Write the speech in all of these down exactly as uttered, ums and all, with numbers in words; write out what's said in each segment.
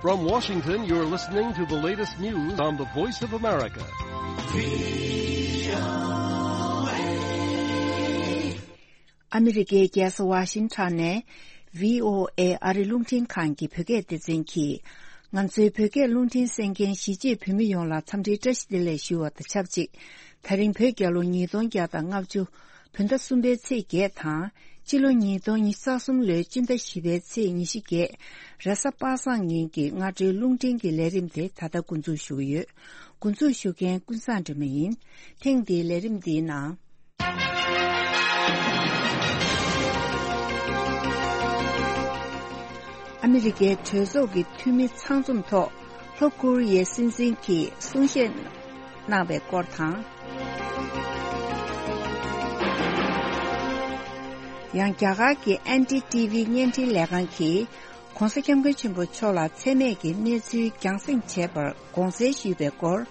From Washington, you're listening to the latest news on the Voice of America. ཨ་མི་རི་ཀའི་རྒྱལ་ས་ཝ་ཤིང་ཊོན་ནས་བྷི་ཨོ་ཨེ་ཨ་རི་རླུང་འཕྲིན་ཁང་གི་བོད་སྐད་སྡེ་ཚན་གྱིས། ང་ཚོའི་བོད་སྐད་རླུང་འཕྲིན་གསན་མཁན་གཞིས་བྱེས་བོད་མི་ཡོངས་ལ་འཚམས་འདྲིའི་བཀྲ་ཤིས་བདེ་ལེགས་ཞུ་བ་དང་ཆབས་ཅིག་ད་རིང་བོད་རྒྱལ་ལོ་ཉིས་སྟོང་བརྒྱ་དང་ལྔ་བཅུ་བོད་ཟླ་གསུམ་པའི་ཚེས་བརྒྱད་དང་། སྤྱི་ལོ་ཉིས་སྟོང་ཉི་ཤུ་རྩ་གསུམ་ལོའི་སྤྱི་ཟླ་བཞི་པའི་ཚེས་ཉི་ཤུ་བརྒྱད། རེས་གཟའ་པ་སངས་ཉིན་གྱི་སྔ་དྲོའི་རླུང་འཕྲིན་གྱི་ལས་རིམ་དེ་ད་ལྟ་འགོ་འཛུགས་ཞུ་གི་ཡོད། འགོ་འཛུགས་ཞུ་མཁན་ཀུན་བཟང་སྒྲོལ་མ་ཡིན། ཐེངས་འདིའི་ལས་རིམ་འདིའི་ནང་། ཨ་མི་རི་ཀའི་གྲོས་ཚོགས་ཀྱི་འཐུས་མི་ཚང་འཛོམས་ཐོག་ལྷོ་ཀོ་རི་ཡའི་སྲིད་འཛིན་གྱིས་གསུང་བཤད་གནང་བའི་སྐོར་དང་། ཡང་རྒྱ་གར་གྱི་ཨེན་ཌི་ཊི་ཝི་བརྙན་འཕྲིན་ལས་ཁང་གིས་༧གོང་ས་༧སྐྱབས་མགོན་ཆེན་པོ་མཆོག་ལ་མཚན་སྨད་ཀྱི་གནས་ཚུལ་རྒྱང་སྲིང་བྱས་པར་དགོངས་སེལ་ཞུས་པའི་སྐོར།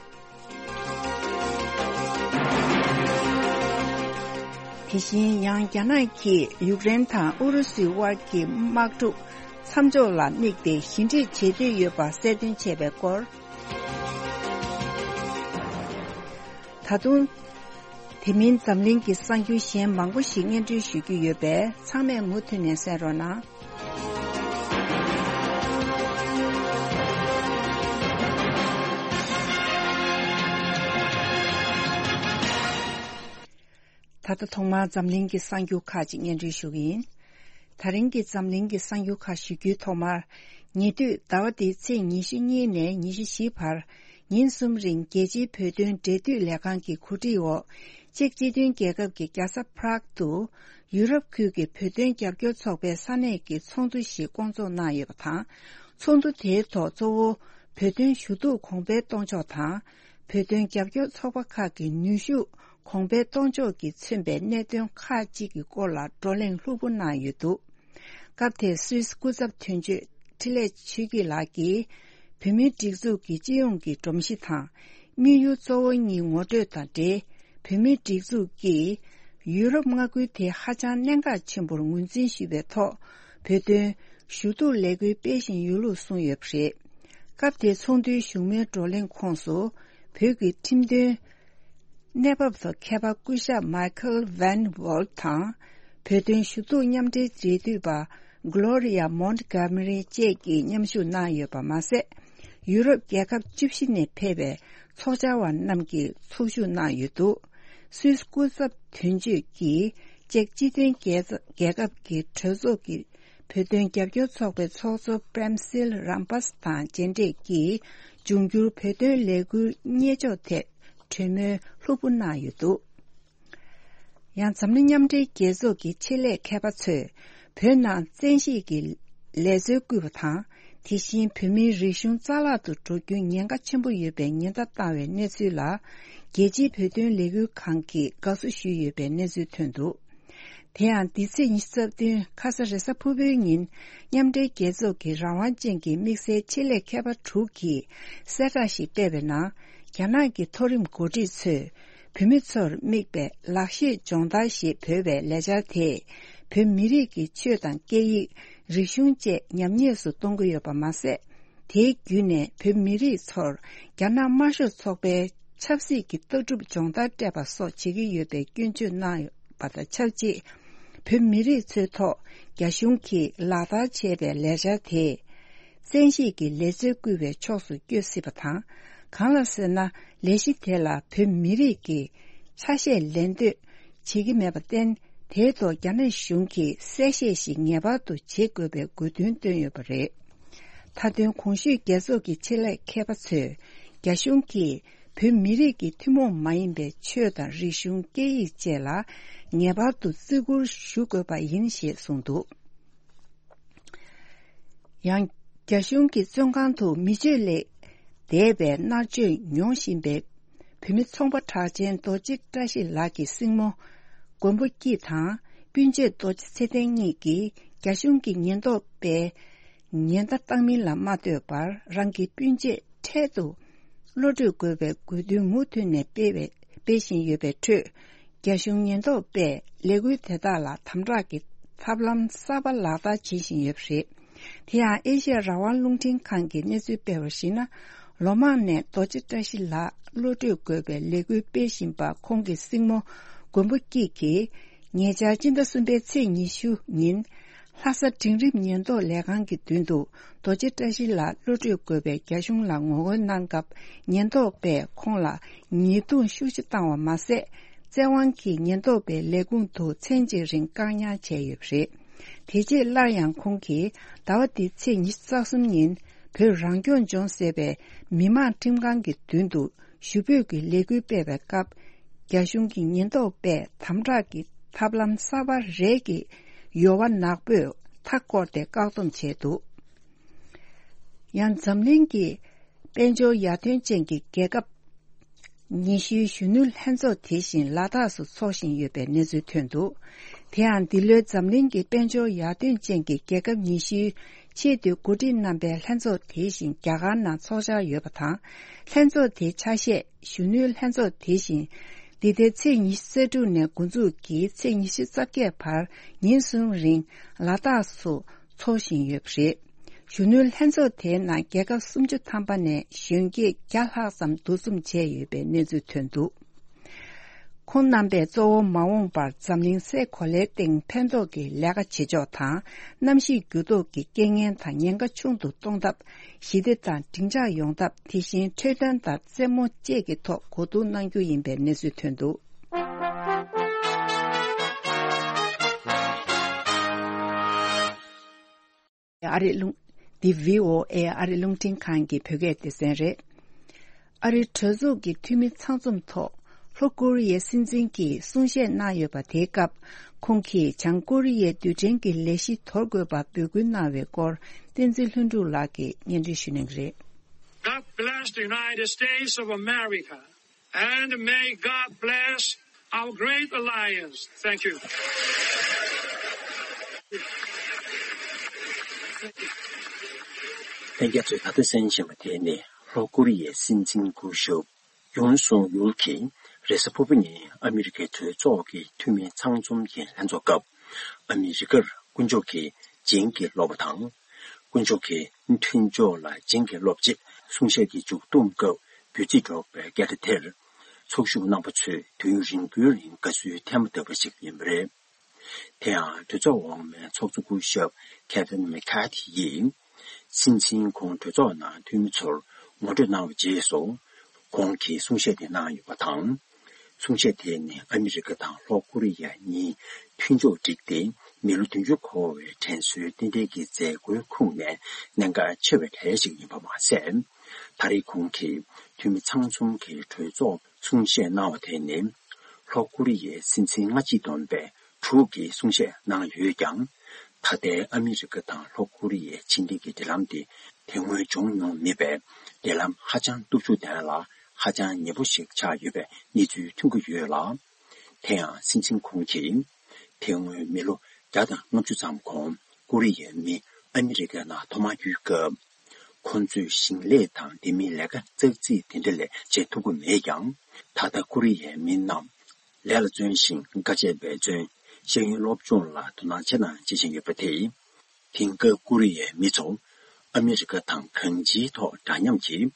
དེ་བཞིན་ཡང་རྒྱ་ནག་གིས་ཡུཀ་རེན་དང་ཨུ་རུ་སུའི་དབར་གྱི་དམག་འཁྲུག་མཚམས་འཇོག་ལ་དམིགས་ཏེ་ཞི་འགྲིག་བྱེད་འདོད་ཡོད་པ་གསལ་སྟོན་བྱས་པའི་སྐོར། ད་དུང་། དེ་མིན་འཛམ་གླིང་གི་གསར་འགྱུར་གཞན་མང་པོ་ཞིག་སྙན་སྒྲོན་ཞུ་རྒྱུ་ཡོད་པས་ཚང་མས་མུ་མཐུད་ནས་གསན་རོགས་གནང་། ད་ལྟ་ཐོག་མར་འཛམ་གླིང་གི་གསར་འགྱུར་ཁག་ཅིག་སྙན་སྒྲོན་ཞུ་གི་ཡིན། ད་རིང་གི་འཛམ་གླིང་གི་གསར་འགྱུར་ཁག་ཞུ་རྒྱུའི་ཐོག་མར། ཉེ་དུས་ཟླ་བ་འདིའི་ཚེས་ཉི་ཤུ་གཉིས་ནས་ཉི་ཤུ་བཞི་བར་ཉིན་གསུམ་རིང་རྒྱལ་སྤྱིའི་བོད་དོན་འབྲེལ་མཐུད་ལས་ཁང་གི་གོ་སྒྲིག་འོག་ཅེཀ་སྤྱི་མཐུན་རྒྱལ་ཁབ་ཀྱི་རྒྱལ་ས་པ་རག་ཏུ་ཡུ་རོབ་ཁུལ་གྱི་བོད་དོན་རྒྱབ་སྐྱོར་ཚོགས་པའི་ས་གནས་ཀྱི་ཚོགས་འདུ་ཞིག་བསྐོང་ཚོགས་གནང་ཡོད་པ་དང་། ཚོགས་འདུ་དེའི་ཐོག་གཙོ་བོ་བོད་དོན་ཞུ་གཏུག་གོང་འཕེལ་གཏོང་ཕྱོགས་དང་། བོད་དོན་རྒྱབ་སྐྱོར་ཚོགས་པ་ཁག་གི་ནུས་ཤུགས་གོང་འཕེལ་གཏོང་ཕྱོགས་ཀྱིས་མཚོན་པའི་གནད་དོན་ཁག་ཅིག་གི་སྐོར་ལ་བགྲོ་གླེང་ལྷུག་པོ་གནང་ཡོད་འདུག་སྐབས་དེར་སུད་སི་སྐུ་ཚབ་དོན་གཅོད་འཕྲིན་ལས་ཆོས་སྐྱིད་ལགས་ཀྱིས། བོད་མིའི་སྒྲིག་འཛུགས་ཀྱི་སྤྱི་ཡོངས་ཀྱི་སྒྲོམ་གཞི་དང་། དམིགས་ཡུལ་གཙོ་བོ་གཉིས་ངོ་སྤྲོད་དང་འབྲེལ། བོད་མིའི་སྒྲིག་འཛུགས་ཀྱིས། ཡུ་རོབ་མངའ་ཁུལ་དེ་ཧ་ཅང་གནད་འགག་ཆེན་པོར་ངོས་འཛིན་ཞུས་པའི་ཐོག་བོད་དོན་ཞུ་གཏུག་ལས་འགུལ་སྤེལ་བཞིན་ཡོད་ལུགས་གསུངས་ཡོད་པ་རེད། སྐབས་དེའི་ཚོགས་འདུའི་བཞུགས་མོལ་བགྲོ་གླེང་ཁོངས་སུ། བོད་ཀྱི་ཁྲིམས་དོན། གནས་བབ་ཐོག་མཁས་པ་སྐུ་ཞབས་མཱི་ཁལ་ཝན་ཝོལ་དང་། བོད་དོན་ཞུ་གཏུག་མཉམ་འབྲེལ་འབྲེལ་མཐུད་པ་གྷི་ལོ་རི་ཡ་མོན་གྷ་མ་རི་བཅས་ཀྱིས་མཉམ་ཞུགས་གནང་ཡོད་པ་མ་ཟད། ཡུ་རོབ་རྒྱལ་ཁབ་བཅུ་བཞི་ནས་ཕེབས་པའི་ཚོགས་བཅར་བ་རྣམས་ཀྱིས་ཚོགས་ཞུགས་གནང་ཡོད་འདུག་སུད་སི་སྐུ་ཚབ་དོན་གཅོད་ཀྱིས་ཅེཀ་སྤྱི་མཐུན་རྒྱལ་རྒྱལ་ཁབ་ཀྱི་གྲོས་ཚོགས་ཀྱི་བོད་དོན་རྒྱབ་སྐྱོར་ཚོགས་པའི་ཚོགས་གཙོ་པྲེམ་སིལ་རམ་པས་དང་མཇལ་འཕྲད་ཀྱིས་འབྱུང་འགྱུར་བོད་དོན་ལས་འགུལ་གཉེར་ཕྱོགས་ཐད་གྲོས་མོལ་ལྷུག་པོ་གནང་ཡོད་འདུག་ཡང་འཛམ་གླིང་མཉམ་འབྲེལ་རྒྱལ་ཚོགས་ཀྱི་ཆེད་ལས་མཁས་པ་ཚོས་བོད་ནང་བཙན་ཤེད་ཀྱི་ལས་འཛོལ་བསྐུལ་བ་དང་། དེ་བཞིན་བོད་མིའི་རིག་གཞུང་རྩ་བརླག་ཏུ་འགྲོ་རྒྱུའི་ཉེན་ཁ་ཆེན་པོ་ཡོད་པའི་ཉེན་བརྡ་བཏང་བའི་གནས་ཚུལ་ལ། རྒྱལ་སྤྱིའི་བོད་དོན་ལས་འགུལ་ཁང་གིས་དགའ་བསུ་ཞུས་ཡོད་པའི་གནས་ཚུལ་ཐོན་འདུག་དེ་ཡང་འདི་ཚེས་ཉི་ཤུ་རྩ་བདུན་ཁ་ས་རེས་གཟའ་ཕུར་བུའི་ཉིན་མཉམ་འབྲེལ་རྒྱལ་ཚོགས་ཀྱི་རང་དབང་ཅན་གྱི་དམིགས་བསལ་ཆེད་ལས་མཁས་པ་དྲུག་གིས་གསལ་བསྒྲགས་ཤིག་སྤེལ་བའི་ནང་། རྒྱ་ནག་གི་མཐོ་རིམ་འགོ་ཁྲིད་ཚོས་བོད་མི་ཚོར་དམིགས་པའི་ལག་ཤེས་སྦྱོང་བརྡར་ཞེས་འབོད་པའི་ལས་འཆར་དེས་བོད་མི་རིགས་ཀྱི་ཆོས་དང་སྐད་ཡིག་རིག་གཞུང་བཅས་ཉམས་ཉེས་སུ་གཏོང་གི་ཡོད་པ་མ་ཟད། དེའི་བརྒྱུད་ནས་བོད་མི་རིགས་ཚོར་རྒྱ་ནག་དམར་ཤོག་ཚོགས་པའི་ཆབ་སྲིད་ཀྱི་ལྟ་གྲུབ་སྦྱོང་བརྡར་སྤྲད་པ་སོགས་བྱེད་ཀྱི་ཡོད་པའི་སྐྱོན་བརྗོད་གནང་ཡོད་པ་དང་ཆབས་ཅིག་བོད་མི་རིགས་ཚོའི་ཐོག་རྒྱ་གཞུང་གིས་ལག་བསྟར་བྱས་པའི་ལས་འཆར་དེས། བཙན་ཤེད་ཀྱི་ལས་འཛོལ་བསྐུལ་བའི་ཕྱོགས་སུ་བསྐྱོད་སྲིད་པ་དང་། གང་ལ་ཟེར་ན། ལས་གཞི་དེ་ལ་བོད་མི་རིགས་ཀྱི་ཆ་ཤས་ལེན་འདོད་བྱེད་ཀྱི་མེད་པར་བརྟེན། དེའི་ཐོག་རྒྱ་ནག་གཞུང་གིས་གསལ་བཤད་ཞིག་ངེས་པར་དུ་བྱེད་དགོས་པའི་དགོས་འདུན་བཏོན་ཡོད་པ་རེད། མཐའ་དོན་གོང་ཞུས་རྒྱལ་ཚོགས་ཀྱི་ཆེད་ལས་མཁས་པ་ཚོས་རྒྱ་གཞུང་གིས་བོད་མི་རིགས་ཀྱི་ཐུན་མོང་མ་ཡིན་པའི་ཆོས་དང་རིག་གཞུང་སྐད་ཡིག་བཅས་ལ་ངེས་པར་དུ་བརྩི་བཀུར་ཞུ་དགོས་པ་ཡིན་ཞེས་གསུངས་འདུག་ཡང་། རྒྱ་གཞུང་གི་བཙོན་ཁང་དུ་མི་སྤྱོད་ལས་འདས་པའི་མནར་གཅོད་མྱོང་བཞིན་པའི་བོད་མི་ཚོང་པ་གྲགས་ཅན་རྡོ་རྗེ་བཀྲ་ཤིས་ལགས་ཀྱི་སྲིང་མོ་མགོན་པོ་སྐྱིད་དང་སྤུན་མཆེད་རྡོ་རྗེ་ཚེ་བརྟན་གཉིས་ཀྱིས་རྒྱ་གཞུང་གི་ཉེན་རྟོག་པས་ཉེན་བརྡ་བཏང་མིན་ལ་མ་ལྟོས་པར། རང་གི་སྤུན་མཆེད་འཕྲལ་དུ་གློད་གྲོལ་དགོས་པའི་དགོས་འདུན་མུ་མཐུད་ནས་སྤེལ་བའི་སྤེལ་བཞིན་ཡོད་པའི་ཁྲོད། རྒྱ་གཞུང་ཉེན་རྟོག་པས་ལས་འགུལ་དེ་དག་ལ་དམ་དྲག་གི་ཐབས་ལམ་གསར་པ་ལག་བསྟར་བྱེད་བཞིན་ཡོད་པ་རེད། དེ་ཡང་ཨེ་ཤ་ཡ་རང་དབང་རླུང་འཕྲིན་ཁང་གིས་གནས་ཚུལ་སྤེལ་བར་གཞིགས་ན། ལོ་མང་ནས་རྡོ་རྗེ་བཀྲ་ཤིས་ལགས་བློ་གྲོས་དགོས་པའི་ལས་འགུལ་སྤེལ་བཞིན་པ་ཁོང་གི་སྲིང་མོ་མགོན་པོ་སྐྱིད་ཀྱིས། ཉེ་ཆར་སྤྱི་ཟླ་གསུམ་པའི་ཚེས་ཉི་ཤུ་ཉིན། ལྷ་ས་འབྲིང་རིམ་ཉེན་རྟོག་ལས་ཁང་གི་མདུན་དུ་རྡོ་རྗེ་བཀྲ་ཤིས་ལགས་བློ་གྲོས་དགོས་པའི་རྒྱ་གཞུང་ལ་ངོ་རྒོལ་གནང་སྐབས། ཉེན་རྟོག་པས་ཁོང་ལ་ཉེས་རྡུང་ཤུགས་ཆེ་བཏང་བ་མ་ཟད། བཙན་དབང་གིས་ཉེན་རྟོག་པའི་ལས་ཁུངས་དུ་མཚན་གཅིག་རིང་བཀག་ཉར་བྱས་ཡོད་པ་རེད། དེ་རྗེས་སླར་ཡང་ཁོང་གིས་ཟླ་བ་འདིའི་ཚེས་ཉི་ཤུ་རྩ་གསུམ་ཉིན་བོད་རང་སྐྱོང་ལྗོངས་ཟེར་བའི་མི་དམངས་ཁྲིམས་ཁང་གི་མདུན་དུ་ཞུ་འབོད་ཀྱི་ལས་འགུལ་སྤེལ་བའི་སྐབས། རྒྱ་གཞུང་གི་ཉེན་རྟོག་པས་དམ་དྲག་གི་ཐབས་ལམ་གསར་པ་རེ་གི་ཡོལ་བ་ནག་པོས་མཐའ་བསྐོར་ཏེ་བཀག་སྡོམ་བྱས་འདུག་ཡང་འཛམ་གླིང་གི་དཔལ་འབྱོར་ཡར་ཐོན་ཅན་གྱི་རྒྱལ་ཁབ་ཉི་ཤུའི་གཞོན་ནུ་ལྷན་ཚོགས་དེ་བཞིན་ལ་དྭགས་སུ་འཚོགས་བཞིན་ཡོད་པའི་གནས་ཚུལ་ཐོན་འདུག་དེ་ཡང་འདི་ལོའི་འཛམ་གླིང་གི་དཔལ་འབྱོར་ཡར་ཐོན་ཅན་གྱི་རྒྱལ་ཁབ་ཉི་ཤུའི་ཆེས་མཐོའི་འགོ་ཁྲིད་རྣམ་པའི་ལྷན་ཚོགས་དེ་བཞིན་རྒྱ་གར་ནང་འཚོགས་འཆར་ཡོད་པ་དང་། ལྷན་ཚོགས་དེའི་ཆ་ཤས་གཞོན་ནུའི་ལྷན་ཚོགས་དེ་བཞིན། འདི་ཟླའི་ཚེས་ཉི་ཤུ་རྩ་དྲུག་ནས་འགོ་འཛུགས་ཀྱིས་ཚེས་ཉི་ཤུ་རྩ་བརྒྱད་བར་ཉིན་གསུམ་རིང་ལ་དྭགས་སུ་འཚོགས་བཞིན་ཡོད་པ་རེད། གཞོན་ནུའི་ལྷན་ཚོགས་དེའི་ནང་རྒྱལ་ཁབ་སུམ་ཅུ་ཐམ་པ་ནས་གཞོན་སྐྱེས་བརྒྱ་ལྷག་ཙམ་འདུ་འཛོམས་བྱས་ཡོད་པའི་གནས་ཚུལ་ཐོན་འདུག་ཁོང་རྣམ་པས་གཙོ་བོ་མ་འོངས་པར་འཛམ་གླིང་སའི་གོ་ལའི་སྟེང་ཕན་ཐོགས་ཀྱི་ལས་ཀ་བྱེད་ཕྱོགས་དང་། གནམ་གཤིས་འགྱུར་ལྡོག་གི་རྐྱེན་ངན་དང་ཉེན་ཁ་ཆུང་དུ་གཏོང་ཐབས། ཞི་བདེ་དང་སྒྲིང་འཇགས་ཡོང་ཐབས། དེ་བཞིན་འཕྲོད་བསྟེན་དང་རྩེད་མོ་བཅས་ཀྱི་ཐོག་གོ་བསྡུར་གནང་རྒྱུ་ཡིན་པའི་གནས་ཚུལ་ཐོན་འདུག་ཨ་རི་རླུང་། འདི་བྷི་ཨོ་ཨེ་ཨ་རི་རླུང་འཕྲིན་ཁང་གི་བོད་སྐད་སྡེ་ཚན་རེད། ཨ་རིའི་གྲོས་ཚོགས་ཀྱི་འཐུས་མི་ཚང་འཛོམས་ཐོག་ལྷོ་ཀོ་རི་ཡའི་སྲིད་འཛིན་གྱིས་གསུང་བཤད་གནང་ཡོད་པ་དེའི་སྐབས། ཁོང་གིས་བྱང་ཀོ་རི་ཡའི་རྡུལ་ཕྲན་གྱི་ལས་གཞི་དོར་དགོས་པར་འབོད་སྐུལ་གནང་བའི་སྐོར། བསྟན་འཛིན་ལྷུན་གྲུབ་ལགས་ཀྱིས་སྙན་སྒྲོན་ཞུ་གནང་གི་རེད། God bless the United States of America and may God bless our great alliance. Thank you. ལྷན་རྒྱས་ཚོས་ད་ལྟ་གསན་བཞིན་པ་དེ་ནི་ལྷོ་ཀོ་རི་ཡའི་སྲིད་འཛིན་སྐུ་ཞབས་ཡུན་སུང་ཡུལ་གྱིས་རེས་གཟའ་ཕུར་བུ་ཉིན་ཨ་མི་རི་ཀའི་གྲོས་ཚོགས་ཀྱི་འཐུས་མི་ཚང་འཛོམས་ཀྱི་ལྷན་ཚོགས་སྐབས། ཨ་མི་རི་ཀར་དཀོན་མཆོག་གི་བྱིན་གྱིས་རློབ་པ་དང་། དཀོན་མཆོག་གི་མཐུན་ཕྱོགས་ལ་བྱིན་གྱིས་རློབ་ཅེས་གསུང་བཤད་ཀྱི་མཇུག་བསྡོམས་སྐབས་འབོད་ཚིག་སྒྲོག་པའི་སྐད་སྒྲ་དེར། ཚོགས་ཞུགས་རྣམ་པ་ཚོས་དུས་ཡུན་རིང་པོའི་རིང་དགའ་བསུའི་ཐལ་མོ་བརྡབས་པ་ཞིག་ཡིན་པ་རེད། དེ་ཡང་གྲོས་ཚོགས་འོག་མའི་ཚོགས་གཙོ་སྐུ་ཞབས་ཁེ་ཝིན་མེ་ཁ་ཐི་ཡིས། སྲིད་འཛིན་ཁོང་གྲོས་ཚོགས་ནང་འཐུས་མི་ཚོར་ངོ་སྤྲོད་གནང་བའི་རྗེས་སུ། ཁོང་གིས་གསུང་བཤད་དེ་གནང་ཡོད་པ་དང་། གསུང་བཤད་དེ་ནི་ཨ་མི་རི་ཀ་དང་ལྷོ་ཀོ་རི་ཡ་གཉིས་མཐུན་ཕྱོགས་བསྒྲིགས་ཏེ་མི་ལོ་བདུན་ཅུ་འཁོར་བའི་དྲན་གསོའི་རྟེན་འབྲེལ་གྱི་མཛད་སྒོའི་ཁོངས་ནས་གནད་འགག་ཆེ་བའི་གྲས་ཤིག་ཡིན་པ་མ་ཟད། ད་རེས་ཁོང་གིས་འཐུས་མི་ཚང་འཛོམས་ཀྱི་གྲོས་ཚོགས་གསུང་བཤད་གནང་བ་དེ་ནི། ལྷོ་ཀོ་རི་ཡའི་སྲིད་འཛིན་སྔ་ཕྱི་བསྡོམས་པས་དྲུག་གིས་གསུང་བཤད་གནང་ཡོད་ཀྱང་། ད་ལྟའི་ཨ་མི་རི་ཀ་དང་ལྷོ་ཀོ་རི་ཡའི་ཕྱི་འབྲེལ་གྱི་འབྲེལ་ལམ་དེ་དེ་སྔོན་བྱུང་མྱོང་མེད་པས། འབྲེལ་ལམ་ཧ་ཅང་སྟོབས་ཤུགས་ལྡན་ལ་ཧ་ཅང་ཉེ་པོ་ཞིག་ཆགས་ཡོད་པའི་གནས་ཚུལ་ཐོན་གྱི་ཡོད་ལ། དེ་ཡང་སྲིད་འཛིན་ཁོང་གིས་དེ་སྔོན་མི་ལོ་བརྒྱ་དང་ལྔ་བཅུ་ཙམ་གོང་ཀོ་རི་ཡའི་མི་ཨ་མི་རི་ཀའི་ནང་ཐོག་མར་འགྱུར་སྐབས། ཁོ་ཚོས་ཞིང་ལས་དང་དེ་མིན་ལས་ཀ་ཙག་ཙིག་དེ་འདྲ་ལས་བྱེད་ཐུབ་ཀྱི་མེད་ཀྱང་། ད་ལྟ་ཀོ་རི་ཡའི་མི་རྣམས་ལས་ལ་བརྩོན་ཞིང་དཀའ་སྤྱད་འབད་བརྩོན། ཤེས་ཡོན་སློབ་སྦྱོང་ལ་དོ་སྣང་ཆེ་ན་ཆེ་བཞིན་ཡོད་པ་དེས། དེང་སྐབས་ཀོ་རི་ཡའི་མི་ཚོ་ཨ་མི་རི་ཀ་དང་གང་ཅིའི་ཐོག་འདྲ་མཉམ་གྱིས་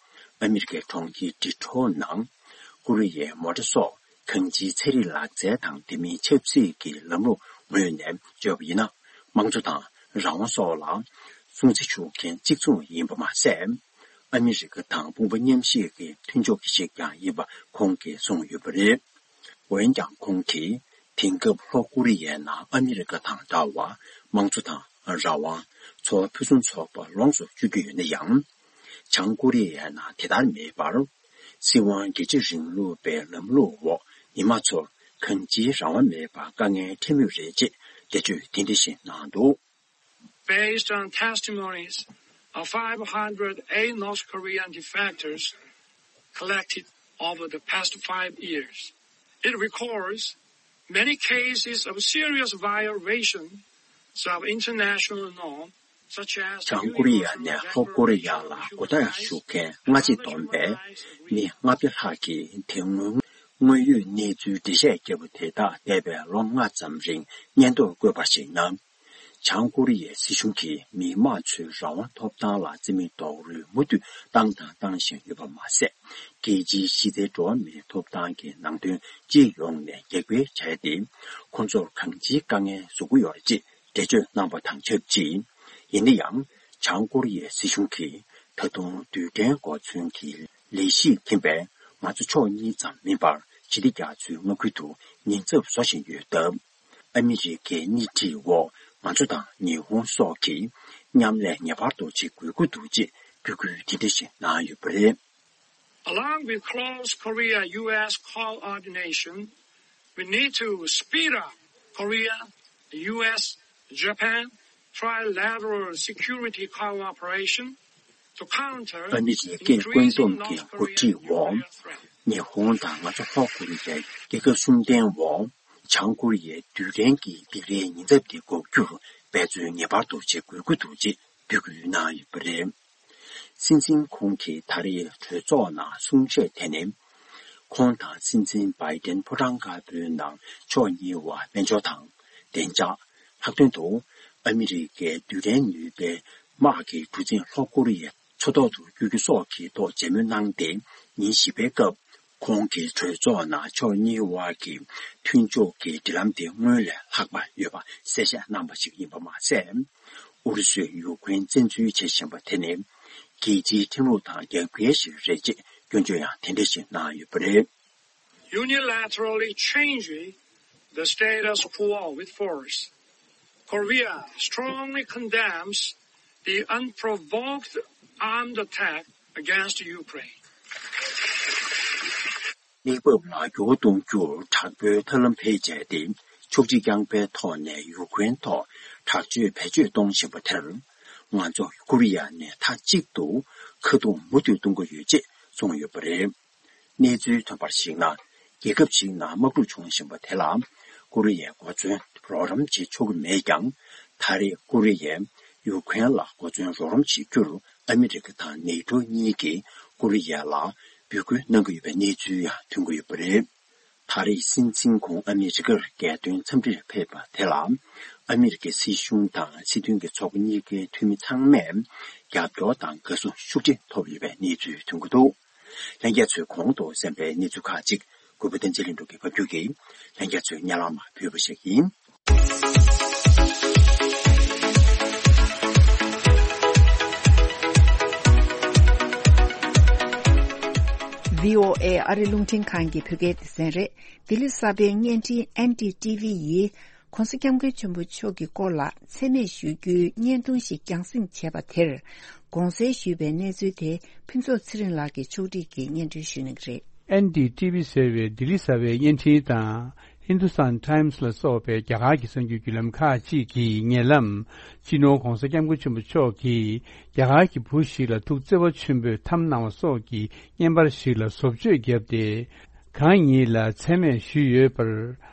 ཨ་མི་རི་ཀའི་གྲོང་ཁྱེར་ཌི་ཊོ་ནང་ཀོ་རི་ཡའི་མོ་ཊ་སོགས་གང་ཅིའི་ཚན་རིག་ལག་རྩལ་དང་དེ་མིན་ཆབ་སྲིད་ཀྱི་ལམ་ལུགས་ངོས་ནས་བརྗོད་པ་ཡིན་ན། དམངས་གཙོ་དང་རང་དབང་སོགས་ལ་སྲུང་བརྩི་ཞུ་མཁན་གཅིག་མཚུངས་ཡིན་པ་མ་ཟད། ཨ་མི་རི་ཀ་དང་དཔུང་པ་མཉམ་གཤིབ་ཀྱི་མཐུན་ཕྱོགས་ཤིག་ཀྱང་ཡིན་པ་ཁོང་གིས་གསུངས་ཡོད་པ་རེད། འོན་ཀྱང་ཁོང་གིས་དེང་སྐབས་ལྷོ་ཀོ་རི་ཡའི་ནང་ཨ་མི་རི་ཀ་དང་འདྲ་བར་དམངས་གཙོ་དང་རང་དབང་། འཚོ་བ་ཕུན་སུམ་ཚོགས་པ་ལོངས་སུ་སྤྱོད་ཀྱི་ཡོད་ན་ཡང་། བྱང་ཀོ་རི་ཡའི་ནང་དེ་ལྟར་མེད་པར། སྲིད་དབང་སྒེར་གཅོད་རིང་ལུགས་པའི་ལམ་ལུགས་འོག་མི་དམངས་ཚོར་གང་ཅིའི་རང་དབང་མེད་པར་དཀའ་ངལ་འཕྲད་མུས་རེད་ཅེས་འགྲེལ་བརྗོད་དེ་འདྲ་ཞིག་གནང་འདུག Based on testimonies of five hundred eight North Korean defectors collected over the past five years, it records many cases of serious violations of international norms, such as བྱང་ཀོ་རི་ཡ་ནས་ལྷོ་ཀོ་རི་ཡ་ལ་སྒོ་རྟགས་ཞུ་མཁན་སྔ་ཕྱི་བསྡོམས་པས་མི་ལྔ་བརྒྱ་ལྷག་གིས་དེ་སྔོན་དངོས་ཡོད་གནས་ཚུལ་འགྲེལ་བཤད་བརྒྱབ་པ་དེ་དག་འདས་པའི་ལོ་ལྔ་ཙམ་རིང་སྙན་ཐོར་བཀོད་པར་གཞིགས་ན། བྱང་ཀོ་རི་ཡའི་སྲིད་གཞུང་གིས་མི་དམངས་ཚོའི་རང་དབང་ཐོབ་ཐང་ལ་བརྩི་མེད་རྡོག་རོལ་མུ་མཐུད་བཏང་དང་བཏང་བཞིན་ཡོད་པ་མ་ཟད། རྒྱལ་སྤྱིའི་གཞི་རྩའི་འགྲོ་བ་མིའི་ཐོབ་ཐང་གི་ནང་དོན་སྤྱི་ཡོངས་ནས་རྒྱབ་འགལ་བྱས་ཏེ། ཁོང་ཚོར་གང་ཅིའི་དཀའ་ངལ་བཟོ་གི་ཡོད་རེད་ཅེས་འགྲེལ་བརྗོད་གནང་པ་དང་ཆབས་ཅིག། ཡིན་ན་ཡང་། བྱང་ཀོ་རི་ཡའི་སྲིད་གཞུང་གིས་ད་དུང་རྡུལ་ཕྲན་གོ་མཚོན་གྱི་ལས་གཞི་འཐེན་པས། ང་ཚོ་ཕྱོགས་གཉིས་ཙམ་མིན་པར་ཞི་བདེ་རྒྱ་མཚོའི་མངའ་ཁུལ་དུ་ཉེན་ཚབས་བཟོ་བཞིན་ཡོད་སྟབས། ཨ་མི་རི་ཀའི་སྣེ་ཁྲིད་འོག་ང་ཚོ་དང་ཉི་ཧོང་སོགས་ཀྱིས་མཉམ་ལས་ངེས་པར་དུ་བྱེད་དགོས་ཀྱི་འདུག་ཅེས་འབོད་སྐུལ་དེ་འདྲ་ཞིག་གནང་ཡོད་པ་རེད། Along with close Korea U S coordination, we need to speed up Korea U S Japan trilateral security cooperation to counter ཨ་མི་རི་ཀས་བཀོད་འདོམས་ཀྱི་འགོ་ཁྲིད་འོག་ཉི་ཧོང་དང་ང་ཚོ་ལྷོ་ཀོ་རི་ཡའི་རྒྱལ་ཁབ་གསུམ་ལྡན་འོག་བྱང་ཀོ་རི་ཡའི་རྡུལ་ཕྲན་གྱི་སྡིགས་རའི་ཉེན་ཚབས་དེ་འགོག་རྒྱུར་འབད་བརྩོན་ངེས་པར་དུ་བྱེད་དགོས་ཀྱི་འདུག་ཅེས་འབོད་སྐུལ་གནང་ཡོད་པ་རེད། སྲིད་འཛིན་ཁོང་གིས་ད་རེས་གྲོས་ཚོགས་ནང་གསུང་བཤད་དེ་ནི། ཁོང་དང་སྲིད་འཛིན་བྷའི་ཏན་ཕོ་བྲང་དཀར་པོའི་ནང་ཕྱོགས་གཉིས་བར་དཔལ་འབྱོར་དང་། བདེ་འཇགས། ལྷག་དོན་དུ། ཨ་མི་རི་ཀའི་རྡུལ་ཕྲན་ནུས་པའི་དམག་གི་གྲུ་གཟིངས་ལྷོ་ཀོ་རི་ཡའི་མཚོ་ཐོག་ཏུ་བསྐྱོད་རྒྱུ་སོགས་ཀྱི་ཐོག་མཇལ་མོལ་གནང་སྟེ། ཉིན་བཞི་པའི་སྐབས། ཁོང་གིས་གྲོས་ཚོགས་ནང་ཕྱོགས་གཉིས་དབར་གྱི་མཐུན་ཕྱོགས་ཀྱི་འབྲེལ་ལམ་དེ་སྔོན་ལས་ལྷག་པ་ཡོད་པ་གསལ་བཤད་གནང་པ་ཞིག་ཡིན་པ་མ་ཟད། ཨུ་རུ་སུས་ཡུཀ་རེན་བཙན་འཛུལ་བྱེད་བཞིན་པ་དེ་ནི་རྒྱལ་སྤྱིའི་ཁྲིམས་ལུགས་དང་འགལ་འགལ་ཞིག་རེད་ཅེས་སྐྱོན་བརྗོད་ཡང་དེ་འདྲ་ཞིག་གནང་ཡོད་པ་རེད། Unilaterally changing the status quo with force. Korea strongly condemns the unprovoked armed attack against Ukraine. གནས་བབ་ལ་འགྱུར་བ་གཏོང་རྒྱུར་དྲག་པོའི་ཐབས་ལམ་བེད་སྤྱད་དེ། ཕྱོགས་སྒྲིག་རྐྱང་པའི་ཐོག་ནས་ཡུཀ་རེན་ཐོག་དྲག་སྤྱོད་བེད་སྤྱོད་གཏོང་བཞིན་པ་དེར། ང་ཚོ་ཀོ་རི་ཡ་ནས་མཐའ་གཅིག་ཏུ་ཁ་རྡུང་མུ་མཐུད་གཏོང་གི་ཡོད་ཅེས་གསུངས་ཡོད་པ་རེད། གནས་ཚུལ་ཐོན་པར་གཞིགས་ན། རྒྱལ་ཁབ་ཞིག་ནང་དམག་འཁྲུག་བྱུང་བཞིན་པ་དེ་ལ། ཀོ་རི་ཡས་གོ་མཚོན་རོགས་རམ་བྱེད་ཆོག་གི་མེད་ཀྱང་། ད་རེས་ཀོ་རི་ཡས་ཡུཀ་རེན་ལ་གོ་མཚོན་རོགས་རམ་བྱེད་རྒྱུར་ཨ་མི་རི་ཀ་དང་ནེ་ཊོ་གཉིས་ཀྱིས་ཀོ་རི་ཡ་ལ་འབོད་སྐུལ་གནང་གི་ཡོད་པའི་གནས་ཚུལ་ཡང་ཐོན་གྱི་ཡོད་པ་རེད། ད་རེས་སྲིད་འཛིན་ཁོང་ཨ་མི་རི་ཀར་རྒྱལ་དོན་འཚམས་འདྲིར་ཕེབས་པ་དེ་ལ། ཨ་མི་རི་ཀའི་སྲིད་གཞུང་དང་སྲིད་དོན་གྱི་ཚོགས་པ་གཉིས་ཀའི་འཐུས་མི་ཚང་མས་རྒྱབ་སྐྱོར་དང་དགའ་བསུ་ཤུགས་ཆེ་ཐོབ་ཡོད་པའི་གནས་ཚུལ་ཐོན་གྱི་འདུག། ལྷན་རྒྱས་ཚོས་གོང་དུ་གསན་པའི་གནས་ཚུལ་ཁག་ཅིག་གུས་པ་བསྟན་འཛིན་ལྷུན་གྲུབ་ཀྱིས་ཕབ་སྒྱུར་གྱིས་ལྷན་རྒྱས་ཚོའི་སྙན་ལམ་ཕུལ་བ་ཞིག་ཡིན། བྷི་ཨོ་ཨེ་ཨ་རི་རླུང་འཕྲིན་ཁང་གི་བོད་སྐད་སྡེ་ཚན་རེད། ལྡི་ལི་གསར་པའི་བརྙན་འཕྲིན་ཨེན་ཌི་ཊི་ཝི་ཡིས། ༸གོང་ས་༸སྐྱབས་མགོན་ཆེན་པོ་མཆོག་གི་སྐོར་ལ་མཚན་སྨད་ཞུ་རྒྱུའི་བརྙན་ཐུང་ཞིག་རྒྱང་སྲིང་བྱས་པ་དེར་དགོངས་སེལ་ཞུས་པའི་གནས་ཚུལ་དེ་ཕུན་ཚོགས་ཚེ་རིང་ལགས་ཀྱིས་ཕྱོགས་སྒྲིག་གིས་སྙན་སྒྲོན་ཞུ་གནང་གི་རེད། ཨེན་ཌི་ཊི་ཝི་ཟེར་བའི་ལྡི་ལི་གསར་པའི་བརྙན་འཕྲིན་དང་། ཧིན་དུ་སྟན་ཊའིམ་སི་ལ་སོགས་པའི་རྒྱ་གར་གྱི་གསར་འགྱུར་བརྒྱུད་ལམ་ཁག་ཅིག་གིས་ཉེ་ལམ། སྤྱི་ནོར་༸གོང་ས་༸སྐྱབས་མགོན་ཆེན་པོ་མཆོག་གིས་རྒྱ་གར་གྱི་བུ་ཞིག་ལ་ཐུགས་བརྩེ་བ་ཆེན་པོས་འཐམ་གནང་བ་སོགས་ཀྱི་བརྙན་པར་ཞིག་ལ་བཟོ་བཅོས་བརྒྱབ་སྟེ། གང་ཉིད་ལ་མཚན་སྨད་ཞུས་ཡོད་པར།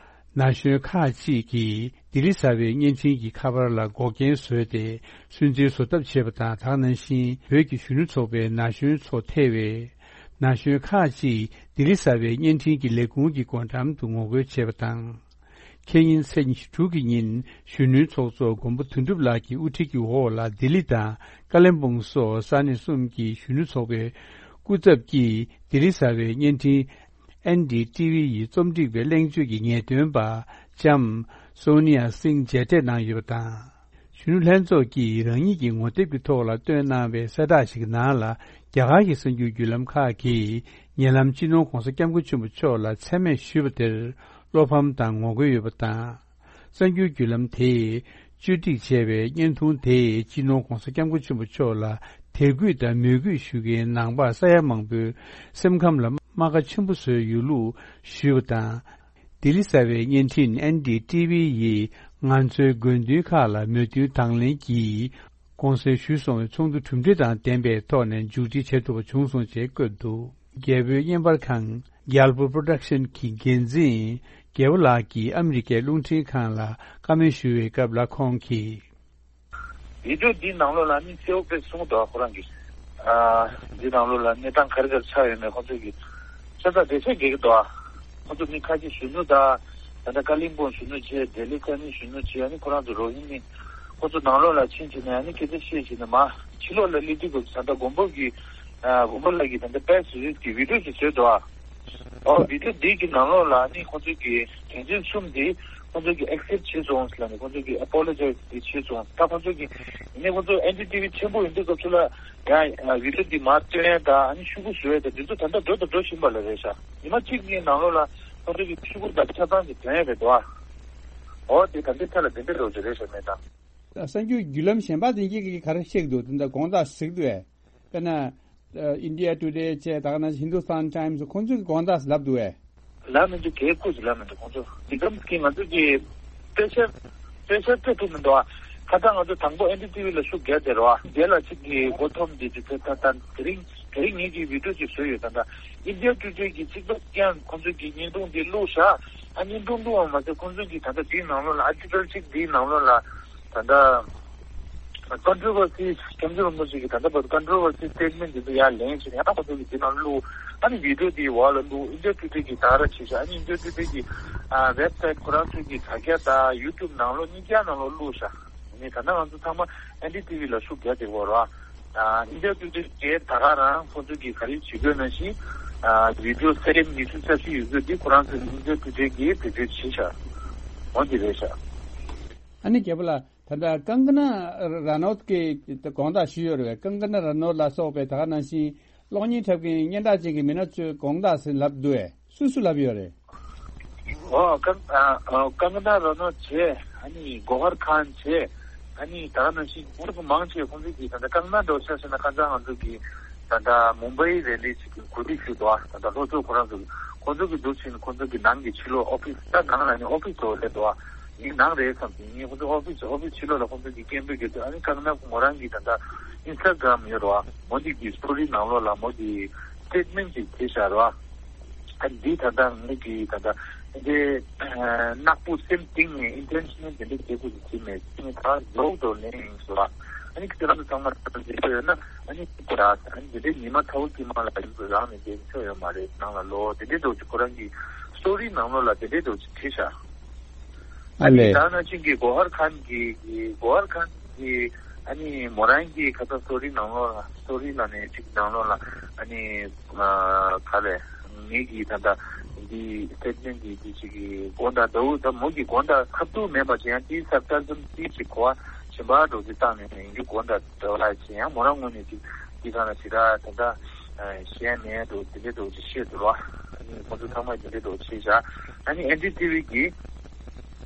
ན་གཞོན་ཁག་ཅིག་གིས་ལྡི་ལི་གསར་པའི་བརྙན་འཕྲིན་གྱི་ཁ་པར་ལ་འགོག་རྐྱེན་བཟོས་ཏེ། སུན་གཙེར་བཟོ་ཐབས་བྱས་པ་དང་། དེ་ནང་བཞིན་བོད་ཀྱི་གཞོན་ནུ་ཚོགས་པའི་ན་གཞོན་ཚོ་ཐེ་བའི་ན་གཞོན་ཁག་ཅིག་ལྡི་ལི་གསར་པའི་བརྙན་འཕྲིན་གྱི་ལས་ཁུངས་ཀྱི་སྒོ་འགྲམ་དུ་ངོ་རྒོལ་བྱས་པ་དང་། ཁེ་ཉིན་ཚེས་ཉི་ཤུ་དྲུག་གི་ཉིན་གཞོན་ནུའི་ཚོགས་གཙོ་མགོན་པོ་དོན་གྲུབ་ལགས་ཀྱི་དབུ་ཁྲིད་ཀྱི་འོག་ལ་ལྡི་ལི་དང་ཀ་ལིམ་པོང་སོགས་ས་གནས་གསུམ་གྱི་གཞོན་ནུ་ཚོགས་པའི་སྐུ་ཚབ་ཀྱིས་ལྡི་ལི་གསར་པའི་བརྙན་འཕྲིན་ཨེན་ཌི་ཊི་ཝི་ཡི་རྩོམ་སྒྲིག་པའི་གླེང་བརྗོད་ཀྱི་ངེས་སྟོན་པ་ལྕམ་སོ་ནི་ཡ་སིང་མཇལ་འཕྲད་གནང་ཡོད་པ་དང་། གཞོན་ནུ་ལྷན་ཚོགས་ཀྱིས་རང་ཉིད་ཀྱི་ངོ་དེབ་ཀྱི་ཐོག་ལ་བཏོན་གནང་བའི་གསལ་བསྒྲགས་ཤིག་ནང་ལ། རྒྱ་གར་གྱི་གསར་འགྱུར་བརྒྱུད་ལམ་ཁག་གིས་ཉེ་ལམ་སྤྱི་ནོར་༸གོང་ས་༸སྐྱབས་མགོན་ཆེན་པོ་མཆོག་ལ་མཚན་སྨད་ཞུས་པ་དེར་བློ་ཕམ་དང་ངོ་རྒོལ་ཡོད་པ་དང་། གསར་འགྱུར་བརྒྱུད་ལམ་དེས་བཅོས་སྒྲིག་བྱས་པའི་བརྙན་ཐུང་དེས་སྤྱི་ནོར་༸གོང་ས་༸སྐྱབས་མགོན་ཆེན་པོ་མཆོག་ལ་དད་གུས་དང་མོས་གུས་ཞུ་མཁན་ནང་པ་ས་ཡ་མང་པོའི་སེམས་ཁམས་ལ་རྨ་ཁ་ཆེན་པོ་བཟོས་ཡོད་ལུགས་ཞུས་པ་དང་། ལྡི་ལི་གསར་པའི་བརྙན་འཕྲིན་ཨེན་ཌི་ཊི་ཝི་ཡིས་ང་ཚོའི་དགོས་འདུན་ཁག་ལ་མོས་མཐུན་དང་ལེན་གྱིས། དགོངས་སེལ་ཞུས་སོང་བའི་ཚོགས་འདུ་གྲུབ་འབྲས་དང་ལྡན་པའི་ཐོག་ནས་མཇུག་སྒྲིལ་བྱེད་ཐུབ་པ་བྱུང་སོང་ཞེས་བཀོད་འདུག། རྒྱལ་པོའི་བརྙན་པར་ཁང་རྒྱལ་པོ་པོ་རོ་ཌག་ཤན་གྱི་འགན་འཛིན་རྒྱལ་པོ་ལགས་ཀྱིས་ཨ་མི་རི་ཀའི་རླུང་འཕྲིན་ཁང་ལ་བཀའ་མོལ་ཞུ་བའི་སྐབས་ལ་ཁོང་གིས། བི་ཌིའོ་འདིའི་ནང་ལོགས་ལ་ནི་གསལ་པོ་དཔེ་གསུངས་འདུག་ཁོ་རང་གིས། ཨ། འདིའི་ནང་ལོགས་ལ་གནས་སྟངས་ག་རེ་ག་རེ་ཆགས་ཡོད་མེད་ཁོང་ཚོ་གིས་ཆ་ཚང་བདེ་ཆེན་རྒྱག་གི་འདུག་ཨ། ཁོང་ཚོ་མི་ཁ་ཤས་གཞོན་ནུ་དང་། ད་ལྟ་ཀ་ལིམ་པོང་གཞོན་ནུ་བྱས། ལྡི་ལི་ས་གནས་གཞོན་ནུ་བྱས། ཨ་ནི་ཁོ་རང་ཚོ་རོ་ཧི་ནི། ཁོ་ཚོ་ནང་ལོགས་ལ་ཕྱིན་བྱས་ནས་ཨ་ནི་སྐད་ཆ་བཤད་བྱས་ནས་མར་ཕྱི་ལོགས་ལ་སླེབས་དུས་སྐབས་སུ་ད་ལྟ་མགོན་པོ་གི་ཨ་མགོན་པོ་ལགས་ཀྱིས་ད་ལྟ་པེ་སི་རིལ་སི་གི་བི་ཌི་ཡོ་ཅིག་བཟོས་འདུག་ཨ། ཨོ་བི་ཌི་ཡོ་འདི་གི་ནང་ལོགས་ལ་ཨ་ནི་ཁོ་ཚོ་གི་དོན་ཚན་གསུམ་འདི་ཁོ་ཚོ་གི་ཨེག་སེབ་བྱས་སོང་ཟེར་ལབ་ནས་ཁོ་ཚོ་གི་ཨ་པོ་ལོ་ཇའི་སི་འདི་བྱས་སོང་། ད་ཁོ་ཚོ་གི་ཡིན་ནའི་ཁོ་ཚོ་ཨེན་ཌི་ཊི་ཝི་ཆེན་པོ་ཡིན་དུས་སྐབས་སུ་ལ་ཡང་ཨ་བི་ཌི་ཡོ་འདི་མར་སྟོན་ཡས་དང་ཨ་ནི་ཤོག་གུ་བཟོ་ཡས་དང་འདི་ཚོ་ད་ལྟ་འགྲོ་དང་འགྲོ་བཞིན་པ་ལ་རེད་ཤག་ཉི་མ་གཅིག་གཉིས་ནང་ལོགས་ལ་ཁོ་ཚོ་གི་ཤོག་གུ་དང་ཆ་ཚང་གི་དོན་ཡས་རེད་འདུག་ཨ། ཨོ་དེ་ད་འདི་ཐད་ལ་དེ་འདྲ་རོགས་ཀྱི་རེད་ཤག་མེད་དང་། གསར་འགྱུར་བརྒྱུད་ལམ་གཞན་པ་དེ་གྱིས་ག་རེ་བཤད་འདུག་དེ་འདྲ་དགོངས་དག་ཞིག་འདུག་ཨེ། དཔེར་ན། ཨ་ཨིན་ཌི་ཡ་ཊུ་ཌེ་བཅས་ད་ག་ནང་བཞིན་ཧིན་དུ་སྟན་ཊའིམ་སི་ཁོང་ཚོས་དགོངས་དག་ལབ་འདུག་ཨེ། ལབ་མི་འདུག་གལ་ཁུ་ཅིག་ལབ་མི་འདུག་ཁོང་ཚོ་འདི་གམ་གི་ང་ཚོ་གི་པེ་ཤར་པེ་ཤར་སྤྲད་ཐུབ་མི་འདུག་ཨ། ཁ་སང་ང་ཚོ་དང་པོ་ཨེན་ཌི་ཊི་ཝི་ལ་ཤུགས་རྒྱག་དེ་རོ་ཨ། དེ་ལ་ཅིག་གི་མགོ་འཐོམ་དེ་དུས་ཚོད་ད་ད་དེ་རིང་དེ་རིང་ངེད་ཀྱི་བི་ཌི་ཡོ་ཅིག་བཟོས་ཡོད། ད་ད་ཨིན་ཌི་ཡ་ཊུ་ཌེ་གི་གཅིག་པ་ཀྱང་ཁོང་ཚོ་གི་བརྙན་ཐུང་དེ་བླུགས་ཤག་ཨ་བརྙན་ཐུང་བླུགས་པ་མ་ཟད་ཁོང་ཚོ་གི་ད་ད་དེའི་ནང་ལོགས་ལ་ཨར་ཊི་ཀལ་ཅིག་དེའི་ནང་ལོགས་ལ་ད་ལྟ་ཀོན་ཊོ་བར་སི་ཁྱམས་ཆུ་རིན་པོ་ཆེ་གི་ད་ལྟ་བར་ཀོན་ཊོ་བར་སི་སི་ཊེ་ཊི་མེན་ཊི་འདི་ཚོ་ཡར་ལེན་བྱས་ནས་ཡང་ཁོ་ཚོ་གི་འདི་ནང་བླུགས། ཨ་ནི་བི་ཌི་ཡོ་འདི་འོག་ལ་བླུགས། ཨིན་ཌི་ཡ་ཊུ་ཌེ་གི་ད་ར་བྱས་ཤག་ཨ་ནི་ཨིན་ཌི་ཡ་ཊུ་ཌེ་གི་ཨ་ཝེབ་སའིཊ་ཁོ་རང་ཚོ་གི་དྲ་རྒྱ་དང་ཡུ་ཊུབ་ནང་ལོགས་གཉིས་ཀ་ནང་ལོགས་བླུགས་ཤག་ཨ་ནི་ད་ལྟ་ང་ཚོ་ཚང་མ་ཨེན་ཌི་ཊི་ཝི་ལ་ཤུགས་རྒྱག་བསྡད་ཡོད་རེད་བ། ཨ་ཨིན་ཌི་ཡ་ཊུ་ཌེ་གིས་ད་ག་རང་ཁོ་ཚོ་གི་ག་རེ་བྱེད་དགོས་ནང་བཞིན་ཨ་བི་ཌི་ཡོ་སེ་ཀེན་ཌི་ཉི་ཤུ་རྩ་བཞི་ཡོད་དགོས་འདི་ཁོ་རང་ཚོ་ཨིན་ཌི་ཡ་ཊུ་ཌེ་གིས་བེད་སྤྱོད་བྱས་ཤག་འོ་འདི་རེད་ཤག་ཨ་ནི་རྒྱལ་པོ་ལགས། ད་ལྟ་ཀང་ཀ་ན་ར་ནོད་ཀྱི་དགོངས་དག་ཞུས་ཡོད་རེད་པས། ཀང་ཀ་ན་ར་ནོད་ལ་སོགས་པའི་ད་ག་ནང་བཞིན་གློག་བརྙན་འཁྲབ་མཁན་སྙན་གྲགས་ཅན་གྱི་མི་སྣ་ཚོས་དགོངས་དག་ཟེར་ལབ་འདུག་པས། སུ་སུ་ལབ་ཡོད་རེད། ཨོ་ཀང་ཨ་ཨ་ཀང་ཀ་ན་ར་ནོད་བྱས། ཨ་ནི་གོ་ཧར་ཁཱན་བྱས། ཨ་ནི་ད་ག་ནང་བཞིན་ཁོང་ཚོ་མང་ཆེ་ཁོང་ཚོ་གི་ད་ལྟ་ཀང་ཀ་ན་འགྲོ་ཆ་ཟེར་ན་ཁ་སང་ང་ཚོ་གི་ད་ལྟ་མུམ་བྷའི་རེ་ལི་ཅིག་གི་གོ་སྒྲིག་ཞུས་འདུག་ད་ལྟ་ལྷོ་ཕྱོགས་ཁོ་རང་ཚོ་གི་ཁོང་ཚོ་གི་འདུག་ཕྱིན་ཁོང་ཚོ་གི་ནང་གི་ཕྱི་ལོགས་ཨོ་ཕི་སི་ད་ནང་ལ་ནི་ཨོ་ཕི་སི་འདྲ་བོ་སླེབས་འདུག་ངའི་ནང་རེད་བསམ་གྱི། ངས་ཁོང་ཚོ་ཨོ་ཕི་སི་ཨོ་ཕི་སི་ཕྱི་ལོགས་ལ་ཁོང་ཚོ་གི་སྐད་འབོད་རྒྱབ་དུས་ཨ་ནི་ཀང་ཀ་ན་མོ་རང་གི་ད་ལྟ་ཨིན་སི་ཊ་གྷ་རམ་ཡོད་རེད་བ། མོ་འདི་གི་སི་ཊོ་རི་ནང་ལོགས་ལ་མོ་གི་སི་ཊེ་ཊི་མེན་ཊི་ཅིག་བྱས་བཞག་རེད་བ། ཨ་འདི་ད་ལྟ་ངེད་ཀྱི་ད་ལྟ་འདི་ནག་པོ་སེམས་གཏིང་ནས་ཨིན་ཊེན་ཤི་ནལ་འདི་འདྲ་བྱེད་དགོས་ཀྱི་མེད། ངས་ད་ལོག་ཏུ་ལེན་ཡིན་ཟེར་བ། ཨ་ནི་ཁྱེད་རང་ཚོ་ཚང་མ་ད་ལྟ་འདི་ཚོ་ཡོད་ན་ཨ་ནི་ད་ཨ་ནི་འདི་འདྲའི་ཉི་མ་ཚ་བོ་དཀྱིལ་མ་ལ་ཡིན་ཚོ་རང་ནས་བསྡད་ཆོག་ཡོད་མ་རེད། ནང་ལ་ལོག་དེ་འདྲའི་འདྲ་བོ་ཅིག་ཁོ་རང་གི་སི་ཊོ་རི་ནང་ལོགས་ལ་དེ་འདྲའི་འདྲ་བོ་ཅིག་བྲིས་ཤག་ཨ་ནི་ད་ནང་བཞིན་གྱི་གོ་ཧར་ཁཱན་གྱི་གོ་ཧར་ཁཱན་གྱི་ཨ་ནི་མོ་རང་གི་ཁ་ཚ་སི་ཊོ་རི་ནང་ལོགས་ལ་སི་ཊོ་རི་ལ་ནས་ཅིག་ནང་ལོགས་ལ་ཨ་ནི་ག་ལས་ངེད་ཀྱི་ད་ལྟ་འདི་སི་ཊེ་ཊི་མེན་ཊི་འདི་འདི་ཅིག་གི་དགོངས་དག་འདྲ་བོ་ད་མོ་གི་དགོངས་དག་ཁ་ཐུག་མེད་པ་ཅིག་ཡང་དེའི་སར་ཀར་ཛམ་ཅིག་གོ་བ་གཞན་པ་འདྲ་བོ་ཅིག་བཏང་ནས་ཡིན་རྒྱུ་དགོངས་དག་འདྲ་བ་ལ་ཅིག་ཡང་མོ་རང་ངོས་ནས་ཅིག་འདི་ག་ལ་ཞེ་དྲག་ད་ལྟ་ཞེ་མེད་འདུག་དེ་འདྲའི་འདྲ་བོ་ཅིག་བཤད་འདུག་རོ། ཨ་ནི་ཁོང་ཚོ་ཚང་མ་དེ་འདྲའི་འདྲ་བོ་བྱས་བཞག་ཨ་ནི་ཨེན་ཌི་ཊི་ཝི་གིས་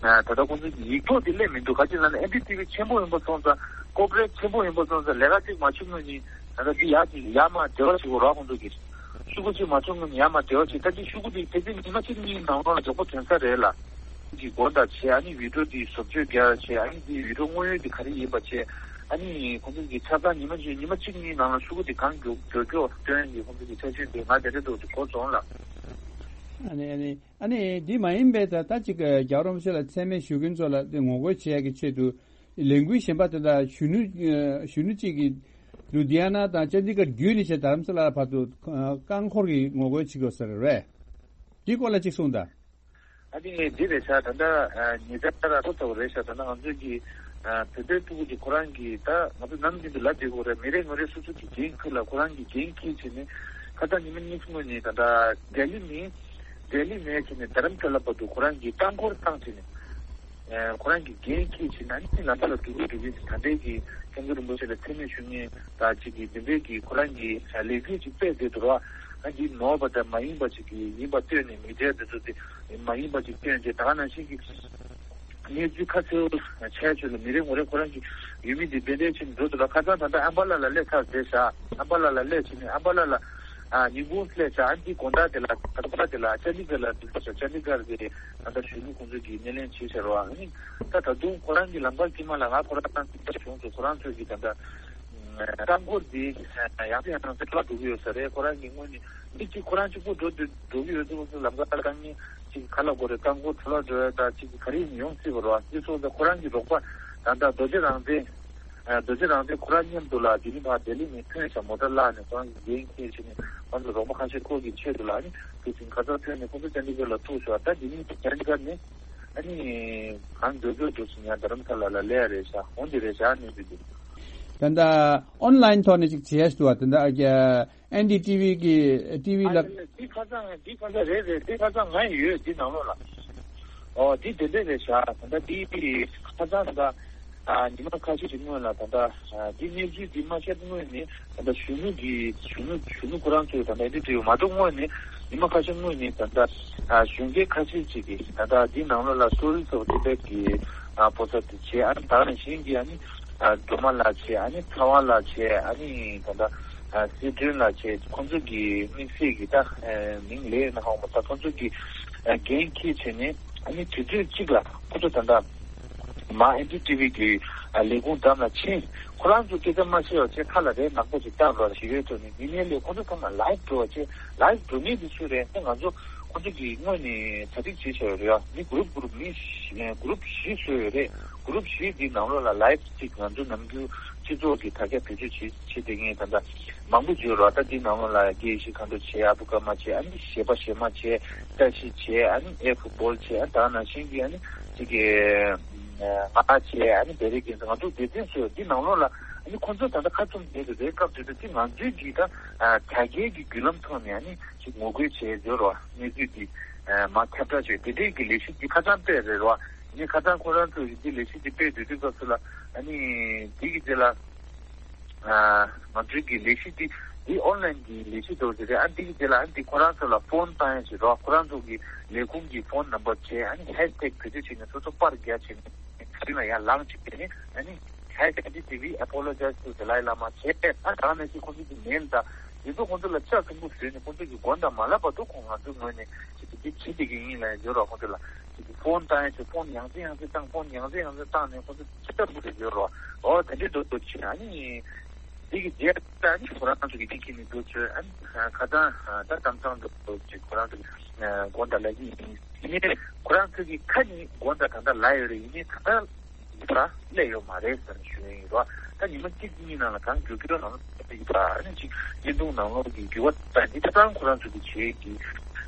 ད་ལྟ་ཁོང་ཚོ་གི་ཡིག་ཐོག་དེ་སླེབས་མི་འདུག་ག་ཅི་ལབ་ན་ཨེན་ཌི་ཊི་ཝི་ཆེན་པོ་ཡིན་པ་སོང་ཙང་ཀོ་པོ་རེ་ཊི་ཆེན་པོ་ཡིན་པ་སོང་ཙང་ལས་ཀ་གཅིག་མ་བྱུང་ངོས་ནས་ད་ལྟ་འདི་ཡར་གཅིག་ཡར་མར་འབྲེལ་བ་བྱེད་དགོས་རོ། ཁོང་ཚོ་གིས་ཤོག་གུ་གཅིག་མ་བྱུང་ངོས་ནས་ཡར་མར་འབྲེལ་བ་བྱེད། ད་ཅི་ཤོག་གུ་དེ་དེ་ཚེ་ཉི་མ་གཅིག་གཉིས་ནང་ལོགས་ལ་མགྱོགས་པོ་ཐོན་ས་རེད་ལ། གི་དགོངས་དག་བྱས། ཨ་ནི་བི་ཌི་ཡོ་འདི་བཟོ་བཅོས་རྒྱག་བྱས། ཨ་ནི་འདི་བི་ཌི་ཡོ་དངོས་ཡོད་འདི་ག་རེ་ཡིན་པ་བྱས། ཨ་ནི་ཁོང་ཚོ་གི་ཆ་ཚང་ཉི་མ་གཅིག་ཉི་མ་གཅིག་གཉིས་ནང་ལ་ཤོག་གུ་འདི་གང་མགྱོགས་མགྱོགས་མགྱོགས་སྟོན་གྱི་ཁོང་ཚོ་གི་ཆ་རྐྱེན་དེ་ང་དེ་འདྲ་འདུག་ཅིག་གོ་སོང་ལ། ཨ་ནི་ཨ་ནི་ཨ་ནི་འདི་མ་ཡིན་པའི་ད་ལྟ་ཅིག་རྒྱལ་བ་རིན་པོ་ཆེ་ལ་མཚན་སྨད་ཞུ་མཁན་ཚོ་ལ་འདི་ངོ་རྒོལ་བྱེད་ཡག་གི་ཆེད་དུ་ལས་འགུལ་གཞན་པ་དེ་དག་གཞོན་ནུ་གཞོན་ནུ་གཅིག་གིས་ལུ་དྷི་ཡ་ན་དང་ཅན་དི་གར་བརྒྱུད་ནས་བྱས་དྷ་རམ་ས་ལ་བར་དུ་རྐང་འཁོར་གྱི་ངོ་རྒོལ་བྱེད་དགོས་ས་རེད། འདིའི་སྐོར་ལ་ཅིག་གསུངས་དང་། ཨ་ནི་འདི་རེད་ཤག་ད་ལྟ་ཉེ་ཆར་ལ་ཐོ་ཚ་བོ་རེད་ཤག་ད་ལྟ་ང་ཚོའི་གི་བོད་པའི་ཕྲུ་གུ་གི་ཁོ་རང་གི་ད་ང་ཚོ་ནམ་རྒྱུན་དུ་ལབ་བསྡད་ཀྱི་ཡོད་རེད། མི་རེ་ངོ་རེ་སོ་སོ་གི་འགན་ཁུར་ལ་ཁོ་རང་གི་འགན་འཁྱེར་བྱས་ནས་ཁ་སང་ཉི་མ་གཉིས་སྔོན་ནས་ད་ལྟ་ལྡི་ལི་ནས་ལྡི་ལི་ནས་བྱས་ནས་དྷ་རམ་ས་ལ་བར་དུ་ཁོ་རང་གི་རྐང་འཁོར་བཏང་བྱས་ནས་ཁོ་རང་གི་འགན་འཁྱེར་བྱས་ནས་ཨ་ནི་ལམ་ཁ་ལ་འགྲོ་གི་འགྲོ་གི་ད་ལྟའི་གི་སྐྱབས་མགོན་རིན་པོ་ཆེ་ལ་མཚན་སྨད་ཞུ་མཁན་དང་གཅིག་གི་འདི་འདྲའི་གི་ཁོ་རང་གི་ལས་འགུལ་ཅིག་སྤེལ་བསྡད་འདུག་ར། ཨ་འདི་ནོར་བ་དང་མ་ཡིན་པ་ཅིག་གི་ཡིན་པ་ལྟོས་ནས་མི་སྒེར་འདི་ཚོ་དེ། མ་ཡིན་པ་ཅིག་སྟོན་ཏེ་ད་ག་ནང་བཞིན་གྱི་གནས་ཚུལ་ཁ་གསལ་བོ་ཆགས་ཆོག་ལ་མི་རེ་ངོ་རེ་ཁོ་རང་གི་ཡུལ་མི་འདི་འབད་འབད་བྱས་ནས་འགྲོ་འདུག་ལ། ཁ་སང་ད་ལྟ་ཨམ་བ་ལ་ལ་སླེབས་ཚར་བསྡད་ཤག་ཨམ་བ་ལ་ལ་སླེབས་བྱས་ནས་ཨམ་བ་ལ་ལ་ཨ་ཉིན་གུང་སླེབས་ཤག་ཨ་འདི་དགོང་དག་དེ་ལ་ད་ལྟ་དེ་ལ་ཅན་དི་གར་ལ་འདུག་ཤག་ཅན་དི་གར་གྱི་ད་ལྟ་གཞོན་ནུ་ཁོང་ཚོ་གིས་སྣེ་ལེན་བྱས་ཤག་རོ། ཨ་ནི་ད་ད་དུང་ཁོ་རང་གི་ལམ་ཁ་དཀྱིལ་མ་ལ་ང་ཁོ་རང་གི་གཞུང་ཚོ་ཁོ་རང་ཚོ་གི་ད་ལྟ། རྐང་འཁོར་འདི་ཡང་སེ་ཡང་སེ་ཕར་འགྲོ་གི་ཡོད་ས་རེད། ཁོ་རང་གི་སྔོན་ནས་མི་གཅིག་ཁོ་རང་གཅིག་པུ་འགྲོ་འདོད་འགྲོ་གི་ཡོད་འདུག་ལམ་ཁ་དཀའ་ངལ་གཅིག་ག་ལ་དགོས་རེད། རྐང་འཁོར་དུ་ལ་འགྲོ་ཡ་ད་གཅིག་ག་རེ་ཡིན་ཡོང་སྲིད་པ་རེད་བ། འདི་སོང་ཙང་ཁོ་རང་གི་རོགས་པ་ད་ལྟ་རྡོ་རྗེ་རང་བཙན་རྡོ་རྗེ་རང་བཙན་ཁོ་རང་མཉམ་དུ་ལ་འདི་ནི་ཕར་ལྡི་ལི་ནས་ཐོན་ཤག་མོ་ཊ་བརླགས་ནས་ཁོ་རང་གི་འགན་འཁྱེར་བྱས་ནས་ཁོ་ཚོ་རོགས་པ་ཁ་ཤས་ཁོ་གི་ཆེད་དུ་ལ་ཨ་ནི་དུ་ཕྱིན་ཁ་སང་ཐོན་ནས་ཁོ་ཚོ་ཅན་དི་གར་ལ་ཐུག་ཤག་ད་འདི་ནི་ཅན་དི་གར་ནས། ཨ་ནི་གང་མགྱོགས་མགྱོགས་འགྲོ་སོང་ཡང་རྡ་རམ་ས་ལ་ལ་སླེབས་ཡ་རེད་ཤག་འོང་དེ་རེད་ཤག་གནས་ཚུལ་འདི། ད་ལྟ་ཨོན་ལན་ཐོག་ནས་ཅིག་བྱས་འདུག་བ། ད་ལྟ་ཨེན་ཌི་ཊི་ཝི་གི་ཊི་ཝི་ལ། འདི་ཁ་སང་འདི་ཁ་སང་རེད་རེད། འདི་ཁ་སང་ང་ཡོད་འདི་ནང་ལོགས་ལ། ཨོ་འདི་དེ་འདྲས་རེད་ཤག་ད་ལྟ་འདི་ཁ་སང་ད་ཉི་མ་ཁ་ཤས་ཤིག་སྔོན་ལ་ད་ལྟ་འདི་གནས་ཚུལ་འདི་མ་ཤར་སྔོན་ནས་ད་ལྟ་གཞོན་ནུ་གི་གཞོན་ནུ་གཞོན་ནུ་ཁོ་རང་ཚོས་ད་ལྟ་འདི་འདྲས་མ་གཏོགས་སྔོན་ནས་ཉི་མ་ཁ་ཤས་སྔོན་ནས་ད་ལྟ་གཞོན་སྐྱེས་ཁ་ཤས་ཅིག་གིས་ད་ལྟ་འདི་ནང་ལོགས་ལ་Stories of Tibet གི་ཕོ་གསར་དེ་བྱས། ཨ་ནི་ད་ནང་བཞིན་གྱི་ཨ་ནི་སྒྲོལ་མ་ལགས་བྱས། ཨ་ནི་ཚ་བ་ལགས་བྱས། ཨ་ནི་ད་ལྟ་སྲིད་སྒྲོན་ལགས་བྱས། ཁོང་ཚོ་གི་དམིགས་བསལ་གྱི་ད་མིང་ལས་ན་ཧོ་མ་ད་ཁོང་ཚོ་གི་འགན་འཁྱེར་བྱས་ནས་ཨ་ནི་དུས་ཚོད་གཅིག་ལ་ཁོ་ཚོ་ད་ལྟ་མ་ཨེན་ཌི་ཊི་ཝི་གི་ལས་ཁུངས་འགྲམ་ལ་ཕྱིན། ཁོ་རང་ཚོ་སྐད་ཆ་མ་བཤད་པ་བྱས་ཁ་ལ་རས་ནག་པོ་ཅིག་བཏགས་རོགས་ཞིག་ཡོད་ཚོ་ནི་མི་སྣའི་ལས་ཁོང་ཚོ་ཚང་མ་ལའིབ་འགྲོ་བ་བྱས། ལའིབ་འགྲོ་མཁན་དེ་སུ་རེད། ད་ང་ཚོ་ཁོང་ཚོ་གི་སྔོན་ནས་གྲ་སྒྲིག་བྱས་བྱས་རེད་ཡ། མི་གུ་རུབ་གུ་རུབ་མི་བཞི་གུ་རུབ་བཞི་བཟོས་ཡོད་རེད། གུ་རུབ་བཞི་འདི་ནང་ལོགས་ལ་ལའིབ་ཅིག་ང་ཚོ་ནམ་རྒྱུན་སྤྱི་ཚོགས་ཀྱི་དྲ་རྒྱ་བེད་སྤྱོད་བྱེད་བྱེད་བསྡད་མཁན་ད་ལྟ་མང་པོ་ཡོད་རེད། ད་འདི་ནང་ལོགས་ལ་དགེ་བཤེས་མཁའ་འགྲོ་བྱས། ཨ་བུ་ཀརྨ་བྱས། ཨ་ནི་གཞས་པ་གཞས་མ་བྱས། བཀྲ་ཤིས་བྱས། ཨ་ནི་ཨེ་ཕུ་བོལ་བྱས། ཨ་ད་ནང་བཞིན་གྱི་ཨ་ནི་ཅིག་གི་ང་བྱས། ཨ་ནི་བེ་རི་རྒྱལ་མཚན། ང་ཚོ་སྡེ་ཚན་ཚོས་འདི་ནང་ལོགས་ལ་ཨ་ནི་ཁོང་ཚོ་ད་ལྟ་ཁ་བཙུམ་བསྡད་དེ་རེད། སྐབས་དེ་དུས་འདི་ང་ཚོའི་གི་ད་དྲ་རྒྱའི་གི་བརྒྱུད་ལམ་ཐོག་ནས་ཨ་ནི་ཅིག་ངོ་རྒོལ་བྱས་ཡོད་རེད། གནས་ཚུལ་འདི་མར་ཁྱབ་བསྒྲགས་བྱས། དེ་འདྲའི་གི་ལས་གཞི་འདི་ཁ་སང་སྤེལ་རེད་རོ། ངས་ཁ་སང་ཁོ་རང་ཚོས་འདི་ལས་གཞི་འདི་སྤེལ་སྡོད་དུས་སྐབས་སུ་ལ་ཨ་ནི་འདི་གི་རྗེས་ལ་ང་ཚོའི་གི་ལས་གཞི་འདི་འདི་ཨོན་ལན་གི་ལས་གཞི་འདྲ་བོ་ཞིག་རེད། ཨ་འདི་གི་རྗེས་ལ་ཨ་འདི་ཁོ་རང་ཚོ་ལ་ཕོན་བཏང་ཡ་ཞིག་རོ། ཁོ་རང་ཚོ་གི་ལས་ཁུངས་ཀྱི་ཕོན་ནམ་བར་བྱས། ཨ་ནི་ཧེཤ་ཊེག་བེད་སྤྱོད་བྱས་ནས་སོ་སོ་པར་རྒྱག་བྱས་ནས་ཚུན་ལ་ཡར་ལངས་བྱས་ནས་ཨ་ནི་ཧེཤ་ཊེག་ཨེན་ཌི་ཊི་ཝི་ཨེ་པོ་ལོ་ཇའིཛ་ཊུ་དཱ་ལའི་ལ་མ་བྱས། ཨ་ད་ནང་བཞིན་ཁོང་ཚོ་གི་མེལ་དང་འདི་ཚོ་ཁོང་ཚོ་ལ་ལྕགས་ཟམ་པོ་བཟོས་ནས་ཁོང་ཚོ་གི་མགོ་དང་མ་ལབ་བར་དུ་ཁོང་ང་ཚོའི་ངོས་ནས་ཅིག་གི་འདི་བྱེད་བསྡད་ཀྱི་ཡིན་ལབ་ཡོད་རོ། ཁོང་ཚོ་ལ་ཅིག་གི་ཕོན་བཏང་ཡ་ཞིག་ཕོན་ཡང་རྩེ་ཡང་རྩེ་བཏང་། ཕོན་ཡང་རྩེ་ཡང་རྩེ་བཏང་ནས་ཁོང་ཚོ་ཅིག་ལྟ་བུ་རེ་ཡོད་རོ། འོ་དེ་འདྲའི་འདུག་འདུག་ཕྱིན། ཨ་ནི་འདི་གི་རྗེས་ལ་ཨ་ནི་ཁོ་རང་ཚོ་གི་འདི་ཁྱེར་ནས་འདུག་ཚོད། ཨ་ནི་ཁ་སང་ད་གཏམ་བཟང་འདུག་འདུག་ཅིག་ཁོ་རང་ཚོ་གི་དགོངས་དག་ལབ་ཀྱི་ཡིན། ཡིན་ནའི་ཁོ་རང་ཚོ་གི་ཁ་ནས་དགོངས་དག་ད་ལྟ་ལབ་ཡོད་རེད། ཡིན་ནའི་ད་ལྟ་ཡིན་པ་སླེབས་ཡོད་མ་རེད་ཟེར་ནས་ཞུ་ཡིན་རོ། ད་ཉི་མ་གཅིག་གཉིས་ནང་ལ་གང་མགྱོགས་མགྱོགས་ནང་ལ་ཡིན་པ་ཨ་ནི་ཅིག་བརྙན་ཐུང་ནང་ལོགས་ཀྱི་འགྱུར་བ་ད་འདི་ད་ལྟ་ཁོ་རང་ཚོ་གི་བྱེད་ཀྱི་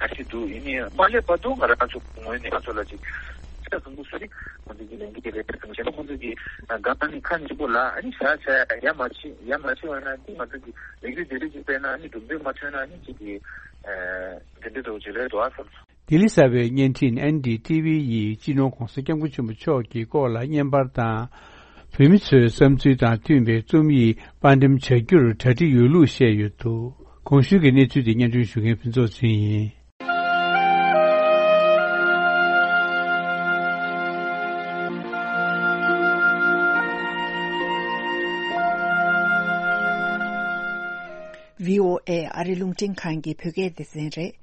ཨ་ཅིག་འདུག་ཡིན་ནའི་མ་སླེབས་བར་དུ་ང་རང་ཚོ་ངོས་ནས་ང་ཚོ་ལ་ཅིག་ཆ་ཚང་པོ་སུ་རིག་ཁོང་ཚོ་གི་ལས་འགན་རེད་ཟེར་ནས་བྱས་ན་ཁོང་ཚོ་གི་སྒང་ནས་ཁ་ནས་ཆེན་པོ་ལ་ཨ་ནི་བཞག་བྱས་ཡ་མ་བྱེད་ཡ་མ་བྱེད་བ་ན་འདི་ང་ཚོ་གི་ལས་འགུལ་དེ་རིགས་ཅིག་སྤེལ་ན་ཨ་ནི་གྲུབ་འབྲས་མ་ཐོན་ན་ཨ་ནི་ཅིག་གི་དེ་འདྲ་འདྲ་བོ་ཅིག་རེད་འདུག་ཨ་བསམ་སོང་། ལྡི་ལི་གསར་པའི་བརྙན་འཕྲིན་ཨེན་ཌི་ཊི་ཝི་ཡིས་སྤྱི་ནོར་༧གོང་ས་༧སྐྱབས་མགོན་ཆེན་པོ་མཆོག་གི་སྐོར་ལ་བརྙན་པར་དང་། བོད་མི་ཚོའི་བསམ་ཚུལ་དང་མཐུན་པའི་རྩོམ་ཡིག་དཔར་འགྲེམས་བྱ་རྒྱུར་གྲ་སྒྲིག་ཡོད་ལུགས་བཤད་ཡོད་འདུག་གོང་ཞུས་ཀྱི་གནས་ཚུལ་དེ་སྙན་སྒྲོན་ཞུ་མཁན་ཕུན་ཚོགས་ཚེ་རིང་ཡིན། བྷི་ཨོ་ཨེ་ཨ་རི་རླུང་འཕྲིན་ཁང་གི་བོད་སྐད་སྡེ་ཚན་རེད།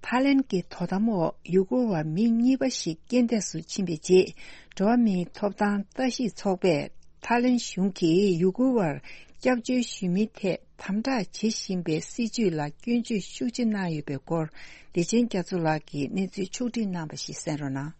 ཐའི་ལེན་གྱི་དོ་དམ་འོག་ཡུ་གུར་བ་མི་གཉིས་པ་ཞིག་རྐྱེན་འདས་སུ་ཕྱིན་པའི་རྗེས། འགྲོ་བ་མིའི་ཐོབ་ཐང་ལྟ་ཞིབ་ཚོགས་པས་ཐའི་ལེན་གཞུང་གིས་ཡུ་གུར་བར་སྐྱབས་བཅོལ་ཞུ་མིའི་ཐད་དམ་དྲག་བྱེད་བཞིན་པའི་སྲིད་བྱུས་ལ་སྐྱོན་བརྗོད་ཤུགས་ཆེ་གནང་ཡོད་པའི་སྐོར། བདེ་ཆེན་རྒྱ་མཚོ་ལགས་ཀྱིས་གནས་ཚུལ་ཕྱོགས་བསྒྲིགས་གནང་བ་ཞིག་གསན་རོགས་གནང་།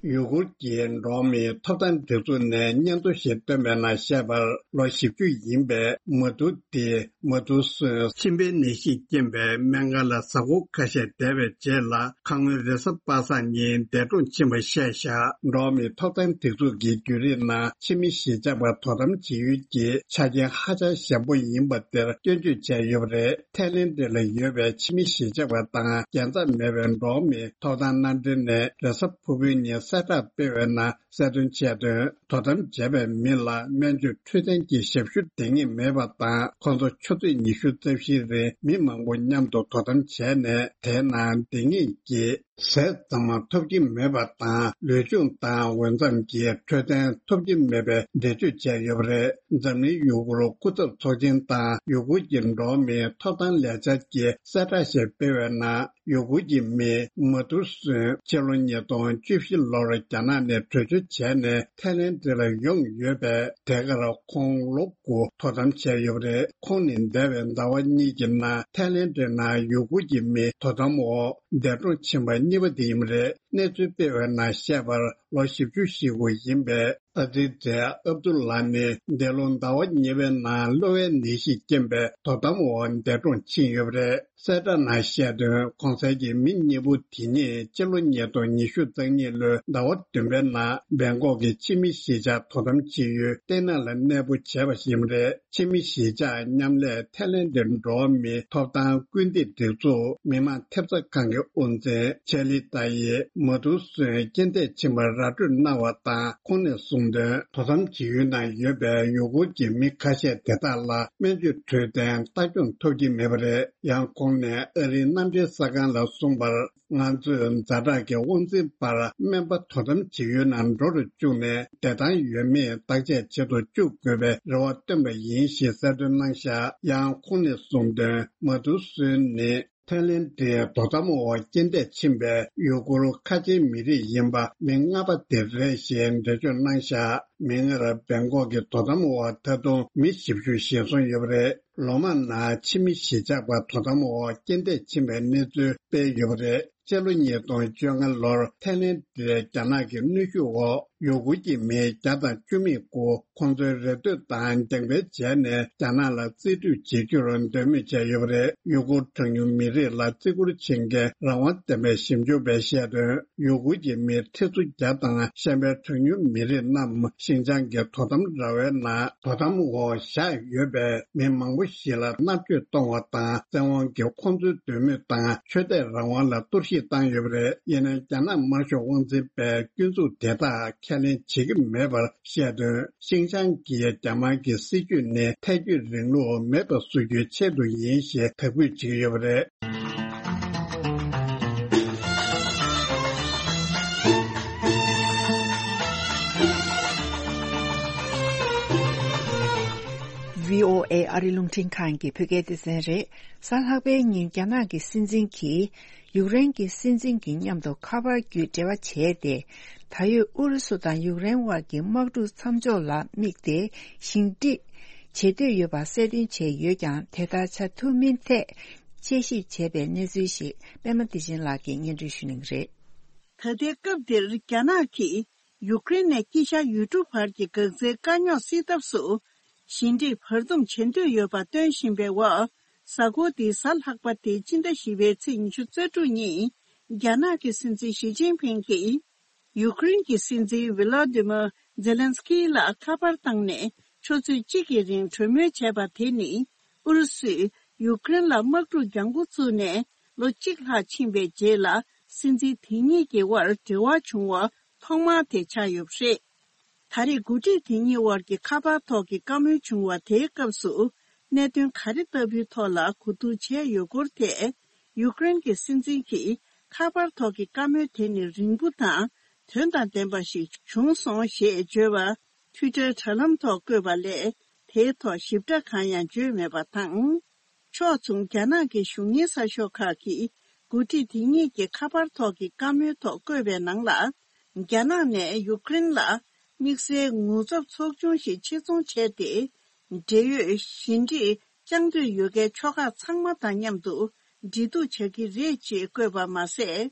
ཡུ་གུར་གྱི་འགྲོ་བ་མིའི་ཐོབ་ཐང་སྒྲིག་འཛུགས་ནས་སྙན་ཐོ་ཞིག་བཏོན་པའི་ནང་བཤད་པར། ལོ་བཞི་བཅུ་ཡིན་པའི་མ་ཏུ་ཏི་མ་ཏུ་སུན་མཆིན་པའི་ནད་གཞིས་རྐྱེན་པའི་སྨན་ཁང་ལ་གཟའ་འཁོར་ཁ་ཤས་བསྡད་པའི་རྗེས་ལ། ཁ་སྔོན་རེས་གཟའ་པ་སངས་ཉིན་འདས་གྲོངས་ཕྱིན་པ་བཤད་བཞག་འགྲོ་བ་མིའི་ཐོབ་ཐང་སྒྲིག་འཛུགས་ཀྱི་བརྒྱུད་རིམ་ནང་ཕྱི་མི་གཞིས་ཆགས་པ་དོ་དམ་བྱེད་ཡུལ་གྱི་ཆ་རྐྱེན་ཧ་ཅང་ཞན་པོ་ཡིན་པ་དེར་སྐྱོན་བརྗོད་བྱས་ཡོད་པ་རེད། ཐའི་ལེན་ཌི་ལ་ཡོད་པའི་ཕྱི་མི་གཞིས་ཆགས་པ་དང་རྒྱལ་འཛོམས་མེད་པའི་འགྲོ་བ་མིའི་ཐོབ་ཐང་མནའ་འབྲེལ་ནས་རེས་གཟའ་ཕུར་བུའི་ཉིན་གསལ་བསྒྲགས་སྤེལ་བའི་ནང་གསལ་སྟོན་བྱས་དོན། དོ་དམ་བྱས་པའི་མི་ལ་སྨན་བཅོས་འཕྲོད་བསྟེན་གྱི་ཞབས་ཞུ་འདང་ངེས་མེད་པ་དང་། ཁོང་ཚོ་ཆུ་ཚོད་ཉི་ཤུ་རྩ་བཞིའི་རིང་མི་མང་པོ་མཉམ་དུ་དོ་དམ་བྱས་ནས། དེའི་ནང་འདང་ངེས་ཀྱི་ཟས་གཙང་མ་ཐོབ་ཀྱི་མེད་པ་དང་། ལུས་སྦྱོང་དང་འོས་འཚམ་གྱི་འཕྲོད་བསྟེན་ཐོབ་ཀྱི་མེད་པའི་འགྲེལ་བརྗོད་བྱས་ཡོད་པ་རེད། འཛམ་གླིང་ཡུ་གུར་སྐུ་ཚབ་ཚོགས་ཆེན་དང་ཡུ་གུར་གྱི་འགྲོ་བ་མིའི་ཐོབ་ཐང་ལས་འཆར་གྱིས་གསལ་བསྒྲགས་ཤིག་སྤེལ་བའི་ནང་། ཡུ་གུར་གྱི་མི་མ་ཏུ་སུན་ཕྱི་ལོ་ཉིས་སྟོང་བཅུ་བཞི་ལོར་རྒྱ་ནག་ནས་བྲོས་བྱོལ་བྱས་ནས་ཐའི་ལེན་ཌི་ལ་ཡོང་ཡོད་པས། དེ་གར་ཁོང་ལོ་དགུ་དོ་དམ་བྱས་ཡོད་པ་རེད། ཁོང་ནི་འདས་པའི་ཟླ་བ་གཉིས་ཀྱི་ནང་ཐའི་ལེན་ཌི་ནང་ཡུ་གུར་གྱི་མི་དོ་དམ་འོག་འདས་གྲོངས་ཕྱིན་པ་གཉིས་པ་དེ་ཡིན་པ་རེད། གནས་ཚུལ་སྤེལ་བའི་ནང་བཤད་པར། ལོ་བཞི་བཅུ་ཞེ་དགུ་ཡིན་པའི་ཨ་ཛི་ཛེ་ཨབ་དུ་ལ་ནི་འདས་ལོ་ཟླ་བ་གཉིས་པའི་ནང་གློ་བའི་ནད་གཞིས་རྐྱེན་པས་དོ་དམ་འོག་འདས་གྲོངས་ཕྱིན་ཡོད་པ་རེད། གསལ་བསྒྲགས་ནང་བཤད་དོན། གོང་གསལ་གྱི་མི་གཉིས་པོ་དེ་གཉིས་སྤྱི་ལོ་ཉིས་སྟོང་ཉི་ཤུ་རྩ་གཉིས་ལོའི་ཟླ་བ་བདུན་པའི་ནང་སྦེང་ཀོག་གི་ཕྱི་མི་གཞིས་ཆགས་དོ་དམ་བྱེད་ཡུལ་ཏེ་ནན་ལ་གནས་སྤོ་བྱས་པ་ཡིན་པ་རེད། ཕྱི་མི་གཞིས་ཆགས་མཉམ་ལས་ཐའི་ལེན་ཌའི་འགྲོ་བ་མིའི་ཐོབ་ཐང་སྐུལ་འདེད་སྒྲིག་འཛུགས་མི་དམངས་ཐེབས་རྩ་ཁང་གི་དབུ་འཛིན་ཆེ་ལི་ཏཱ་ཡིས་མ་ཏུ་སུན་རྐྱེན་འདས་ཕྱིན་པར་ར་སྤྲོད་གནང་བ་དང་། ཁོང་ནས་གསུངས་དོན། དོ་དམ་བྱེད་ཡུལ་ནང་ཡོད་པའི་ཡུ་གུར་གྱི་མི་ཁ་ཤས་དེ་དག་ལ་སྨན་བཅོས་འཕྲོད་བསྟེན་ལྟ་སྐྱོང་ཐོབ་ཀྱི་མེད་པ་རེད། ཡང་ཁོང་ནས་ཨ་རིའི་གནམ་གྲུའི་གསར་ཁང་ལ་གསུངས་པར། ང་ཚོས་ཛ་དྲག་གི་དབང་འཛིན་པར་སྨན་པ་དོ་དམ་བྱེད་ཡུལ་ནང་འགྲོ་རུ་བཅུག་ནས། བདེ་ཐང་ཡོད་མེད་བརྟག་དཔྱད་བྱེད་དུ་བཅུག་དགོས་པའི་རེ་བ་བཏོན་པ་ཡིན་ཞེས་གསལ་སྟོན་གནང་བཞག་ཡང་ཁོང་ནས་གསུངས་དོན། མ་ཏུ་སུན་ནི་ཐའི་ལེན་ཌའི་དོ་དམ་འོག་རྐྱེན་འདས་ཕྱིན་པའི་ཡུ་གུར་ཁ་ཆེའི་མི་རིགས་ཡིན་པ་མི་ལྔ་པ་དེ་རེད་ཞེས་འགྲེལ་བརྗོད་གནང་བཞག་མིག་སྔར་སྦེང་ཀོག་གི་དོ་དམ་འོག་ད་དུང་མི་བཞི་བཅུ་ཞེད་སོང་ཡོད་པ་རེད། ལོ་མང་ནང་ཕྱི་མི་གཞིས་ཆགས་པ་དོ་དམ་འོག་རྐྱེན་འདས་ཕྱིན་པའི་གནས་ཚུལ་སྤེལ་ཡོད་པ་རེད། སྤྱི་ལོ་ཉིས་སྟོང་བཅོ་ལྔ་ལོར་ཐའི་ལེན་ཌའི་རྒྱ་ནག་གི་གནོན་ཤུགས་འོག་ཡུ་གུར་གྱི་མི་བརྒྱ་དང་བཅུ་མེད་དགུ་ཁོང་ཚོའི་རེ་ལྟོས་དང་རྒྱང་འཕེན་བྱས་ནས་རྒྱ་ནག་ལ་རྩིས་སྤྲོད་བྱེད་རྒྱུར་འདོད་མོས་བྱས་ཡོད་པ་རེད། ཡུ་གུར་གྲངས་ཉུང་མི་རིགས་ལ་བརྩི་བཀུར་བྱེད་མཁན་རང་དབང་ལྡན་པའི་ཞིབ་འཇུག་པས་བཤད་དོན། ཡུ་གུར་གྱི་མི་ཁྲི་ཚོ་བརྒྱ་དང་གཞན་པའི་གྲངས་ཉུང་མི་རིགས་རྣམས་ཤིན་ཅང་གི་དོ་དམ་ར་བའི་ནང་དོ་དམ་འོག་བཞག་ཡོད་པས། མི་མང་པོ་ཞིག་ལ་མནར་གཅོད་གཏོང་བ་དང་། བཙན་དབང་གིས་ཁོང་ཚོའི་འདོད་མོས་དང་ཆོས་དད་རང་དབང་ལ་གཏོར་བཤིག་བཏང་ཡོད་པ་རེད། ཡིན་ནའང་། རྒྱ་ནག་དམར་ཤོག་དབང་འཛིན་པས་སྐྱོན་འཛུགས་དེ་དག་ཁས་ལེན་བྱེད་ཀྱི་མེད་པར་བཤད་དོན། ཤིན་ཅང་གི་རྒྱ་དམར་གྱི་སྲིད་བྱུས་ནི་ཐལ་སྐྱོད་རིང་ལུགས་མེད་པ་བཟོ་རྒྱུའི་ཆེད་དུ་ཡིན་ཞེས་དག་འབུད་བྱེད་ཀྱི་ཡོད་པ་རེད། ཝི་ཨོ་ཨེ་ཨ་རི་རླུང་འཕྲིན་ཁང་གི་བོད་སྐད་སྡེ་ཚན་རེད། གཟའ་ལྷག་པའི་ཉིན་རྒྱ་ནག་གི་སྲིད་འཛིན་གྱིས་ཡུཀ་རེན་གྱི་སྲིད་འཛིན་གྱི་མཉམ་དུ་ཁ་པར་བརྒྱུད་འབྲེལ་བ་བྱས་ཏེ། ད་ཡོད་ཨུ་རུ་སུ་དང་ཡུཀ་རེན་དབར་གྱི་དམག་འཁྲུག་མཚམས་འཇོག་ལ་དམིགས་ཏེ་ཞི་འགྲིག་བྱེད་འདོད་ཡོད་པ་གསལ་སྟོན་བྱས་ཡོད་ཀྱང་། དེ་ལྟར་བྱ་ཐུབ་མིན་ཐད་དཔྱད་ཞིབ་བྱས་པའི་གནས་ཚུལ་ཞིག་པད་མ་བདེ་ཆེན་ལགས་ཀྱིས་སྙན་སྒྲོན་ཞུ་གནང་གི་རེད། ད་ལྟའི་སྐབས་འདིར་རྒྱ་ནག་གིས་ཡུཀ་རེན་ནས་དཀྱིལ་ཤར་ཡུལ་གྲུ་བར་གྱི་འགག་རྩའི་དཀའ་རྙོག་སེལ་ཐབས་སུ་ཞི་འགྲིག་བར་འདུམ་བྱེད་འདོད་ཡོད་པ་སྟོན་བཞིན་པའི་འོག་གཟའ་འཁོར་འདིའི་གཟའ་ལྷག་པ་སྟེ་སྤྱི་ཟླ་བཞི་པའི་ཚེས་ཉི་ཤུ་རྩ་དྲུག་ཉིན། རྒྱ་ནག་གི་སྲིད་འཛིན་ཞི་ཅིན་ཕིང་གིས་ཡུཀ་རེན་གྱི་སྲིད་འཛིན་ཝི་ལོ་ཏི་མོ་ཛེ་ལན་སི་ཀི་ལ་ཁ་པར་བཏང་ནས་ཆུ་ཚོད་གཅིག་གི་རིང་གྲོས་མོལ་བྱས་པ་དེ་ནི། ཨུ་རུ་སུས་ཡུཀ་རེན་ལ་དམག་འཁྲུག་རྒྱང་འགོ་བཙུགས་ནས་ལོ་གཅིག་ལྷག་ཕྱིན་པའི་རྗེས་ལ། སྲིད་འཛིན་དེ་གཉིས་ཀྱི་དབར་འབྲེལ་བ་བྱུང་བ་ཐོག་མ་དེ་ཆགས་ཡོད་པ་རེད། ད་རེས་འགོ་ཁྲིད་དེ་གཉིས་དབར་གྱི་ཁ་པར་ཐོག་གི་བཀའ་མོལ་བྱུང་བ་དེའི་སྐབས་སུ། གནད་དོན་ག་རེ་ལྟ་བུའི་ཐོག་ལ་གོ་བསྡུར་བྱས་ཡོད་སྐོར་ཐད། ཡུཀ་རེན་གྱི་སྲིད་འཛིན་གྱིས་ཁ་པར་ཐོག་གི་བཀའ་མོལ་དེ་ནི་རིང་པོ་དང་དོན་དང་ལྡན་པ་ཞིག་བྱུང་སོང་ཞེས་བརྗོད་པ། ཊུའི་ཊར་དྲ་ལམ་ཐོག་བཀོད་པ་ལས། དེའི་ཐོག་ཞིབ་ཕྲ་གང་ཡང་བརྗོད་མེད་པ་དང་། ཕྱོགས་མཚུངས། རྒྱ་ནག་གི་གཞུང་གཉེར་གསར་ཤོག་ཁག་གིས་འགོ་ཁྲིད་དེ་གཉིས་ཀྱི་ཁ་པར་ཐོག་གི་བཀའ་མོལ་ཐོག་བཀོད་པའི་ནང་ལ། རྒྱ་ནག་ནས་ཡུཀ་རེན་ལ་དམིགས་བསལ་ངོ་ཚབ་ཚོགས་ཆུང་ཞིག་ཆེད་རྫོང་བྱས་ཏེ། འབྲེལ་ཡོད་ཞི་འགྲིག་བསྐྱང་འདོད་ཡོད་མཁན་ཕྱོགས་ཁག་ཚང་མ་དང་མཉམ་དུ་འབྲེལ་གཏུག་བྱ་གི་རེད་ཅེས་བཀོད་པ་མ་ཟད།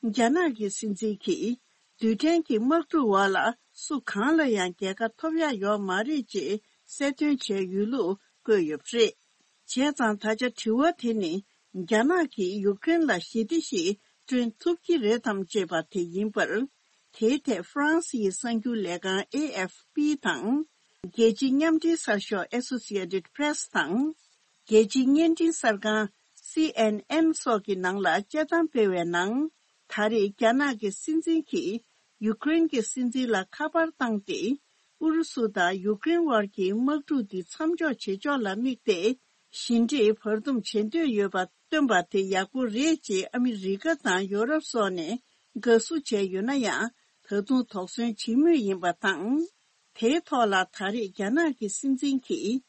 རྒྱ་ནག་གི་སྲིད་འཛིན་གྱིས། རྡུལ་ཕྲན་གྱི་དམག་འཁྲུག་འོག་ལ་སུ་གང་ལ་ཡང་རྒྱལ་ཁ་ཐོབ་ཡ་ཡོད་མ་རེད་ཅེས་གསལ་སྟོན་བྱས་ཡོད་ལུགས་བཀོད་ཡོད་པ་རེད། བྱས་ཙང་། ད་ཆ་དྲི་བ་དེ་ནི། རྒྱ་ནག་གིས་ཡུཀ་རེན་ལ་ཞི་བདེ་ཞིག་བསྐྲུན་ཐུབ་ཀྱི་རེད་དམ་ཅེས་པ་དེ་ཡིན་པར། དེའི་ཐད་ཧྥ་རན་སི་ཡི་གསར་འགྱུར་ལས་ཁང་ཨེ་ཨེཕ་པི་དང་། རྒྱལ་སྤྱིའི་མཉམ་འབྲེལ་གསར་ཤོག་ཨེ་སོ་སི་ཨེ་ཊེཌ་པི་རེ་སི་དང་། རྒྱལ་སྤྱིའི་བརྙན་འཕྲིན་གསར་ཁང་སི་ཨེན་ཨེན་སོགས་ཀྱི་ནང་ལ་དཔྱད་གཏམ་སྤེལ་བའི་ནང་། ད་རེས་རྒྱ་ནག་གི་སྲིད་འཛིན་གྱིས་ཡུཀ་རེན་གྱི་སྲིད་འཛིན་ལ་ཁ་པར་བཏང་སྟེ། ཨུ་རུ་སུ་དང་ཡུཀ་རེན་དབར་གྱི་དམག་འཁྲུག་འདི་མཚམས་འཇོག་བྱེད་ཕྱོགས་ལ་དམིགས་ཏེ། ཞི་འགྲིག་བར་འདུམ་བྱེད་འདོད་ཡོད་པ་སྟོན་པ་དེ་ཡག་པོ་རེད་ཅེས་ཨ་མི་རི་ཀ་དང་ཡོ་རོབ་སོགས་ནས་དགའ་བསུ་བྱས་ཡོད་ན་ཡང་། ད་དུང་དོགས་ཟོན་བྱེད་མུས་ཡིན་པ་དང་། དེའི་ཐོག་ལ་ད་རེས་རྒྱ་ནག་གི་སྲིད་འཛིན་གྱིས་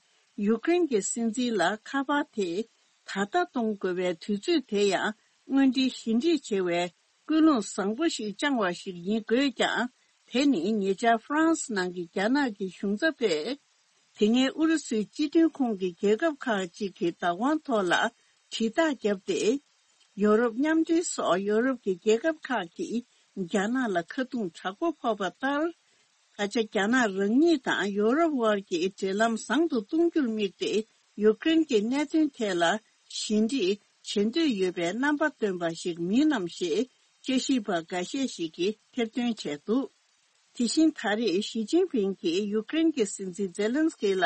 ཡུཀ་རེན་གྱི་སྲིད་འཛིན་ལ་ཁ་པར་དེ་ད་ལྟ་གཏོང་དགོས་པའི་དུས་ཚོད་དེ་ཡང་། དངོས་འབྲེལ་ཞི་འགྲིག་བྱེད་པའི་ཀུན་སློང་བཟང་པོ་ཞིག་བཅངས་པ་ཞིག་ཡིན་དགོས་ཀྱང་། དེ་ནི་ཉེ་ཆར་ཧྥ་རན་སི་ནང་གི་རྒྱ་ནག་གི་གཞུང་ཚབ་པས། དེ་སྔའི་ཨུ་རུ་སུའི་སྤྱི་མཐུན་ཁོངས་ཀྱི་རྒྱལ་ཁབ་ཁག་ཅིག་གི་བདག་དབང་ཐོག་ལ་དྲིལ་བསྒྲགས་བརྒྱབ་སྟེ། ཡོ་རོབ་མཉམ་འབྲེལ་སོགས་ཡོ་རོབ་ཀྱི་རྒྱལ་ཁབ་ཁག་གིས་ རྒྱ་ནག་ལ་ཁ་རྡུང་དྲག་པོ་ཕོག་པ་ལྟར། ད་ཆ་རྒྱ་ནག་རང་ཉིད་དང་ཡོ་རོབ་དབར་གྱི་འབྲེལ་ལམ་བཟང་དུ་གཏོང་རྒྱུར་དམིགས་ཏེ། ཡུཀ་རེན་གྱི་གནད་དོན་ཐད་ལ་ཞི་འགྲིག་བྱེད་འདོད་ཡོད་པའི་རྣམ་པ་སྟོན་པ་ཞིག་མིན་ནམ་ཞེས་དཔྱད་ཞིབ་པ་འགའ་ཤས་ཤིག་གིས་ཐེར་འདོན་བྱས་འདུག་དེ་བཞིན་ད་རེས་ཞི་ཅིན་ཕིང་གིས་ཡུཀ་རེན་གྱི་སྲིད་འཛིན་ཛེ་ལན་སི་ཀི་ལ་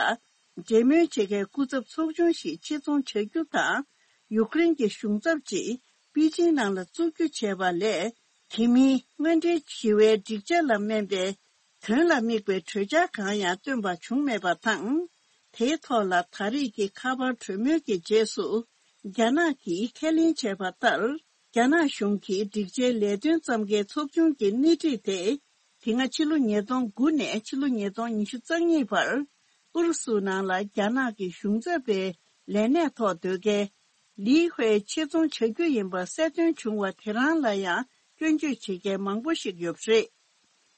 འབྲེལ་མོལ་བྱེད་མཁན་སྐུ་ཚབ་ཚོགས་ཆུང་ཞིག་ཆེད་རྫོང་བྱ་རྒྱུ་དང་། ཡུཀ་རེན་གྱི་གཞུང་ཚབ་ཅིག་པེ་ཅིང་ནང་ལ་བཙུགས་རྒྱུ་བྱས་པ་ལས། དེ་མིན་དངོས་འབྲེལ་ཞི་བའི་སྒྲིག་ཆས་ལ་སྨན་པའི་དོན་ལ་དམིགས་པའི་གྲོས་འཆར་གང་ཡང་བཏོན་པ་བྱུང་མེད་པ་དང་། དེའི་ཐོག་ལ་ད་རེས་ཀྱི་ཁ་པར་གྲོས་མོལ་གྱི་རྗེས་སུ། རྒྱ་ནག་གིས་ཁས་ལེན་བྱས་པ་ལྟར། རྒྱ་ནག་གཞུང་གིས་སྒྲིག་ཆས་ལས་དོན་བརྩམ་མཁན་ཚོགས་ཆུང་གི་སྣེ་ཁྲིད་དེ། དེ་སྔ་ཕྱི་ལོ་ཉིས་སྟོང་དགུ་ནས་ཕྱི་ལོ་ཉིས་སྟོང་ཉི་ཤུ་རྩ་གཉིས་བར། ཨུ་རུ་སུ་ནང་ལ་རྒྱ་ནག་གི་གཞུང་ཚབ་པའི་ལས་གནས་ཐོག་སྡོད་མཁན། ལི་ཧུའེ་ཆེད་རྫོང་བྱ་རྒྱུ་ཡིན་པ་གསལ་སྟོན་བྱུང་བ་དེ་རང་ལ་ཡང་སྐྱོན་བརྗོད་བྱེད་མཁན་མང་པོ་ཞིག་ཡོད་པ་རེད།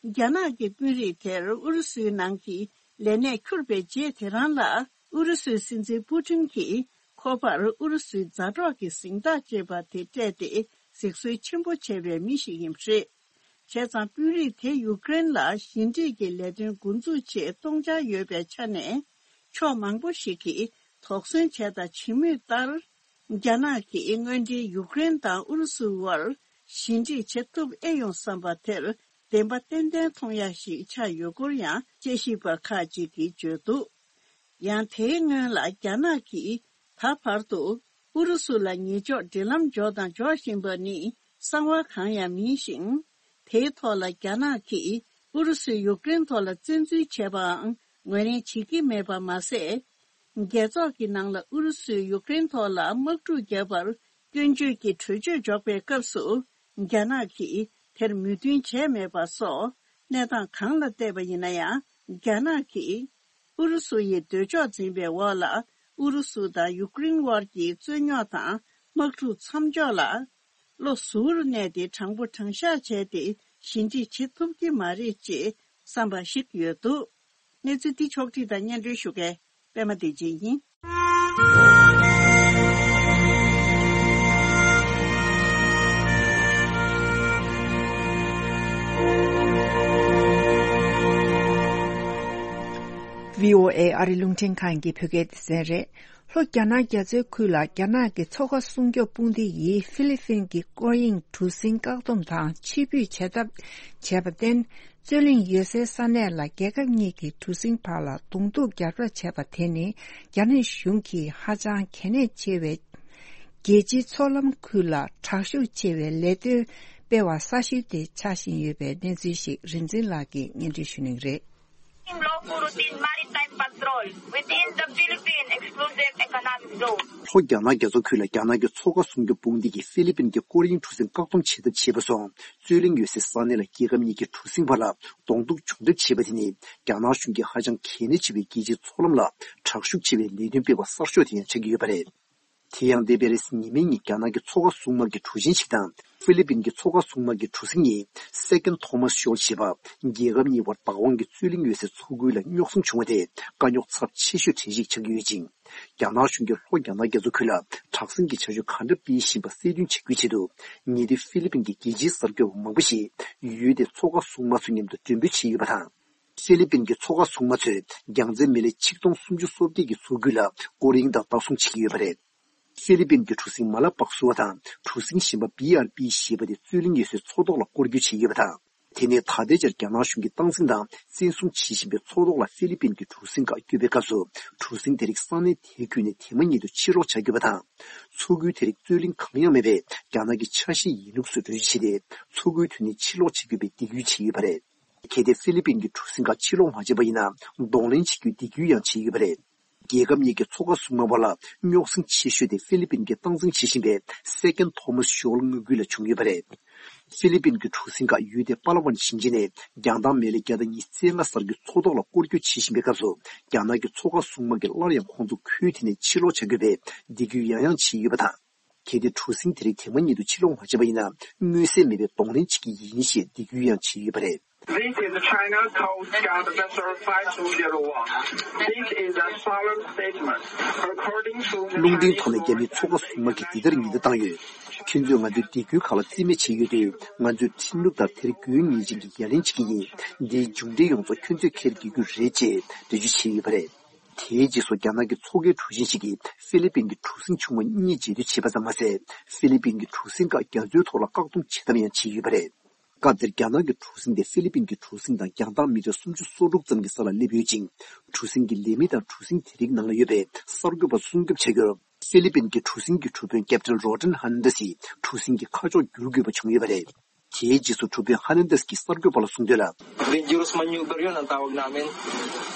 རྒྱ་ནག་གི་དཔོན་རིགས་དེར་ཨུ་རུ་སུའི་ནང་གི་ལས་གནས་འཁྱུར་བའི་རྗེས་དེ་རང་ལ། ཨུ་རུ་སུའི་སྲིད་འཛིན་པུ་ཊིན་གྱིས་ཁོ་པར་ཨུ་རུ་སུའི་མཛའ་གྲོགས་ཀྱི་གཟེངས་རྟགས་ཅེས་པ་དེ་སྤྲད་དེ་གཟིགས་གསོལ་ཆེན་པོ་བྱས་པའི་མི་ཞིག་ཡིན་པ་རེད། བྱས་ཙང་དཔོན་རིགས་དེ་ཡུཀ་རེན་ལ་ཞི་འགྲིག་གི་ལས་དོན་འགོ་འཛུགས་ཆེད་གཏོང་འཆར་ཡོད་པའི་ཆ་ནས། ཕྱོགས་མང་པོ་ཞིག་གིས་དོགས་ཟོན་བྱས་དང་བྱེད་མུས་ལྟར། རྒྱ་ནག་གིས་དངོས་འབྲེལ་ཡུཀ་རེན་དང་ཨུ་རུ་སུའི་དབར་ཞི་འགྲིག་བྱེད་ཐུབ་ཨེ་ཡོང་བསམ་པ་དེར་བདེན་པ་ཏན་ཏན་མཐོང་ཡ་ཞིག་ཆགས་ཡོད་སྐོར་ཡང་དཔྱད་ཞིབ་པ་ཁག་ཅིག་གིས་བརྗོད་འདུག་ཡང་དེའི་སྔོན་ལ་རྒྱ་ནག་གིས་ད་བར་དུ་ཨུ་རུ་སུ་ལ་ཉེས་འཇོག་འབྲེལ་ལམ་འཇོག་དང་འཇོག་བཞིན་པ་ནི་གསང་བ་གང་ཡང་མིན་ཞིང་། དེའི་ཐོག་ལ་རྒྱ་ནག་གིས་ཨུ་རུ་སུས་ཡུཀ་རེན་ཐོག་ལ་བཙན་འཛུལ་བྱས་པའང་ངོས་ལེན་བྱེད་ཀྱི་མེད་པ་མ་ཟད། རྒྱལ་ཚོགས་ཀྱི་ནང་ལ་ཨུ་རུ་སུས་ཡུཀ་རེན་ཐོག་ལ་དམག་འཁྲུག་བརྒྱབ་པར་སྐྱོན་བརྗོད་ཀྱི་གྲོས་ཆོད་འཇོག་པའི་སྐབས་སུ། རྒྱ་ནག་གིས་དེར་མོས་མཐུན་བྱས་མེད་པ་སོགས་གནས་སྟངས་གང་ལ་བལྟས་པ་ཡིན་ན་ཡང་། རྒྱ་ནག་གིས་ཨུ་རུ་སུ་ཡི་འདོད་ཕྱོགས་འཛིན་པའི་འོག་ལ་ཨུ་རུ་སུ་དང་ཡུཀ་རེན་དབར་གྱི་རྩོད་རྙོག་དང་དམག་འཁྲུག་མཚམས་འཇོག་ལ། བློ་གཟུ་བོར་གནས་ཏེ་དྲང་པོ་དྲང་བཞག་བྱས་ཏེ་ཞི་འགྲིག་བྱེད་ཐུབ་ཀྱི་མ་རེད་ཅེས་བསམ་པ་ཞིག་ཡོད་འདུག་གནས་ཚུལ་འདི་ཕྱོགས་བསྒྲིགས་དང་སྙན་སྒྲོན་ཞུ་མཁན་པད་མ་བདེ་ཆེན་ཡིན། བྷི་ཨོ་ཨེ་ཨ་རི་རླུང་འཕྲིན་ཁང་གི་བོད་སྐད་སྡེ་ཚན་རེད། ལྷོ་རྒྱ་ནག་རྒྱ་མཚོའི་ཁུལ་ལ་རྒྱ་ནག་གི་མཚོ་ཁ་སྲུང་སྐྱོབ་དཔུང་སྡེ་ཡིས་ཧྥི་ལི་ཕིན་གྱི་སྐོར་གཡེང་གྲུ་གཟིངས་བཀག་སྡོམ་དང་ཕྱིར་འབུད་བྱེད་ཐབས་བྱས་པར་བརྟེན། རྩོད་གླེང་ཡོད་སའི་ས་གནས་ལ་རྒྱལ་ཁབ་གཉིས་ཀྱི་གྲུ་གཟིངས་བར་ལ་གདོང་ཐུག་རྒྱག་རེས་བྱས་པ་དེ་ནི་རྒྱ་ནག་གཞུང་གིས་ཧ་ཅང་གལ་གནད་ཆེ་བའི་རྒྱལ་སྤྱིའི་མཚོ་ལམ་ཁུལ་ལ་དྲག་ཤུགས་ཆེ་བའི་ལས་དོན་སྤེལ་བ་གསར་ཤོས་དེ་ཆགས་བཞིན་ཡོད་པའི་གནས་ཚུལ་ཞིག་རིག་འཛིན་ལགས་ཀྱིས་སྙན་སྒྲོན་ཞུ་གནང་གི་རེད། Lawful routine maritime patrol within the Philippine Exclusive Economic Zone. ལྷོ་རྒྱ་ནག་རྒྱ་མཚོ་ཁུལ་ལ་རྒྱ་ནག་གི་མཚོ་ཁ་སྲུང་སྐྱོབ་དཔུང་སྡེ་གིས་ཧྥི་ལི་པིན་གྱི་སྐོར་གཡེང་གྲུ་གཟིངས་བཀག་སྡོམ་བྱེད་ཐབས་བྱས་པ་སོགས་རྩོད་གླེང་ཡོད་སའི་ས་གནས་ལ་རྒྱལ་ཁབ་གཉིས་ཀྱི་གྲུ་གཟིངས་བར་ལ་གདོང་ཐུག་བྱུང་ཐབས་བྱས་པ་དེ་ནི་རྒྱ་ནག་གཞུང་གིས་ཧ་ཅང་གལ་གནད་ཆེ་བའི་རྒྱལ་སྤྱིའི་མཚོ་ལམ་ལ་དྲག་ཤུགས་ཆེ་བའི་ལས་དོན་སྤེལ་བ་གསར་ཤོས་དེ་ཡང་ཆགས་ཀྱི་ཡོད་པ་རེད། དེ་ཡང་འདས་པའི་རེས་གཟའ་ཉི་མའི་ཉིན་རྒྱ་ནག་གི་མཚོ་ཁ་སྲུང་དམག་གི་གྲུ་གཟིངས་ཤིག་དང་ཧྥི་ལི་པིན་གྱི་མཚོ་ཁ་སྲུང་དམག་གི་གྲུ་གཟིངས་གཉིས་Second Thomas Shoal ཞེས་པ་རྒྱལ་ཁབ་གཉིས་བར་བདག་དབང་གི་རྩོད་གླེང་ཡོད་སའི་མཚོ་ཁུལ་ལ་རྙོག་ཟིང་བྱུང་བ་དེ་དཀའ་རྙོག་ཚབས་ཆེ་ཤོས་གྲས་ཤིག་ཆགས་ཀྱི་ཡོད་ཅིང་། རྒྱ་ནག་གཞུང་གིས་ལྷོ་རྒྱ་ནག་རྒྱ་མཚོ་ཁུལ་ལ་དྲག་ཟིང་གི་བྱ་སྤྱོད་ག་འདྲ་སྤེལ་བཞིན་པ་གསལ་སྟོན་བྱ་རྒྱུའི་ཆེད་དུ་ཉེ་དུས་ཧྥི་ལི་པིན་གྱི་རྒྱལ་སྤྱིའི་གསར་འགོད་པ་མང་པོ་ཞིག་ཡུལ་དེའི་མཚོ་ཁ་སྲུང་དམག་ཚོའི་མཉམ་དུ་མགྲོན་འབོད་བྱས་ཡོད་པ་དང་། ཧྥི་ལི་པིན་གྱི་མཚོ་ཁ་སྲུང་དམག་ཚོས་རྒྱལ་མཚན་མེ་ལེ་ཆིག་སྟོང་སུམ་ཅུ་སོ་བརྒྱད་ཀྱི་མཚོ་ཁུལ་ལ་སྐོར་གཡེང་དང་ལྟ་སྲུང་བྱེད་ཀྱི་ཡོད་པ་རེད། ཧྥི་ལི་པིན་གྱི་གྲུ་གཟིངས་མ་ལ་པག་སུ་བ་དང་གྲུ་གཟིངས་གཞན་པ་བྷི་ཨར་པི་ཞེས་པ་དེ་རྩོད་གླེང་ཡོད་སའི་མཚོ་ཐོག་ལ་སྐོར་སྐྱོད་བྱས་ཡོད་པ་དང་། དེ་ནས་ད་ལྟའི་ཆར་རྒྱ་ནག་གཞུང་གིས་སྟངས་འཛིན་དང་བཙན་བཟུང་བྱེད་བཞིན་པའི་མཚོ་ཐོག་ལ་ཧྥི་ལི་པིན་གྱི་གྲུ་གཟིངས་ཁག་བསྐྱོད་པའི་སྐབས་སུ་གྲུ་གཟིངས་དེ་རིགས་ས་གནས་དེའི་ཁུལ་ནས་དེ་མ་ཉིད་དུ་ཕྱིར་སློག་བྱ་དགོས་པ་དང་། མཚོ་ཁུལ་དེ་རིགས་རྩོད་གླེང་གང་ཡང་མེད་པའི་རྒྱ་ནག་གི་ཆ་ཤས་ཡིན་ལུགས་སུ་འགྲེལ་བརྗོད་བྱས་ཏེ་མཚོ་ཁུལ་དེ་ནས་ཕྱིར་སློག་བྱེད་དགོས་པའི་འདེད་སྐུལ་བྱས་ཡོད་པ་རེད། གལ་ཏེ་ཧྥི་ལི་པིན་གྱི་གྲུ་གཟིངས་ཁག་ཕྱིར་སློག་མ་བྱས་པ་ཡིན་ན་གདོང་ལེན་བྱེད་རྒྱུའི་འདེད་སྐུལ་ཡང་བྱས་ཡོད་པ་རེད། རྒྱལ་ཁབ་གཉིས་ཀྱི་མཚོ་ཁ་སྲུང་དམག་བར་ལ་རྙོག་ཟིང་ཆེ་ཤོས་དེ་ཧྥི་ལི་པིན་གྱིས་སྟངས་འཛིན་བྱེད་བཞིན་པའི་Second Thomas Shoal མངའ་ཁུལ་ལ་བྱུང་ཡོད་པ་རེད། ཧྥི་ལི་པིན་གྱི་གྲུ་གཟིངས་ཁག་ཡུལ་དེ་པ་ལ་ཝན་ཞིང་ཆེན་ནས་རྒྱང་ཐག་མེ་ལེ་བརྒྱ་དང་ཉི་ཤུ་རྩ་ལྔ་སར་གྱི་མཚོ་ཐོག་ལ་སྐོར་སྐྱོད་བྱེད་བཞིན་པའི་སྐབས་སུ་རྒྱ་ནག་གི་མཚོ་ཁ་སྲུང་དམག་གིས་སླར་ཡང་ཁོང་ཚོ་ཁུལ་དེ་ནས་ཕྱིར་སློག་བྱ་དགོས་པའི་འདེད་སྐུལ་ཡང་ཡང་བྱས་ཡོད་པ་དང་། གལ་ཏེ་གྲུ་གཟིངས་དེ་རིགས་དེ་མ་ཉིད་དུ་ཕྱིར་སློག་མ་བྱས་པ་ཡིན་ན་མངོན་གསལ་མེད་པའི་གདོང་ལེན་བྱེད་ཀྱི་ཡིན་ཞེས་འདེད་སྐུལ་ཡང་བྱས་ཡོད་པ་རེད། This is China Coast Guard vessel five two zero one. This is a solemn statement. According to the རླུང་འཕྲིན་ཐོག་ནས་རྒྱ་མིའི་མཚོ་ཁ་སྲུང་དམག་གིས་འདི་ལྟར་ཉེན་བརྡ་བཏང་ཡོད། ཁྱོད་ཚོས་ང་ཚོའི་སྡེ་ཁུལ་ཁག་ལ་རྩིས་མེད་བྱས་ཡོད་དུས། ང་ཚོས་ཁྲིམས་ལུགས་ལྟར་དེར་དགོས་ངེས་ཅན་གྱི་ཡ་ལན་བྱེད་ཀྱི་ཡིན། འདིའི་མཇུག་འབྲས་ཡོངས་རྫོགས་ཁྱོད་ཚོས་འཁྱེར་དགོས་རྒྱུ་རེད། ཅེས་འགྲེལ་བརྗོད་བྱས་ཡོད་པ་རེད། དེའི་རྗེས་སུ་རྒྱ་ནག་གི་མཚོ་ཁའི་གྲུ་གཟིངས་ཤིག་གིས་ཧྥི་ལི་པིན་གྱི་གྲུ་གཟིངས་ཆུང་བ་གཉིས་རྗེས་མཐུད་བྱས་པ་ཙམ་མ་ཟད། ཧྥི་ལི་པིན་གྱི་གྲུ་གཟིངས་ཁག་རྒྱ་མཚོའི་ཐོག་ལ་བཀག་སྡོམ་བྱེད་ཐབས་ཡང་བྱས་ཡོད་པ་རེད། སྐབས་དེར་རྒྱ་ནག་གི་གྲུ་གཟིངས་དེ་ཧྥི་ལི་པིན་གྱི་གྲུ་གཟིངས་དང་རྒྱང་ཐག་མི་ཊར་སུམ་ཅུ་སོ་དྲུག་ཙམ་གྱི་ས་ལ་སླེབས་ཡོད་ཅིང་། གྲུ་གཟིངས་ཀྱི་ལས་མི་དང་གྲུ་གཟིངས་དེ་རིགས་ནང་ལ་ཡོད་པའི་གསར་འགོད་པ་སྲུང་སྐྱོབ་བྱ་རྒྱུར། ཧྥི་ལི་པིན་གྱི་གྲུ་གཟིངས་ཀྱི་གྲུ་དཔོན་ཀེབ་ཏན་རོ་ཏན་ཧར་ནན་དཱ་སིས་གྲུ་གཟིངས་ཀྱི་ཁ་ཕྱོགས་བསྒྱུར་དགོས་པ་བྱུང་ཡོད་པ་རེད། དེའི་རྗེས་སུ་གྲུ་དཔོན་ཧར་ནན་དཱ་སི་གིས་གསར་འགོད་པ་ལ་གསུངས་དོན་ལ། Dangerous maneuver yun ang tawag namin,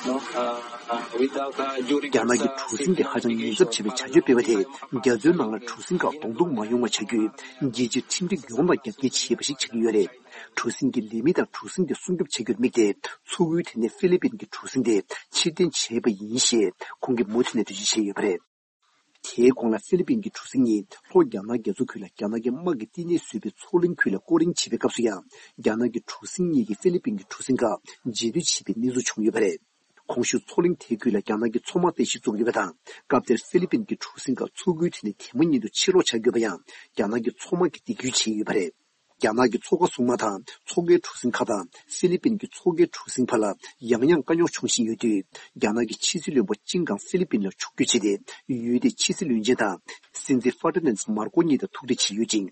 no? Ah, ah, without, ah, during རྒྱ་ནག་གི་གྲུ་གཟིངས་ཀྱི་ཧ་ཅང་ཉེན་ཚབས་ཆེ་བའི་བྱ་སྤྱོད་སྤེལ་བ་དེས། རྒྱ་མཚོའི་ནང་ལ་གྲུ་གཟིངས་ཁག་གདོང་ཐུག་མ་ཡོང་བ་བྱ་རྒྱུས། རྒྱལ་སྤྱིའི་ཁྲིམས་སྒྲིག་ཡོངས་ལ་རྒྱབ་འགལ་བྱས་པ་ཞིག་ཆགས་ཀྱི་ཡོད་རེད། གྲུ་གཟིངས་ཀྱི་ལས་མི་དང་གྲུ་གཟིངས་དེ་སྲུང་སྐྱོབ་བྱ་རྒྱུར་དམིགས་ཏེ། མཚོ་ཁུལ་དེ་ནས་ཧྥི་ལི་པིན་གྱི་གྲུ་གཟིངས་དེ་ཕྱིར་འཐེན་བྱས་པ་ཡིན་ཞེས། ཁོང་གིས་མུ་མཐུད་ནས་འགྲེལ་བརྗོད་བྱས་ཡོད་པ་རེད། དེའི་གོང་ལ་ཧྥི་ལི་པིན་གྱི་གྲུ་གཟིངས་གཉིས་ལྷོ་རྒྱ་ནག་རྒྱ་མཚོ་ཁུལ་ལ་རྒྱ་ནག་གི་དམག་གིས་བསྟི་གནས་བཟོས་པའི་མཚོ་གླིང་ཁུལ་ལ་སྐོར་གླེང་བྱེད་པའི་སྐབས་སུ་ཡང་། རྒྱ་ནག་གི་གྲུ་གཟིངས་གཉིས་ཀྱིས་ཧྥི་ལི་པིན་གྱི་གྲུ་གཟིངས་ཁག་རྗེས་མཐུད་བྱས་པའི་གནས་ཚུལ་བྱུང་ཡོད་པ་རེད། གོང་ཞུས་མཚོ་གླིང་དེའི་ཁུལ་ལ་རྒྱ་ནག་གི་མཚོ་དམག་རྟེན་གཞི་བཙུགས་ཡོད་པ་དང་། སྐབས་དེར་ཧྥི་ལི་པིན་གྱི་གྲུ་གཟིངས་ཁག་མཚོ་ཁུལ་དེ་ནས་དེ་མ་ཉིད་དུ་ཕྱིར་ལོག་བྱ་དགོས་པ་ཡང་རྒྱ་ནག་གི་མཚོ་དམག་གིས་འདེད་སྐུལ་བྱས་ཡོད་པ་རེད། རྒྱ་ནག་གི་མཚོ་ཁ་སྲུང་དམག་དང་མཚོ་ཁའི་གྲུ་གཟིངས་ཁག་དང་ཧྥི་ལི་པིན་གྱི་མཚོ་ཁའི་གྲུ་གཟིངས་བར་ལ་ཡང་ཡང་དཀའ་རྙོག་འབྱུང་བཞིན་ཡོད་དུས། རྒྱ་ནག་གི་ཕྱི་སྲིད་བློན་པོ་ཅིན་ཀང་ཧྥི་ལི་པིན་ལ་ཕྱོགས་བསྐྱོད་བྱས་ཏེ། ཡུལ་དེའི་ཕྱི་སྲིད་བློན་ཆེན་དང་སྲིད་འཛིན་ཧྥར་ཏི་ནན་མར་ཀོ་གཉིས་དང་ཐུག་འཕྲད་བྱས་ཡོད་ཅིང་།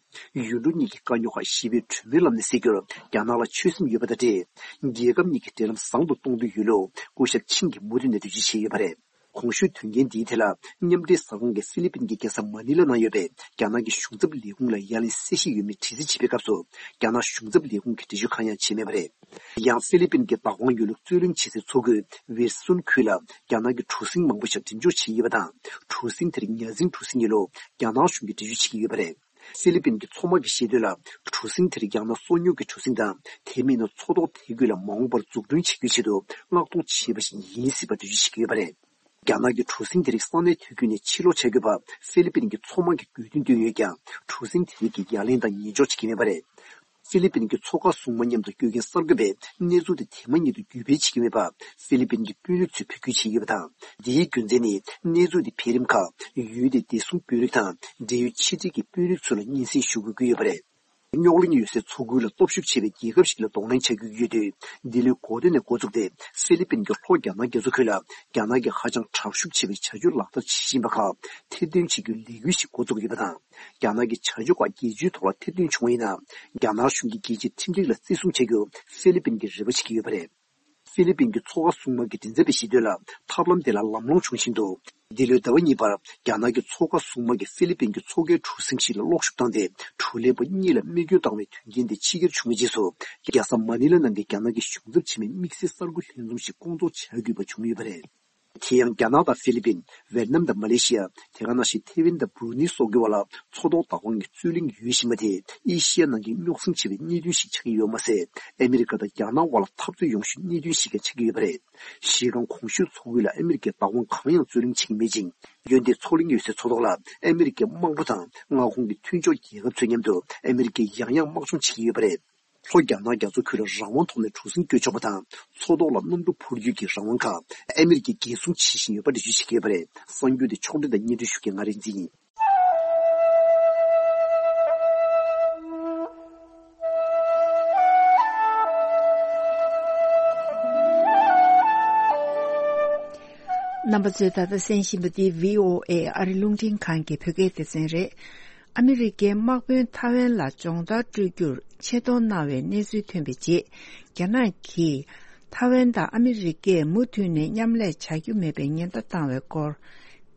ཡུལ་གྲུ་གཉིས་ཀྱི་དཀའ་རྙོག་ཁག་ཞི་བའི་གྲོས་མོལ་ལམ་ནས་སེལ་རྒྱུར་རྒྱ་ནག་ལ་ཆོད་སེམས་ཡོད་པ་དང་འབྲེལ། རྒྱལ་ཁབ་གཉིས་ཀྱི་འབྲེལ་ལམ་བཟང་དུ་གཏོང་འདོད་ཡོད་ལུགས་སྐུ་ཞབས་ཆིང་གིས་མུ་མཐུད་ནས་འགྲེལ་བརྗོད་བྱས་ཡོད་པ་རེད། གོང་ཞུས་དོན་རྐྱེན་འདིའི་ཐད་ལ། མཉམ་འབྲེལ་གསར་ཁང་གིས་ཧྥི་ལི་པིན་གྱི་རྒྱལ་ས་མ་ནི་ལ་ནང་ཡོད་པའི་རྒྱ་ནག་གི་གཞུང་ཚབ་ལས་ཁུངས་ལ་ཡ་ལན་གསལ་བཤད་ཡོད་མེད་དྲི་རྩད་བྱེད་པའི་སྐབས་སུ། རྒྱ་ནག་གཞུང་ཚབ་ལས་ཁུངས་ཀྱིས་འགྲེལ་བརྗོད་གང་ཡང་བྱས་མེད་པ་རེད། ཡང་ཧྥི་ལི་པིན་གྱི་བདག་དབང་ཡོད་ལུགས་རྩོད་གླེང་བྱེད་སའི་མཚོ་ཁུལ་ཝེར་སུན་ཁུལ་ལ་རྒྱ་ནག་གི་གྲུ་གཟིངས་མང་པོ་ཞིག་འགྲེམས་འཇོག་བྱས་ཡོད་པ་དང་། གྲུ་གཟིངས་དེར་ཉ་གཟིངས་གྲུ་གཟིངས་ཡིན་ལུགས་རྒྱ་ནག་གཞུང་གིས་འགྲེལ་བརྗོད་བྱེད་ཀྱི་ཡོད་པ་རེད། ཧྥི་ལི་པིན་གྱི་མཚོ་དམག་གིས་བཤད་དོན་ལ། གྲུ་གཟིངས་དེར་ཡང་ན་སོ་ཉུལ་གྱི་གྲུ་གཟིངས་དང་། དེ་མིན་ན་མཚོ་ཐོག་དེ་ཁུལ་ལ་མ་འོངས་པར་འཛུགས་སྐྲུན་བྱེད་རྒྱུའི་ཆེད་དུ་མངགས་གཏོང་བྱས་པ་ཞིག་ཡིན་སྲིད་པ་འགྲེལ་བརྗོད་བྱེད་ཀྱི་ཡོད་པ་རེད། རྒྱ་ནག་གི་གྲུ་གཟིངས་དེ་རིགས་ས་གནས་དེ་ཁུལ་ནས་ཕྱིར་ལོག་བྱ་དགོས་པ་ཧྥི་ལི་པིན་གྱི་མཚོ་དམག་གིས་དགོས་འདུན་བཏོན་ཡོད་ཀྱང་། གྲུ་གཟིངས་དེ་རིགས་ཀྱིས་ཡ་ལན་དང་ཉན་འཇོག་བྱེད་ཀྱི་མེད་པ་རེད། ཧྥི་ལི་པིན་གྱི་མཚོ་ཁ་སྲུང་དམག་མཉམ་དུ་བསྐྱོད་མཁན་གསར་འགོད་པས་གནས་ཚུལ་དེ་དེ་མ་ཉིད་དུ་བརྒྱུད་སྤེལ་བྱེད་ཀྱི་མེད་པ་ཧྥི་ལི་པིན་གྱི་དཔོན་རིགས་ཚོས་འབོད་སྐུལ་བྱས་ཡོད་པ་དང་། འདིའི་རྒྱུ་མཚན་ནི་གནས་ཚུལ་དེ་འཕེལ་རིམ་ཁག་ཡུལ་དེའི་བདེ་སྲུང་དཔོན་རིགས་དང་འབྲེལ་ཡོད་ཕྱི་འབྲེལ་གྱི་དཔོན་རིགས་ཚོ་ལ་སྙན་སེང་ཞུ་དགོས་ཀྱི་ཡོད་པ་རེད། རྙོག་གླེང་ཡོད་སའི་མཚོ་ཁུལ་ལ་སྟོབས་ཤུགས་ཆེ་བའི་རྒྱལ་ཁབ་ཞིག་ལ་གདོང་ལེན་བྱ་རྒྱུ་ཡོད་དུས། འདི་ལོའི་འགོ་སྟོད་ནས་འགོ་བཙུགས་ཏེ་ཧྥི་ལི་པིན་གྱིས་ལྷོ་རྒྱ་ནག་རྒྱ་མཚོ་ཁུལ་ལ་རྒྱ་ནག་གི་ཧ་ཅང་དྲག་ཤུགས་ཆེ་བའི་བྱ་སྤྱོད་ལག་བསྟར་བྱེད་བཞིན་པ་ཁག་ཐེར་འདོན་བྱེད་རྒྱུའི་ལས་འགུལ་ཞིག་འགོ་བཙུགས་ཡོད་པ་དང་། རྒྱ་ནག་གི་བྱ་སྤྱོད་ཁག་རྒྱལ་སྤྱིའི་ཐོག་ལ་ཐེར་འདོན་བྱུང་བ་ཡིན་ན། རྒྱ་ནག་གཞུང་གིས་རྒྱལ་སྤྱིའི་ཁྲིམས་སྒྲིག་ལ་བརྩི་སྲུང་བྱ་རྒྱུ་ཧྥི་ལི་པིན་གྱིས་རེ་བ་བྱེད་ཀྱི་ཡོད་པ་རེད། ཧྥི་ལི་པིན་གྱི་མཚོ་ཁ་སྲུང་དམག་གི་མགྲིན་ཚབ་པས་བཤད་དོན་ལ། ཐབས་ལམ་དེ་ལ་ལམ་ལྷོང་བྱུང་བཞིན་དུ། འདི་ལོའི་ཟླ་བ་གཉིས་པར་རྒྱ་ནག་གི་མཚོ་ཁ་སྲུང་དམག་གིས་ཧྥི་ལི་པིན་གྱི་མཚོ་ཁའི་གྲུ་གཟིངས་ཤིག་ལ་གློག་ཤུགས་བཏང་སྟེ། གྲུ་ལས་པ་གཉིས་ལ་རྨས་སྐྱོན་བཏང་བའི་དོན་རྐྱེན་དེ་ཕྱི་འགྱུར་བྱུང་བའི་རྗེས་སུ། རྒྱལ་ས་མ་ནི་ལ་ནང་གི་རྒྱ་ནག་གི་གཞུང་ཚབ་ཆེན་མོའི་དམིགས་བསལ་གསར་འགོད་ལྷན་འཛོམས་ཤིག་སྐོང་ཚོགས་བྱ་དགོས་པ་བྱུང་ཡོད་པ་རེད། དེ་ཡང་རྒྱ་ནག་དང་ཧྥི་ལི་པིན། ཝེད་ནམ་དང་མ་ལེ་ཤི་ཡ། དེ་ག་ནང་བཞིན་ཐེ་ཝན་དང་བྷུ་རུ་ནི་སོགས་ཀྱི་བར་ལ་མཚོ་ཐོག་བདག་དབང་གི་རྩོད་གླེང་ཡོད་བཞིན་པ་དེ་ཨེ་ཤི་ཡ་ནང་གི་རྙོག་ཟིང་ཆེ་བའི་གནད་དོན་ཞིག་ཆགས་ཀྱི་ཡོད་མ་ཟད། ཨ་མི་རི་ཀ་དང་རྒྱ་ནག་དབར་ལ་འཐབ་རྩོད་ཡོང་ཤུལ་གནད་དོན་ཞིག་ཀྱང་ཆགས་ཀྱི་ཡོད་པ་རེད། གཞི་རྐང་གོང་ཞུས་མཚོ་ཁུལ་ལ་ཨ་མི་རི་ཀས་བདག་དབང་གང་ཡང་རྩོད་གླེང་བྱེད་ཀྱི་མེད་ཅིང་། འོན་ཏེ་མཚོ་གླིང་ཡོད་སའི་མཚོ་ཐོག་ལ་ཨ་མི་རི་ཀའི་དམག་གྲུ་དང་མངའ་ཁོངས་ཀྱི་མཐུན་ཕྱོགས་རྒྱལ་ཁབ་ཚོའི་མཉམ་དུ་ཨ་མི་རི་ཀས་ཡང་ཡང་དམག་སྦྱོང་བྱེད་ཀྱི་ཡོད་པ་རེད། ལྷོ་རྒྱ་ནག་རྒྱ་མཚོ་ཁུལ་ལ་རང་དབང་ཐོག་ནས་གྲུ་གཟིངས་བསྐྱོད་ཆོག་པ་དང་། མཚོ་ཐོག་ལ་གནམ་གྲུ་འཕུར་རྒྱུ་གི་རང་དབང་ཁག་ཨ་མི་རི་ཀས་འགན་སྲུང་བྱེད་བཞིན་ཡོད་པ་འགྲེལ་བརྗོད་བྱེད་ཀྱི་ཡོད་པ་རེད། གསར་འགྱུར་དེ་ཕྱོགས་སྒྲིག་དང་སྙན་སྒྲོན་ཞུ་མཁན་ང་རིག་འཛིན་ཡིན། རྣམ་པ་ཚོས་ད་ལྟ་གསན་བཞིན་པ་འདི་བྷི་ཨོ་ཨེ་ཨ་རི་རླུང་འཕྲིན་ཁང་གི་བོད་སྐད་སྡེ་ཚན་རེད། ཨ་མི་རི་ཀའི་དམག་དཔོན་ཐའེ་ཝན་ལ་སྦྱོང་བརྡར་སྤྲོད་རྒྱུར་ཆེ་མཐོང་གནང་བའི་གནས་ཚུལ་ཐོན་པའི་རྗེས། རྒྱ་ནག་གིས་ཐའེ་ཝན་དང་ཨ་མི་རི་ཀས་མུ་མཐུད་ནས་མཉམ་ལས་བྱ་རྒྱུ་མེད་པའི་ཉེན་བརྡ་བཏང་བའི་སྐོར།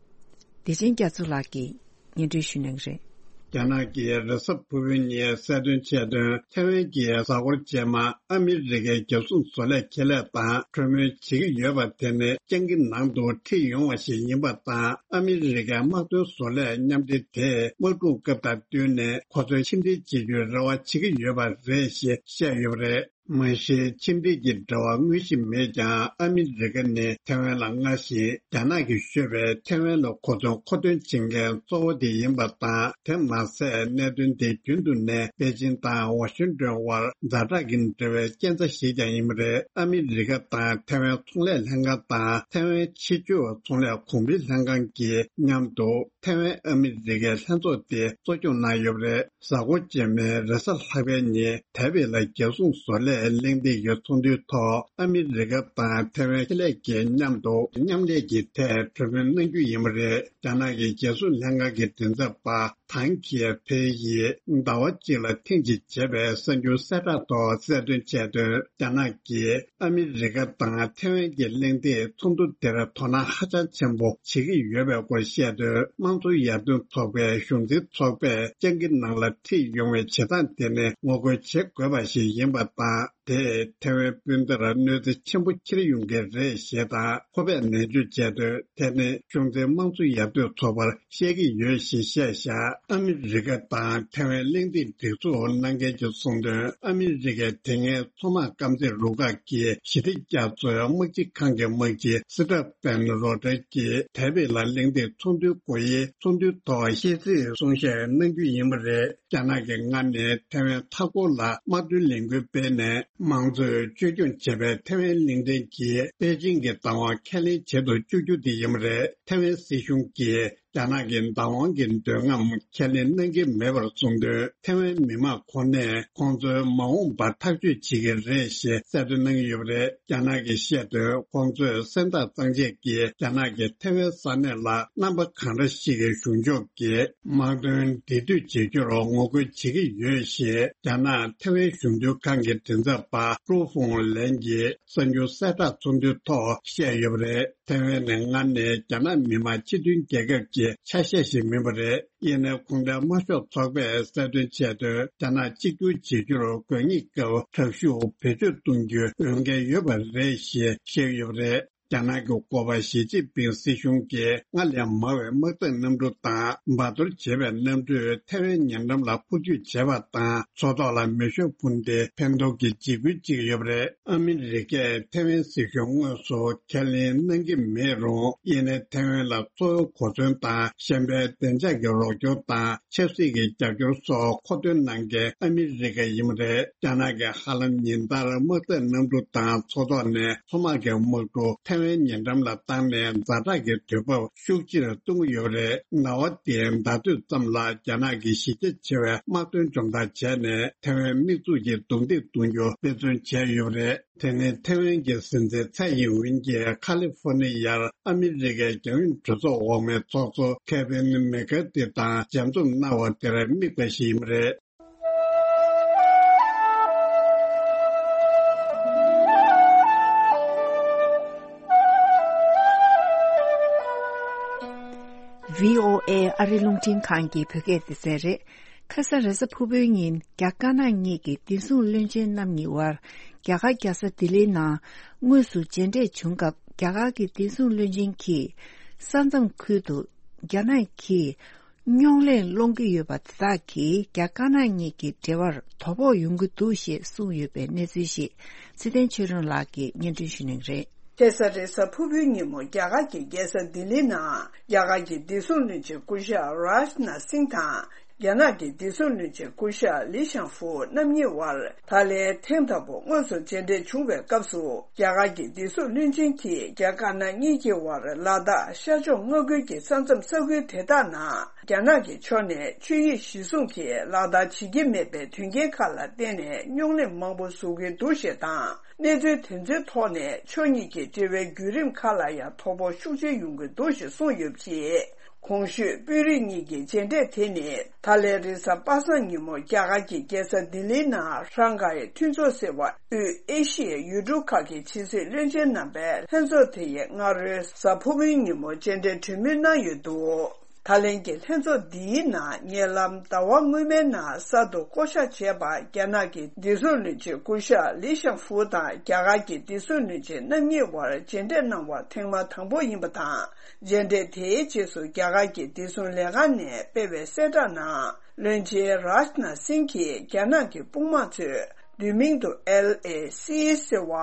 བདེ་ཆེན་རྒྱ་མཚོ་ལགས་ཀྱིས་སྙན་སྒྲོན་ཞུ་གནང་གི་རེད། རྒྱ་ནག་གིས་རེས་གཟའ་ཕུར་བུའི་ཉིན་གསལ་སྟོན་བྱས་དོན། ཐའེ་ཝན་གྱི་གཟའ་འཁོར་རྗེས་མ་ཨ་མི་རི་ཀའི་རྒྱབ་སྲུང་བཟོ་ལས་ཁེ་ལས་དང་གྲོས་མོལ་བྱེད་ཀྱི་ཡོད་པ་དེ་ནི་སྤྱང་ཀི་ནང་དུ་ཁྲིད་ཡོང་བ་ཞིག་ཡིན་པ་དང་། ཨ་མི་རི་ཀའི་དམག་དོན་བཟོ་ལས་མཉམ་འབྲེལ་དེས་དམག་འཁྲུག་སྐབས་དང་བསྟུན་ནས་ཁོ་ཚོའི་ཕྱི་འབྲེལ་བྱེད་རྒྱུའི་རེ་བ་བྱེད་ཀྱི་ཡོད་པ་རེད་ཞེས་བཤད་ཡོད་པ་རེད། མ་གཞི་ཕྱི་འབྲེལ་གྱི་འབྲེལ་བ་དངོས་གཞི་མེད་ཀྱང་། ཨ་མི་རི་ཀ་ནི་ཐེ་ཝན་ལ་སྔར་བཞིན་རྒྱ་ནག་གིས་གཞོལ་བའི་ཐེ་ཝན་ལ་གོ་མཚོན་མཁོ་འདོན་བྱེད་མཁན་གཙོ་བོ་དེ་ཡིན་པ་དང་། དེ་མ་ཟད། གནད་དོན་དེ་རྒྱུན་དུ་ནས་པེ་ཅིང་དང་ཝ་ཤིང་ཏོན་དབར་ཛ་དྲག་གི་འབྲེལ་བའི་རྐྱེན་རྩ་ཞིག་ཀྱང་ཡིན་པ་རེད། ཨ་མི་རི་ཀ་དང་ཐེ་ཝན་ཚོང་ལས་ལྷན་ཁང་དང་། ཐེ་ཝན་ཕྱི་ཕྱོགས་ཚོང་ལས་གོང་འཕེལ་ལྷན་ཁང་གིས་མཉམ་དུ་ཐེ་ཝན་ཨ་མི་རི་ཀའི་ལྷན་ཚོགས་དེ་གཙོ་སྐྱོང་གནང་ཡོད་པ་རེད། གཟའ་འཁོར་རྗེས་མའི་རེས་གཟའ་ལྷག་པའི་ཉིན། ཐའེ་པེ་ལ་རྒྱལ་སྲུང་བཟོ་ལས་གླེང་སྟེགས་ཀྱི་ཚོགས་འདུའི་ཐོག་ཨ་མི་རི་ཀ་དང་ཐེ་ཝན་ཆེད་ལས་ཀྱིས་མཉམ་དུ་མཉམ་ལས་ཀྱི་ཐད་གྲོས་མོལ་གནང་རྒྱུ་ཡིན་པ་རེད། རྒྱ་ནག་གི་རྒྱལ་སྲུང་ལྷན་ཁང་གི་མགྲིན་ཚབ་པ་ཐང་ཁེ་ཕེ་ཡིས་ཟླ་བ་གཅིག་ལ་ཐེངས་གཅིག་བྱས་པའི་གསར་འགྱུར་གསལ་བསྒྲགས་ཐོག་གསལ་སྟོན་བྱས་དོན། རྒྱ་ནག་གིས་ཨ་མི་རི་ཀ་དང་ཐེ་ཝན་གྱི་གླེང་སྟེགས་ཚོགས་འདུ་དེར་དོ་སྣང་ཧ་ཅང་ཆེན་པོ་བྱེད་ཀྱི་ཡོད་པའི་སྐོར་བཤད་དོན། དམངས་གཙོ་ཡར་ཐོན་ཚོགས་པའི་གཞུང་འཛིན་ཚོགས་པས་སྤྱང་ཀི་ནང་ལ་ཁྲིད་ཡོང་བའི་བྱེད་སྟངས་དེ་ནི་ངོ་རྒོལ་བྱེད་དགོས་པ་ཞིག་ཡིན་པ་དང་། དེས་ཐེ་ཝན་སྤུན་ཟླར་གནོད་འཚེ་ཆེན་པོ་འཁྱེར་ཡོང་གི་རེད་ཞེས་དང་། ཁོ་པས་ནན་བརྗོད་བྱས་དོན། དེ་ནི་གཞུང་འཛིན་དམངས་གཙོ་ཡར་ཐོན་ཚོགས་པར་བཤད་ཀྱི་ཡོད་ཞེས་བཤད་བཞག་ཨ་མི་རི་ཀ་དང་ཐེ་ཝན་གླེང་སྟེགས་སྒྲིག་འཛུགས་གནང་མཁན་གྱིས་གསུངས་དོན། ཨ་མི་རི་ཀའི་དེ་སྔའི་མཚོ་དམག་དཀར་མཛེས་རུ་ཁག་གི་ཞི་བདེ་རྒྱ་མཚོའི་དམག་སྤྱི་ཁང་གི་དམག་སྤྱི་སི་ཏྲ་པན་རོ་ཏྲེ་གིས་ཐའེ་པེ་ལ་གླེང་སྟེགས་ཚོགས་འདུའི་སྒོ་དབྱེའི་ཚོགས་འདུའི་ཐོག་བཤད་ཚིག་གསུང་བཤད་གནང་རྒྱུ་ཡིན་པ་རེད། རྒྱ་ནག་གིས་སྔར་ནས་ཐའེ་ཝན་མཐའ་འཁོར་ལ་དམག་དོན་ལས་འགུལ་སྤེལ་ནས། མང་གཙོས་བཅོས་སྐྱོང་བྱས་པའི་ཐའེ་ཝན་གླིང་ཕྲན་གྱིས་པེ་ཅིང་གི་བདག་དབང་ཁས་ལེན་བྱེད་དུ་བཅུག་རྒྱུ་དེ་ཡིན་པ་རེད། ཐའེ་ཝན་སྲིད་གཞུང་གིས་རྒྱ་ནག་གི་བདག་དབང་གི་མདུན་ལམ་ཁས་ལེན་གནང་གི་མེད་པར་གསུངས་དོན། ཐའེ་ཝན་མི་དམངས་ཁོ་ནས་ཁོང་ཚོའི་མ་འོངས་པ་ཐག་གཅོད་བྱེད་ཀྱི་རེད་ཞེས་གསལ་སྟོན་གནང་གི་ཡོད་པ་རེད། རྒྱ་ནག་གིས་བཤད་དོན། ཁོང་ཚོས་སེམས་ཐག་གཙང་བཅད་ཀྱིས་རྒྱ་ནག་གིས་ཐའེ་ཝན་ས་གནས་ལ་རྣམ་པ་གང་འདྲ་ཞིག་གི་གཞུང་ཕྱོགས་ཀྱི་དམག་དོན་འབྲེལ་མཐུད་བྱེད་རྒྱུར་ངོ་རྒོལ་བྱེད་ཀྱི་ཡོད་ཞེས་རྒྱ་ནག་ཐའེ་ཝན་གཞུང་དོན་ཁང་གི་མགྲིན་ཚབ་པ་ཀྲུའུ་ཧྥུང་ལན་གྱིས་གསར་འགྱུར་གསལ་བསྒྲགས་ཚོགས་འདུའི་ཐོག་བཤད་ཡོད་པ་རེད། ཐའེ་ཝན་ནི་སྔར་ནས་རྒྱ་ནག་མི་དམངས་སྤྱི་མཐུན་རྒྱལ་ཁབ་ཀྱི་ཆ་ཤས་ཤིག་མིན་པ་རེད། ཡིན་ནའི་གུང་ཁྲན་དམར་ཤོག་ཚོགས་པས་གསལ་སྟོན་བྱས་དོན། རྒྱ་ནག་གཅིག་གྱུར་བྱེད་རྒྱུར་དགོས་ངེས་སྐབས་དྲག་ཤུགས་བེད་སྤྱོད་གཏོང་རྒྱུའི་འོས་འགན་ཡོད་པ་རེད་ཞེས་བཤད་ཡོད་པ་རེད། རྒྱ་ནག་གི་འགོ་པ་ཞི་ཅིན་ཕིང་སྲིད་གཞུང་གིས་སྔར་ལས་མང་བའི་དམག་འཐབ་གནམ་གྲུ་དང་འབར་གཏོར་བྱེད་པའི་གནམ་གྲུས་ཐའེ་ཝན་ཉེ་འགྲམ་ལ་འཕུར་སྐྱོད་བྱས་པ་དང་། མཚོ་ཐོག་ལ་མེ་ཤུགས་འཕུར་མདེལ་འཕེན་གཏོར་གྱི་འཇིགས་སྐུལ་བྱེད་ཀྱི་ཡོད་པ་རེད། ཨ་མི་རི་ཀས་ཐའེ་ཝན་སྲིད་གཞུང་དངོས་སུ་ཁས་ལེན་གནང་གི་མེད་རུང་། ཡིན་ནའི་ཐའེ་ཝན་ལ་གཙོ་བོའི་གོ་མཚོན་དང་གཞན་པའི་བདེ་འཇགས་ཀྱི་རོགས་སྐྱོར་དང་། ཆབ་སྲིད་ཀྱི་རྒྱབ་སྐྱོར་སོགས་མཁོ་འདོན་གནང་མཁན་ཨ་མི་རི་ཀ་ཡིན་པ་རེད། རྒྱ་ནག་གིས་ཧ་ལམ་ཉིན་ལྟར་དམག་འཐབ་གནམ་གྲུ་དང་མཚོ་ཐོག་ནས་མཚོ་དམག་གི་དམག་གྲུ་ཐའེ་ཝན་ཉེ་འགྲམ་ལ་བཏང་ནས་ཛ་དྲག་གི་དུས་བབ་ཤུགས་ཆེར་གཏོང་གི་ཡོད་པ་རེད། ཟླ་བ་འདིའི་ཟླ་སྟོད་ཙམ་ལ་རྒྱ་ནག་གིས་གཞི་རྒྱ་ཆེ་བའི་དམག་དོན་སྦྱོང་བརྡར་བྱས་ནས་ཐའེ་ཝན་དམིགས་འཛུགས་ཀྱི་རྡུང་རྡེག་གཏོང་རྒྱུ་དཔེ་མཚོན་བྱས་ཡོད་པ་རེད། དེ་ནི་ཐེ་ཝན་གྱི་སྲིད་འཛིན་ཚའེ་ཡིན་ཝིན་གྱིས་ཁ་ལི་ཧྥོ་ནི་ཡར་ཨ་མི་རི་ཀའི་རྒྱང་ཡོད་གྲོས་ཚོགས་འོག་མའི་ཚོགས་གཙོ་ཁེ་ཝིན་མེ་ཀར་ཐི་དང་མཇལ་འཛོམས་གནང་བ་དེར་དམིགས་པ་ཞིག་ཡིན་པ་རེད། བྷི་ཨོ་ཨེ་ཨ་རི་རླུང་འཕྲིན་ཁང་གི་བོད་སྐད་སྡེ་ཚན་རེད། ཁ་སང་རེས་གཟའ་ཕུར་བུའི་ཉིན་རྒྱ་དཀར་ནག་གཉིས་ཀྱི་བདེ་སྲུང་བློན་ཆེན་རྣམ་གཉིས་དབར་རྒྱ་གར་རྒྱལ་ས་ལྡི་ལིའི་ནང་དངོས་སུ་མཇལ་འཕྲད་བྱུང་སྐབས། རྒྱ་གར་གྱི་བདེ་སྲུང་བློན་ཆེན་གྱིས་ས་མཚམས་ཁུལ་དུ་རྒྱ་ནག་གིས་རྙོག་གླེང་སློང་གི་ཡོད་པ་དེ་དག་གིས་རྒྱ་དཀར་ནག་གཉིས་ཀྱི་འབྲེལ་བར་དོ་ཕོག་ཡོང་གི་འདུག་ཞེས་གསུངས་ཡོད་པའི་གནས་ཚུལ་ཞིག་ཚེ་བརྟན་ཆོས་སྒྲོན་ལགས་ཀྱིས་སྙན་སྒྲོན་ཞུ་གནང་གི་རེད། ཁ་སང་རེས་གཟའ་ཕུར་བུའི་ཉིན་མོ་རྒྱ་གར་གྱི་རྒྱལ་ས་ལྡི་ལིའི་ནང་རྒྱ་གར་གྱི་བདེ་སྲུང་བློན་ཆེན་སྐུ་ཞབས་རཱཇ་ནཱཐ་སིང་དང་། རྒྱ་ནག་གི་བདེ་སྲུང་བློན་ཆེན་སྐུ་ཞབས་ལི་ཞང་ཧྥུ་རྣམ་གཉིས་དབར་ད་ལན་ཐེངས་དང་པོ་དངོས་སུ་མཇལ་འཕྲད་བྱུང་བའི་སྐབས་སུ། རྒྱ་གར་གྱི་བདེ་སྲུང་བློན་ཆེན་གྱིས་རྒྱ་དཀར་ནག་གཉིས་ཀྱི་དབར་ལ་དྭགས་ཤར་ཕྱོགས་མངའ་ཁུལ་གྱི་ས་མཚམས་ས་ཁུལ་དེ་དག་ནང་རྒྱ་ནག་གི་ཕྱོགས་ནས་ཆོས་ཡིག་གཞིར་བཟུང་གིས་ལག་བསྟར་བྱེད་ཀྱི་མེད་པའི་དོན་རྐྱེན་ཁག་ལ་བརྟེན་ནས་རྙོག་གླེང་མང་པོ་བཟོ་གིན་འདུག་ཞེས་དང་། གནས་ཚུལ་དེ་ཚོའི་ཐོག་ནས་ཕྱོགས་གཉིས་ཀྱི་འབྲེལ་བའི་བརྒྱུད་རིམ་ཁག་ལ་ཡང་དོ་ཕོག་ཤུགས་ཆེ་ཡོང་གི་འདུག་ཞེས་གསུངས་ཡོད་པ་རེད། གོང་ཞུས་དཔོན་རིགས་གཉིས་ཀྱི་མཇལ་འཕྲད་དེ་ནི་ད་ལན་རེས་གཟའ་པ་སངས་ཉིན་མོ་རྒྱ་གར་གྱི་རྒྱལ་ས་ལྡི་ལིའི་ནང་ཧྲང་ཧའེ་མཐུན་ཚོགས་ཟེར་བ་དབུས་ཨེ་ཤི་ཡའི་ཡུལ་གྲུ་ཁག་གི་ཕྱི་སྲིད་བློན་ཆེན་རྣམ་པའི་ལྷན་ཚོགས་དེ་ཡི་སྔ་རོལ་གཟའ་ཕུར་བུའི་ཉིན་མོ་མཇལ་འཕྲད་གྲོས་མོལ་གནང་ཡོད་འདུག་ད་ལན་གྱི་ལྷན་ཚོགས་འདིའི་ནང་ཉེ་ལམ་ཟླ་བ་སྔོན་མའི་ནང་གསར་དུ་བསྐོ་གཞག་བྱས་པ་རྒྱ་ནག་གི་བདེ་སྲུང་བློན་ཆེན་སྐུ་ཞབས་ལི་ཞང་ཧྥུ་དང་རྒྱ་གར་གྱི་བདེ་སྲུང་བློན་ཆེན་རྣམ་གཉིས་དབར་མཇལ་འཕྲད་གནང་བ་ཐེངས་མ་དང་པོ་ཡིན་པ་དང་། མཇལ་འཕྲད་དེའི་རྗེས་སུ་རྒྱ་གར་གྱི་བདེ་སྲུང་ལས་ཁང་ནས་སྤེལ་བའི་གསལ་བསྒྲགས་ནང་། བློན་ཆེན་རཱཇ་ནཱཐ་སིང་གིས་རྒྱ་ནག་གི་དཔུང་དམག་ཚོས་ བསྡུས་མིང་དུ་ཨེལ་ཨེ་སི་ཟེར་བ།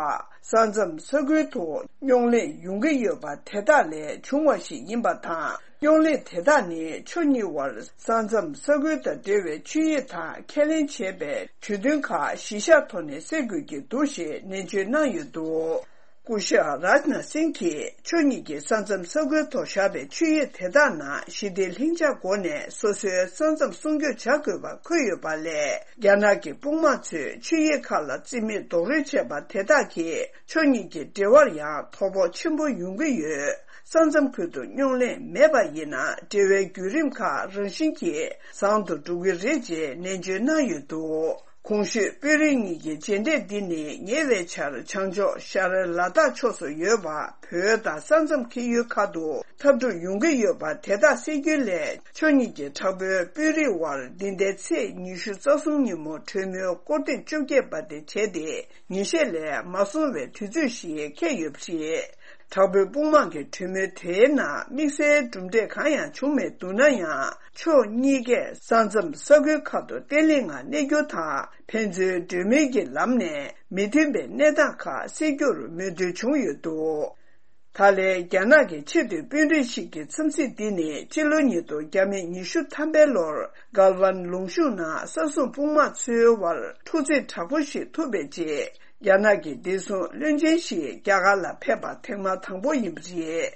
ས་མཚམས་ས་ཁུལ་དུ་རྙོག་གླེང་ཡོང་གི་ཡོད་པ་དེ་དག་ལས་བྱུང་བ་ཞིག་ཡིན་པ་དང་། རྙོག་གླེང་དེ་དག་ནི་ཕྱོགས་གཉིས་དབར་ས་མཚམས་ས་ཁུལ་དང་འབྲེལ་བའི་ཆོད་ཡིག་དང་ཁས་ལེན་བྱས་པའི་གྲོས་མཐུན་ཁག་གཞི་བཞག་ཐོག་ནས་སེལ་དགོས་ཀྱི་འདུག་ཞེས་ནན་བརྗོད་གནང་ཡོད་འདུག་སྐུ་ཞབས་རཱཇ་ནཱཐ་སིང་གིས་ཕྱོགས་གཉིས་ཀྱི་ས་མཚམས་ས་ཁུལ་ཐོག་བཞག་པའི་ཆོད་ཡིག་དེ་དག་ནང་ཞི་བདེ་ལྷིང་འཇགས་སྒོ་ནས་སོ་སོའི་ས་མཚམས་སྲུང་སྐྱོབ་བྱ་དགོས་པ་འཁོད་ཡོད་པ་ལས། རྒྱ་ནག་གི་དཔུང་དམག་ཚོས་ཆོད་ཡིག་ཁག་ལ་རྩིས་མེད་རྡོག་རོལ་བྱས་པ་དེ་དག་གིས་ཕྱོགས་གཉིས་ཀྱི་འབྲེལ་བར་ཡང་དོ་ཕོག་ཆེན་པོ་ཡོང་གི་ཡོད། ས་མཚམས་ཁུལ་དུ་རྙོག་གླེང་མེད་པ་ཡིན་ན། འབྲེལ་བའི་བརྒྱུད་རིམ་ཁག་རང་བཞིན་གྱིས་བཟང་དུ་འགྲོ་གི་རེད་ཅེས་ནན་བརྗོད་གནང་ཡོད་འདུག་གོང་ཞུས་དཔོན་རིགས་གཉིས་ཀྱི་མཇལ་འཕྲད་འདི་ནི་ཉེ་བའི་ཆར་བྱང་ཕྱོགས་ཤར་ལ་དྭགས་ཕྱོགས་སུ་ཡོད་པ་བོད་དང་ས་མཚམས་ཁེལ་ཡུལ་ཁག་ཏུ་འཐབ་འཁྲུག་ཡོང་གི་ཡོད་པ་དེ་དག་སེལ་རྒྱུའི་སླད། ཕྱོགས་གཉིས་ཀྱི་དྲག་པོའི་དཔོན་རིགས་དབར་འདི་ཟླའི་ཚེས་ཉི་ཤུ་རྩ་གསུམ་ཉིན་མོ་གྲོས་མོལ་སྐོར་ཐེངས་བཅོ་བརྒྱད་པ་དེ་བྱས་ཏེ། ཉིན་ཤས་ལས་མ་སོང་བའི་དུས་ཚོད་ཞིག་འཁེལ་ཡོད་པ་རེད། དྲག་པོའི་དཔུང་དམག་གི་གྲོས་མོལ་དེའི་ནང་དམིགས་བསལ་གྲུབ་འབྲས་གང་ཡང་བྱུང་མེད་འདུག་ན་ཡང་། ཕྱོགས་གཉིས་ཀས་ས་མཚམས་ས་ཁུལ་ཁག་ཏུ་བརྟན་ལྷིང་ངང་གནས་རྒྱུ་དང་། ཕན་ཚུན་གྲོས་མོལ་གྱི་ལམ་ནས་མི་མཐུན་པའི་གནས་སྟངས་ཁག་སེལ་རྒྱུར་མོས་མཐུན་བྱུང་ཡོད་འདུག་ད་ལན་རྒྱ་ནག་གི་ཆེས་མཐོའི་དཔོན་རིགས་ཤིག་གི་འཚམས་གཟིགས་འདི་ནི་སྤྱི་ལོ་ཉིས་སྟོང་བརྒྱ་མེད་ཉི་ཤུ་ཐམ་པའི་ལོར་གལ་ཝན་ལུང་གཤོང་ནང་ས་སྲུང་དཔུང་དམག་ཚོའི་དབར་འཁྲུག་རྩོད་དྲག་པོ་ཞིག་ཐུག་པའི་རྗེས། རྒྱ་ནག་གི་བདེ་སྲུང་བློན་ཆེན་ཞིག་རྒྱ་གར་ལ་ཕེབས་པ་ཐེངས་མ་དང་པོ་ཡིན་པ་རེད།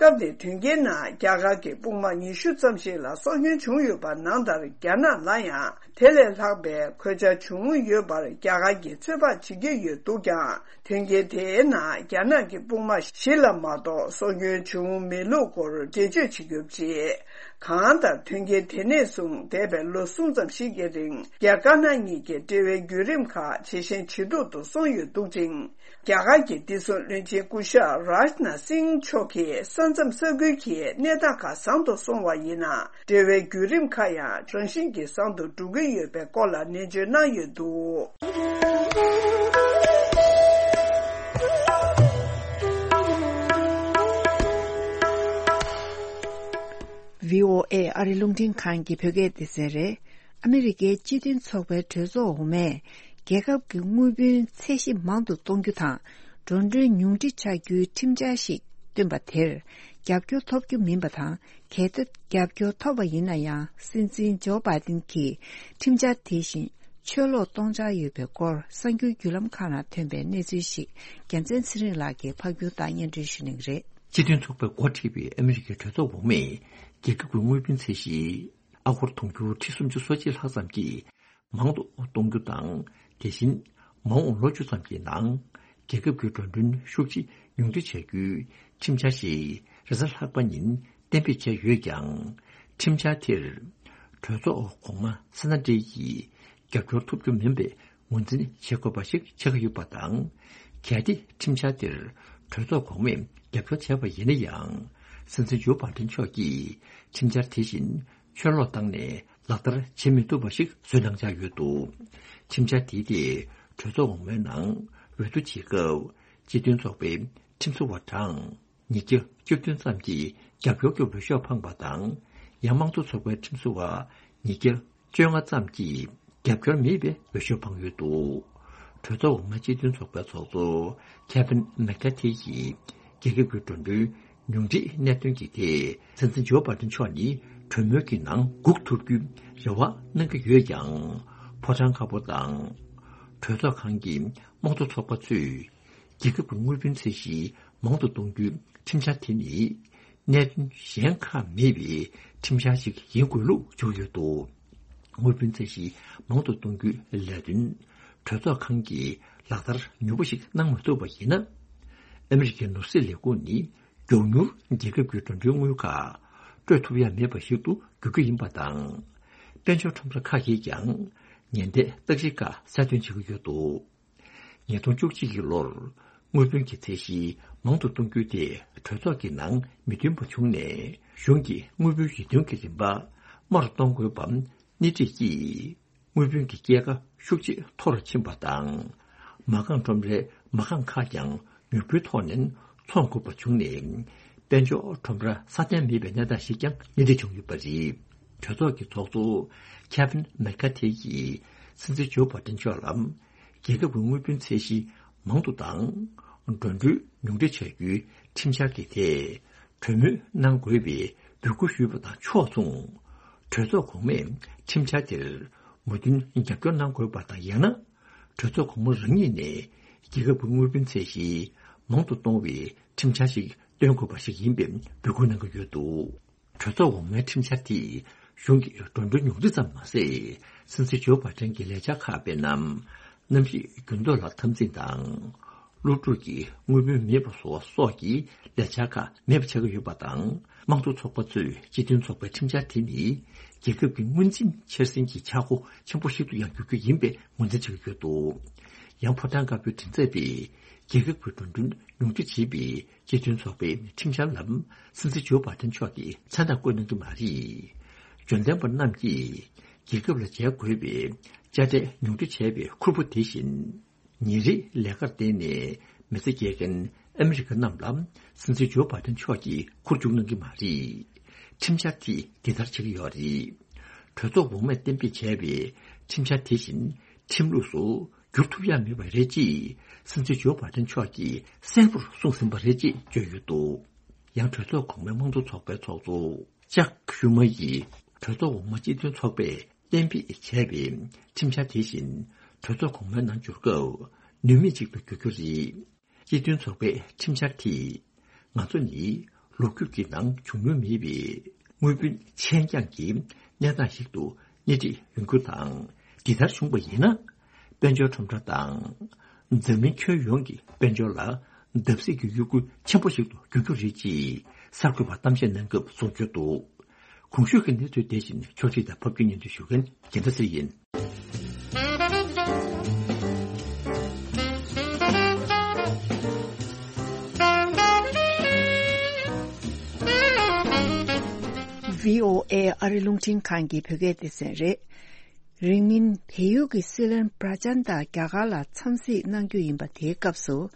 སྐབས་དེ་དོན་རྐྱེན་ནང་རྒྱ་གར་གྱི་དཔུང་དམག་ཉི་ཤུ་ཙམ་ཞིག་ལ་སྲོག་སྐྱོན་བྱུང་ཡོད་པ་ནང་ལྟར། རྒྱ་ནག་ལ་ཡང་དེ་ལས་ལྷག་པའི་གོད་ཆག་བྱུང་ཡོད་པར་རྒྱ་གར་གྱིས་ཚོད་དཔག་བྱེད་ཀྱི་ཡོད་འདུག་ཀྱང་། དོན་རྐྱེན་དེའི་ནང་རྒྱ་ནག་གི་དཔུང་དམག་བཞི་ལ་མ་གཏོགས་སྲོག་སྐྱོན་བྱུང་མེད་ལུགས་སྐོར་འགྲེལ་བརྗོད་བྱེད་རྒྱུ་བྱས། གང་ལྟར་དོན་རྐྱེན་དེ་ནས་བཟུང་འདས་པའི་ལོ་གསུམ་ཙམ་ཞིག་གི་རིང་། རྒྱ་དཀར་ནག་གཉིས་ཀྱི་འབྲེལ་བའི་བརྒྱུད་རིམ་ཁག་ཇེ་ཞན་ཇེ་སྡུག་ཏུ་སོང་ཡོད་འདུག་ཅིང་། རྒྱ་གར་གྱི་བདེ་སྲུང་བློན་ཆེན་སྐུ་ཞབས་རཱཇ་ནཱཐ་སིང་མཆོག་གིས་ས་མཚམས་ས་ཁུལ་གྱི་གནས་སྟངས་ཁག་བཟང་དུ་སོང་བ་ཡིན་ན། འབྲེལ་བའི་བརྒྱུད་རིམ་ཁག་ཡང་རང་བཞིན་གྱིས་བཟང་དུ་འགྲོ་གི་ཡོད་པའི་སྐོར་ལ་ནན་བརྗོད་གནང་ཡོད་འདུག་བྷི་ཨོ་ཨེ་ཨ་རི་རླུང་འཕྲིན་ཁང་གི་བོད་སྐད་སྡེ་ཚན་རེད། ཨ་མི་རི་ཀའི་སྤྱི་མཐུན་ཚོགས་པའི་གྲོས་ཚོགས་འོག་མས། རྒྱལ་ཁབ་ཀྱི་དངུལ་བུན་ཚད་གཞི་མང་དུ་གཏོང་རྒྱུ་དང་། འགྲོ་གྲོན་ཉུང་འཕྲི་བྱ་རྒྱུའི་ཁྲིམས་འཆར་ཞིག་བཏོན་པ་དེར། རྒྱབ་སྐྱོར་ཐོབ་རྒྱུ་མིན་པ་དང་། གལ་ཏེ་རྒྱབ་སྐྱོར་ཐོབ་པ་ཡིན་ན་ཡང་། སྲིད་འཛིན་ཇོ་བྷའི་ཏིན་གྱིས་ཁྲིམས་འཆར་དེ་བཞིན་ཕྱིར་སློག་གཏོང་འཆར་ཡོད་པའི་སྐོར། གསར་འགྱུར་བརྒྱུད་ལམ་ཁག་ནང་ཐོན་པའི་གནས་ཚུལ་ཞིག་རྒྱལ་མཚན་ཚེ་རིང་ལགས་ཀྱིས་ཕབ་སྒྱུར་དང་སྙན་སྒྲོན་ཞུ་གནང་གི་རེད། སྤྱི་མཐུན་ཚོགས་པས་འགོ་ཁྲིད་པའི་ཨ་མི་རི་ཀའི་གྲོས་ཚོགས་འོག་མས། རྒྱལ་ཁབ་ཀྱི་དངུལ་བུན་ཚད་གཞི་ཨ་སྒོར་དུང་ཕྱུར་ཁྲི་སུམ་ཅུ་སོ་གཅིག་ལྷག་ཙམ་གྱིས་མང་དུ་གཏོང་རྒྱུ་དང་། དེ་བཞིན་མ་འོངས་ལོ་བཅུ་ཙམ་གྱི་ནང་རྒྱལ་ཁབ་ཀྱི་འགྲོ་གྲོན་ཤུགས་ཆེ་ཉུང་འཕྲི་བྱ་རྒྱུའི་ཁྲིམས་འཆར་ཞིག་རེས་གཟའ་ལྷག་པ་ཉིན་གཏན་འབེབས་བྱས་ཡོད་ཀྱང་། ཁྲིམས་འཆར་དེར་གྲོས་ཚོགས་གོང་མ་སེ་ན་ཏི་ཡིས་རྒྱབ་སྐྱོར་ཐོབ་རྒྱུ་མིན་པའི་ངོས་འཛིན་བྱེད་དགོས་པ་ཞིག་ཆགས་ཀྱི་ཡོད་པ་དང་། གལ་ཏེ་ཁྲིམས་འཆར་དེར་གྲོས་ཚོགས་གོང་མས་རྒྱབ་སྐྱོར་བྱས་པ་ཡིན་ན་ཡང་། སྲིད་འཛིན་ཇོ་བྷའི་ཏིན་མཆོག་གིས་ཁྲིམས་འཆར་དེ་བཞིན་ཕྱིར་སློག་བཏང་ནས་ལག་བསྟར་བྱེད་མི་ཐུབ་པ་ཞིག་བཟོས་གནང་འཆར་ཡོད་འདུག་ཁྲིམས་འཆར་དེའི་ཐད་གྲོས་ཚོགས་འོག་མའི་ནང་འོས་བསྡུ་བྱེད་སྐབས། སྤྱི་མཐུན་ཚོགས་པའི་ཁྲིམས་བཟོ་བ་གྲངས་ཉིས་བརྒྱ་བཅུ་བདུན་ཙམ་གྱིས་རྒྱབ་སྐྱོར་གྱི་འོས་ཤོག་འཕངས་པ་དང་། ཡང་དམངས་གཙོ་ཚོགས་པའི་ཁྲིམས་བཟོ་བ་ཉིས་བརྒྱ་བཅོ་ལྔ་ཙམ་གྱིས་རྒྱབ་སྐྱོར་མེད་པའི་འོས་ཤོག་འཕངས་ཡོད་འདུག་གྲོས་ཚོགས་འོག་མའི་སྤྱི་མཐུན་ཚོགས་པའི་ཚོགས་གཙོ་ཁེ་ཝིན་མེག་ཀ་ཐི་ཡིས་རྒྱལ་ཁབ་ཀྱི་འགྲོ་གྲོན་ཉུང་འཕྲིའི་གནད་དོན་གྱི་ཐད། སྲིད་འཛིན་ཇོ་བྷའི་ཏིན་མཆོག་ནི་གྲོས་མོལ་གྱི་ནང་སྒུག་ཐུབ་རྒྱུའི་རེ་བ་གནང་གི་ཡོད་ཀྱང་། ཕོ་བྲང་དཀར་པོ་དང་གྲོས་ཚོགས་ཁང་གི་དམངས་གཙོ་ཚོགས་པ་ཚོས། རྒྱལ་ཁབ་ཀྱི་དངུལ་བུན་ཚད་གཞི་མང་དུ་གཏོང་རྒྱུའི་ཁྲིམས་འཆར་དེ་ནི། གནད་དོན་གཞན་ཁག་མེད་པའི་ཁྲིམས་འཆར་ཞིག་ཡིན་དགོས་ལུགས་བརྗོད་ཡོད་འདུག་དངུལ་བུན་ཚད་གཞི་མང་དུ་གཏོང་རྒྱུའི་ལས་དོན་གྲོས་ཚོགས་ཁང་གིས་ལག་བསྟར་ནུས་པ་ཞིག་གནང་མ་ཐུབ་པ་ཡིན་ན། ཨ་མི་རི་ཀའི་ནོར་སྲིད་ལས་ཁུངས་ནི་མགྱོགས་མྱུར་རྒྱལ་ཁབ་ཀྱི་འགྲོ་གྲོན་དངུལ་ཁག་སྤྲོད་ཐུབ་ཡ་མེད་པ་ཞིག་ཏུ་འགྱུར་རྒྱུ་ཡིན་པ་དང་། དཔལ་འབྱོར་ཁྲོམ་ར་ཁག་གིས་ཀྱང་ཉེན་བརྡའི་རྟགས་གཞི་ཁག་གསལ་སྟོན་བྱེད་ཀྱི་ཡོད་འདུག་ཉིས་སྟོང་བཅུ་གཅིག་གི་ལོར་དངུལ་བུན་གྱི་ཚད་གཞི་མང་དུ་གཏོང་རྒྱུ་དེ་གྲོས་ཚོགས་ཀྱི་ནང་མི་འདུན་པ་བྱུང་ནས། གཞུང་གིས་དངུལ་བུན་ཡིད་རྟོན་གྱི་རིན་པ་དམའ་རུ་གཏོང་དགོས་པ་སྣེ་ཁྲིད་ཀྱིས། དངུལ་བུན་གྱི་སྐྱེད་ཀ་ཤུགས་ཆེ་མཐོ་རུ་ཕྱིན་པ་དང་། མ་རྐང་ཁྲོམ་རའི་མ་རྐང་ཁག་ཀྱང་མྱུར་པོའི་ཐོག་ནས་འཚོང་དགོས་པ་བྱུང་ནས། དཔལ་འབྱོར་ཁྲོམ་ར་སྲ་བརྟན་མེད་པའི་གནས་སྟངས་ཤིག་ཀྱང་སྣེ་ཁྲིད་བྱུང་ཡོད་པ་རེད། གྲོས་ཚོགས་ཀྱི་ཚོགས་གཙོ་ཁེ་ཝིན་མེག་ཀ་ཐི་ཡིས་སྲིད་འཛིན་ཇོ་བྷའི་ཏིན་མཆོག་ལ། རྒྱལ་ཁབ་ཀྱི་དངུལ་བུན་ཚད་གཞི་མང་དུ་བཏང་། འགྲོ་གྲོན་ཉུང་འཕྲི་བྱ་རྒྱུའི་ཁྲིམས་འཆར་གྱི་ཐད་གྲོས་མོལ་གནང་དགོས་པའི་འབོད་སྐུལ་ཞུས་པ་དང་ཕྱོགས་མཚུངས། གྲོས་ཚོགས་གོང་མས་ཁྲིམས་འཆར་དེར་མོས་མཐུན་རྒྱབ་སྐྱོར་གནང་དགོས་པ་དང་། ཡང་ན་གྲོས་ཚོགས་གོང་མ་རང་ཉིད་ནས་རྒྱལ་ཁབ་ཀྱི་དངུལ་བུན་ཚད་གཞི་མང་དུ་གཏོང་བའི་ཁྲིམས་འཆར་ཞིག་བཏོན་དགོས་པ་ཞིག་ཡིན་པའི་འབོད་སྐུལ་གནང་གི་ཡོད་འདུག་གྲོས་ཚོགས་འོག་མའི་ཁྲིམས་འཆར་དེས་གཞུང་གི་འགྲོ་གྲོན་ཉུང་འཕྲི་ཙམ་མ་ཟད། སྲིད་འཛིན་ཇོ་བྷ་ཏན་གྱི་ལས་འཆར་ཁག་དཔེར་ན། གནམ་གཤིས་འགྱུར་ལྡོག་ལ་འཐབ་འཛིང་དང་། སློབ་ཕྲུག་གི་དངུལ་བུན་མེད་པ་བཟོ་བ་སོགས་ཀྱི་ལས་འཆར་ཁག་མེད་པ་ཆགས་ཀྱི་ཡོད་པ་དང་། དམངས་གཙོ་ཚོགས་པ་ཚོས་སྤྱི་མཐུན་ཚོགས་པའི་ཁྲིམས་འཆར་དེ་ནི་རྒྱལ་ཁབ་ཀྱི་དངུལ་འཛིན་འཆར་ཟིན་གྱི་ཆག་སྒོ་ཆེན་པོ་ཞིག་ཏུ་ཡང་འགྱུར་རྒྱུ་ཡིན་པའི་ངོས་འཛིན་བྱེད་ཀྱི་ཡོད་འདུག་ཡང་ཕོ་བྲང་དཀར་པོའི་མགྲིན་ཚབ་པས་རྒྱལ་ཁབ་ཀྱི་འགྲོ་གྲོན་ཉུང་འཕྲི་བྱེད་པའི་སྤྱི་མཐུན་ཚོགས་པའི་ཁྲིམས་འཆར་ལ་སྲིད་འཛིན་ཇོ་བྷ་ཏན་མཆོག་གིས་མཚན་རྟགས་བཀོད་གནང་གི་མ་རེད། འབྱོར་ལྡན་པ་རྣམས་ཀྱིས་རྒྱལ་ཁབ་ལ་འཇལ་དགོས་པའི་དཔྱ་ཁྲལ་ཉུང་འཕྲི་བྱས་པའི་ཁུར་པོ་དེ་བཞིན། ཉིན་རེའི་ལས་ཀར་བརྟེན་ནས་མི་ཚེ་སྐྱེལ་མཁན་ཨ་མི་རི་ཀ་རྣམས་ལ་སྲིད་འཛིན་ཇོ་བྷ་ཏན་མཆོག་གིས་ཁུར་བཅུག་གནང་གི་མ་རེད། ཁྲིམས་འཆར་དེས་འདི་ལྟར་བྱེད་ཀྱི་ཡོད་རེད། གྲོས་ཚོགས་འོག་མས་གཏན་འབེབས་བྱས་པའི་ཁྲིམས་འཆར་དེ་བཞིན་ཁྲིམས་ལུགས་སུ་བསྒྱུར་ཐུབ་ཡ་མེད་པ་རེད་ཅེས་སྲིད་འཛིན་ཇོ་བྷ་ཏན་མཆོག་གིས་གསལ་པོར་གསུངས་ཟིན་པ་རེད་ཅེས་བརྗོད་ཡོད་འདུག་ཡང་གྲོས་ཚོགས་གོང་མའི་དམངས་གཙོ་ཚོགས་པའི་ཚོགས་གཙོ་ཅག་ཤུ་མ་ཡིས་གྲོས་ཚོགས་འོག་མ་སྤྱི་མཐུན་ཚོགས་པས་གཏན་འབེབས་བྱས་པའི་ཁྲིམས་འཆར་དེ་བཞིན་གྲོས་ཚོགས་གོང་མའི་ནང་འབྱོར་སྐབས་ནུས་མེད་ཅིག་ཏུ་འགྱུར་རྒྱུ་རེད། སྤྱི་མཐུན་ཚོགས་པའི་ཁྲིམས་འཆར་དེས་ང་ཚོ་ནི་ལོ་རྒྱུས་ཀྱི་ནང་བྱུང་མྱོང་མེད་པའི་དངུལ་བུན་ཆད་འགྱངས་ཀྱི་གནས་སྟངས་ཤིག་ཏུ་སྣེ་ཁྲིད་ཡོང་རྒྱུ་དང་། འདི་ལྟར་བྱུང་བ་ཡིན་ན། དཔལ་འབྱོར་ཁྲོམ་ར་དང་། འཛམ་གླིང་ཁྱོན་ཡོངས་ཀྱི་དཔལ་འབྱོར་ལ་བརྡབ་གསིག་གི་གཡོ་འགུལ་ཆེན་པོ་ཞིག་ཏུ་འགྱུར་རྒྱུ་རེད་ཅེས་གསར་འགོད་པར་གཏམ་བཤད་གནང་སྐབས་གསུངས་ཡོད་འདུག་གོང་ཞུས་ཀྱི་གནས་ཚུལ་དེ་བཞིན་ཕྱོགས་སྒྲིག་དང་ཕབ་སྒྱུར་སྙན་སྒྲོན་ཞུ་མཁན་རྒྱལ་མཚན་ཚེ་རིང་ཡིན། བྷི་ཨོ་ཨེ་ཨ་རི་རླུང་འཕྲིན་ཁང་གི་བོད་སྐད་སྡེ་ཚན་རེད། རིང་མིན་བལ་ཡུལ་གྱི་སྲིད་བློན་པྲ་ཅན་ད་རྒྱ་གར་ལ་འཚམས་གཟིགས་གནང་རྒྱུ་ཡིན་པ་དེའི་སྐབས་སུ།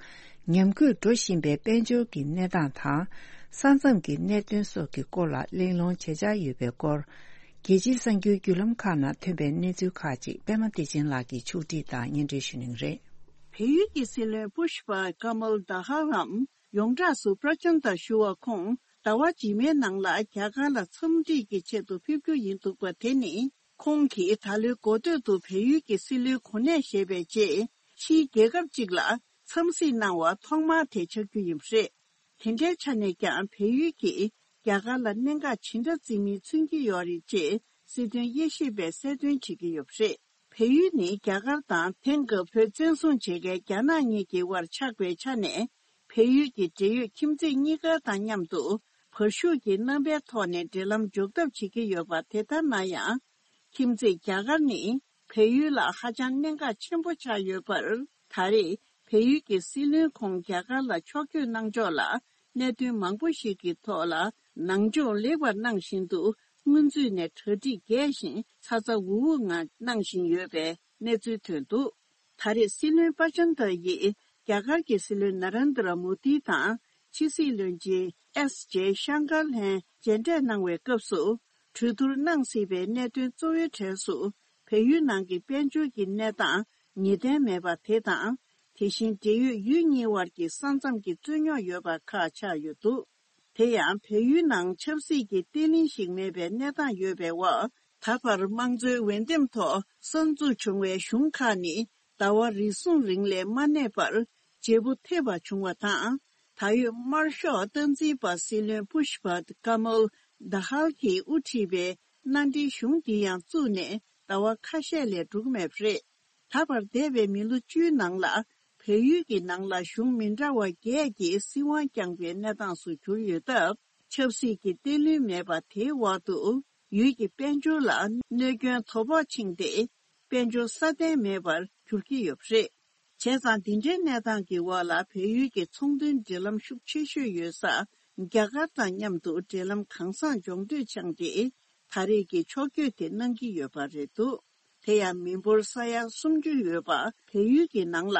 ཉམས་རྒུད་འགྲོ་བཞིན་པའི་དཔལ་འབྱོར་གྱི་གནས་སྟངས་དང་། ས་མཚམས་ཀྱི་གནད་དོན་སོགས་ཀྱི་སྐོར་ལ་གླེང་སློང་བྱེད་འཆར་ཡོད་པའི་སྐོར། རྒྱལ་སྤྱིའི་གསར་འགྱུར་བརྒྱུད་ལམ་ཁག་ནང་ཐོན་པའི་གནས་ཚུལ་ཁག་ཅིག་པད་མ་བདེ་ཆེན་ལགས་ཀྱིས་ཕྱོགས་སྒྲིག་དང་སྙན་སྒྲོན་ཞུ་གནང་གི་རེད། བལ་ཡུལ་གྱི་སྲིད་བློན་པུཤ་པ་ཀ་མལ་དྷ་ཧ་ལམ་ཡོངས་གྲགས་སུ་པྲ་ཅན་ད་ཞུ་བ་ཁོང་ཟླ་བ་རྗེས་མའི་ནང་ལ་རྒྱ་གར་ལ་འཚམས་འདྲིས་ཀྱི་ཆེད་དུ་ཕེབས་རྒྱུ་ཡིན་འདུག་པ་དེ་ནི། ཁོང་གིས་ད་ལོའི་འགོ་སྟོད་དུ་བལ་ཡུལ་གྱི་སྲིད་བློན་གོ་གནས་བཞེས་པའི་རྗེས་ཕྱིའི་རྒྱལ་ཁབ་ཅིག་ལ་འཚམས་གཟིགས་གནང་བ་ཐོག་མ་དེ་ཆགས་རྒྱུ་ཡིན་པ་རེད། དེ་འདྲའི་ཆ་ནས་ཀྱང་བལ་ཡུལ་གྱིས་རྒྱ་གར་ལ་གནད་འགག་ཇི་འདྲ་བརྩི་མིན་མཚོན་གྱི་ཡོད་རེད་ཅེས་སྲིད་དོན་དབྱེ་ཞིབ་པས་གསལ་སྟོན་བྱེད་ཀྱི་ཡོད་པ་རེད། བལ་ཡུལ་ནི་རྒྱ་གར་དང་དེང་སྐབས་བོད་བཙན་བཟུང་བྱེད་མཁན་རྒྱ་ནག་གཉིས་ཀྱི་དབར་ཆགས་པའི་ཆ་ནས། བལ་ཡུལ་གྱི་འབྲེལ་ཡོད་ཁྱིམ་མཚེས་གཉིས་ཀ་དང་མཉམ་དུ་བར་ཤུགས་ཀྱི་རྣམ་པའི་ཐོག་ནས་འབྲེལ་ལམ་འཇོག་ཐབས་བྱེད་ཀྱི་ཡོད་པ་དེ་ལྟར་ན་ཡང་། ཁྱིམ་མཚེས་རྒྱ་གར་ནི་བལ་ཡུལ་ལ་ཧ་ཅང་གནད་འགག་ཆེན་པོ་ཆགས་ཡོད་པར། ད་རེས་བལ་ཡུལ་གྱི་སྲིད་བློན་ཁོང་རྒྱ་གར་ལ་ཕྱོགས་བསྐྱོད་གནང་ཕྱོགས་ལ་གནད་དོན་མང་པོ་ཞིག་གི་ཐོག་ལ་ནང་སྦྱོང་ལེགས་པར་གནང་བཞིན་དུ། སྔོན་ཚུད་ནས་གྲ་སྒྲིག་རྒྱས་ཤིང་ཚ་ཚ་འུར་འུར་ངང་གནང་བཞིན་ཡོད་པའི་གནས་ཚུལ་ཐོན་འདུག་ད་རེས་སྲིད་བློན་པ་ཅན་ད་ཡིས་རྒྱ་གར་གྱི་སྲིད་བློན་ན་རེན་དྲ་མོ་དི་དང་ཕྱི་སྲིད་བློན་ཆེན་ཨེས་ཇེ་ཤང་ཀར་ལྷན་མཇལ་འཕྲད་གནང་བའི་སྐབས་སུ། གྲོས་བསྡུར་གནང་སྲིད་པའི་གནད་དོན་གཙོ་བོའི་གྲས་སུ། བལ་ཡུལ་ནང་གི་དཔལ་འབྱོར་གྱི་གནས་སྟངས་ངེས་གཏན་མེད་པ་དེ་དང་། དེ་བཞིན་འབྲེལ་ཡོད་ཡུལ་གཉིས་དབར་གྱི་ས་མཚམས་ཀྱི་རྩོད་རྙོག་ཡོད་པ་ཁག་ཆགས་ཡོད་འདུག་དེ་ཡང་བལ་ཡུལ་ནང་ཆབ་སྲིད་ཀྱི་བརྟན་ལྷིང་ཞིག་མེད་པའི་གནས་སྟངས་ཡོད་པའི་འོག་ད་བར་དམངས་གཙོའི་འོས་འདེམས་ཐོག་གསར་འཛུགས་བྱུང་བའི་གཞུང་ཁག་ནི་ཟླ་བ་རེ་ཟུང་རིང་ལས་མ་གནས་པར་བརྗེ་པོ་ཐེབས་པ་བྱུང་བ་དང་། ད་ཡོད་དམར་ཤོག་སྟངས་འཛིན་པ་སྲིད་བློན་པུཤ་པ་ཀ་མལ་དྷ་ཧལ་གྱིས་དབུ་ཁྲིད་པའི་མནའ་འབྲེལ་གཞུང་འདི་ཡང་བཙུགས་ནས་ཟླ་བ་ཁ་ཤས་ལས་འགྲོ་གི་མེད་པ་རེད། ད་བར་འདས་པའི་མི་ལོ་བཅུའི་ནང་ལ་བལ་ཡུལ་གྱི་ནང་ལ་གཞུང་མི་འདྲ་བ་བརྒྱད་ཀྱིས་སྲིད་དབང་བསྐྱངས་པའི་གནས་སྟངས་སུ་གྱུར་ཡོད་སྟབས། ཆབ་སྲིད་ཀྱི་བརྟན་ལྷིང་མེད་པ་དེའི་འོག་ཏུ་ཡུལ་གྱི་དཔལ་འབྱོར་ལ་གནོད་སྐྱོན་དོ་ཕོག་ཕྱིན་ཏེ། དཔལ་འབྱོར་སྲ་བརྟན་མེད་པར་གྱུར་གྱི་ཡོད་པ་རེད། བྱས་ཙང་། འདི་འདྲའི་གནས་སྟངས་ཀྱི་འོག་ལ་བལ་ཡུལ་གྱི་ཚོང་དོན་འབྲེལ་ལམ་ཤུགས་ཆེ་ཤོས་ཡོད་ས་རྒྱ་གར་དང་མཉམ་དུ་འབྲེལ་ལམ་གང་བཟང་སྦྱོང་འདོད་འཆང་སྟེ། ད་རེས་ཀྱི་ཕྱོགས་བསྐྱོད་དེ་གནང་གི་ཡོད་པ་རེད་འདུག་དེ་ཡང་མི་འབོར་ས་ཡ་སུམ་ཅུ་ཡོད་པ་བལ་ཡུལ་གྱི་ནང་ལ་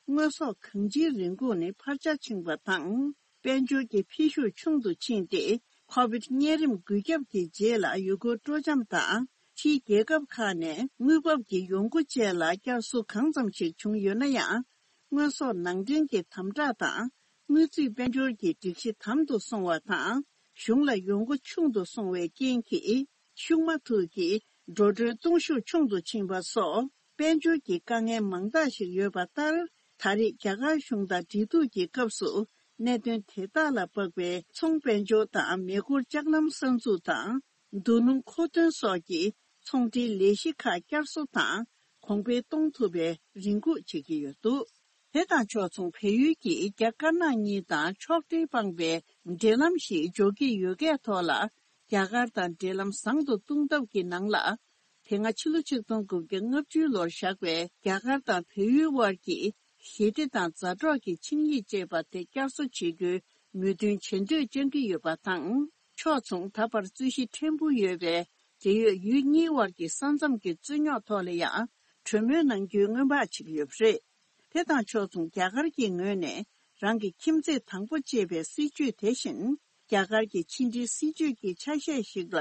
དངོས་ཟོག་གང་ཅིའི་རིན་གོང་ནི་འཕར་ཆ་ཕྱིན་པ་དང་། དཔལ་འབྱོར་གྱི་འཕེལ་ཤུགས་ཆུང་དུ་ཕྱིན་ཏེ། ཁོ་བིད་གཉན་རིམས་འགོས་ཁྱབ་ཀྱི་རྗེས་ལ་ཡུལ་སྐོར་སྤྲོ་འཆམ་དང་ ཕྱིའི་རྒྱལ་ཁབ་ཁག་ནས་དངུལ་འབབ་ཀྱི་ཡོང་སྒོ་བཅས་ལ་བསྐྱར་གསོ་གང་ཙམ་ཞིག་བྱུང་ཡོད་ན་ཡང་། དངོས་ཟོག་ནང་འདྲེན་གྱི་དམ་དྲག་དང་། དངུལ་རྩིས་དཔལ་འབྱོར་གྱི་སྒྲིག་གཞི་དམ་དུ་སོང་བ་དང་། གཞུང་ལ་ཡོང་སྒོ་ཆུང་དུ་སོང་བའི་རྐྱེན་གྱིས། ཤུགས་མ་ཐུག་གིས་འགྲོ་གྲོན་གཏོང་ཤུགས་ཆུང་དུ་ཕྱིན་པ་སོགས། དཔལ་འབྱོར་གྱི་དཀའ་ངལ་མང་དག་ཞིག་ཡོད་པ་ལྟར། ད་རེས་རྒྱ་གར་གཞུང་དང་འབྲེལ་གཏུག་གི་སྐབས་སུ། གནད་དོན་དེ་དག་ལ་དཔག་པའི་ཚོང་དཔལ་འབྱོར་དང་མེ་འཁོར་ལྕགས་ལམ་གསར་འཛུགས་དང་། རྡོ་སྣུམ་མཁོ་འདོན་སོགས་ཀྱི་ཚོང་འབྲེལ་ལས་གཞི་ཁག་བསྐྱར་གསོ་དང་གོང་འཕེལ་གཏོང་ཐུབ་པའི་རེ་སྒུག་བྱེད་ཀྱི་ཡོད་འདུག་དེ་དང་ཕྱོགས་མཚུངས། བལ་ཡུལ་གྱིས་རྒྱ་དཀར་ནག་གཉིས་དང་ཕྱོགས་འབྲེལ་སྤངས་པའི་འབྲེལ་ལམ་ཞིག་འཇོག་གི་ཡོད་སྐད་ཐོག་ལ། རྒྱ་གར་དང་འབྲེལ་ལམ་བཟང་དུ་གཏོང་ཐབས་ཀྱི་ནང་ལ། དེ་སྔ་ཕྱི་ལོ་ཆིག་སྟོང་དགུ་བརྒྱ་ལྔ་བཅུ་ལོར་བཞག་པའི་རྒྱ་གར་དང་བལ་ཡུལ་དབར་གྱི་ཞི་བདེ་དང་མཛའ་གྲོགས་ཀྱི་ཆིངས་ཡིག་ཅེས་པ་དེ་བསྐྱར་གསོ་བྱེད་རྒྱུའི་མོས་མཐུན་བྱེད་འདོད་བཅངས་ཀྱི་ཡོད་པ་དང་། ཕྱོགས་མཚུངས། ད་བར་རྩོད་གཞི་ཕྲན་བུ་ཡོད་པའི་འབྲེལ་ཡོད་ཡུལ་གཉིས་དབར་གྱི་ས་མཚམས་ཀྱི་རྩོད་རྙོག་ཐོག་ལ་ཡང་གྲོས་མོལ་གནང་རྒྱུའི་སྔོན་དཔག་བྱེད་ཀྱི་ཡོད་པ་རེད། དེ་དང་ཕྱོགས་མཚུངས། རྒྱ་གར་གྱི་ངོས་ནས་རང་གི་ཁྱིམ་མཚེས་དང་པོ་ཅེས་པའི་སྲིད་བྱུས་དེ་བཞིན། རྒྱ་གར་གྱི་ཕྱི་འབྲེལ་སྲིད་བྱུས་ཀྱི་ཆ་ཤས་ཤིག་ལ་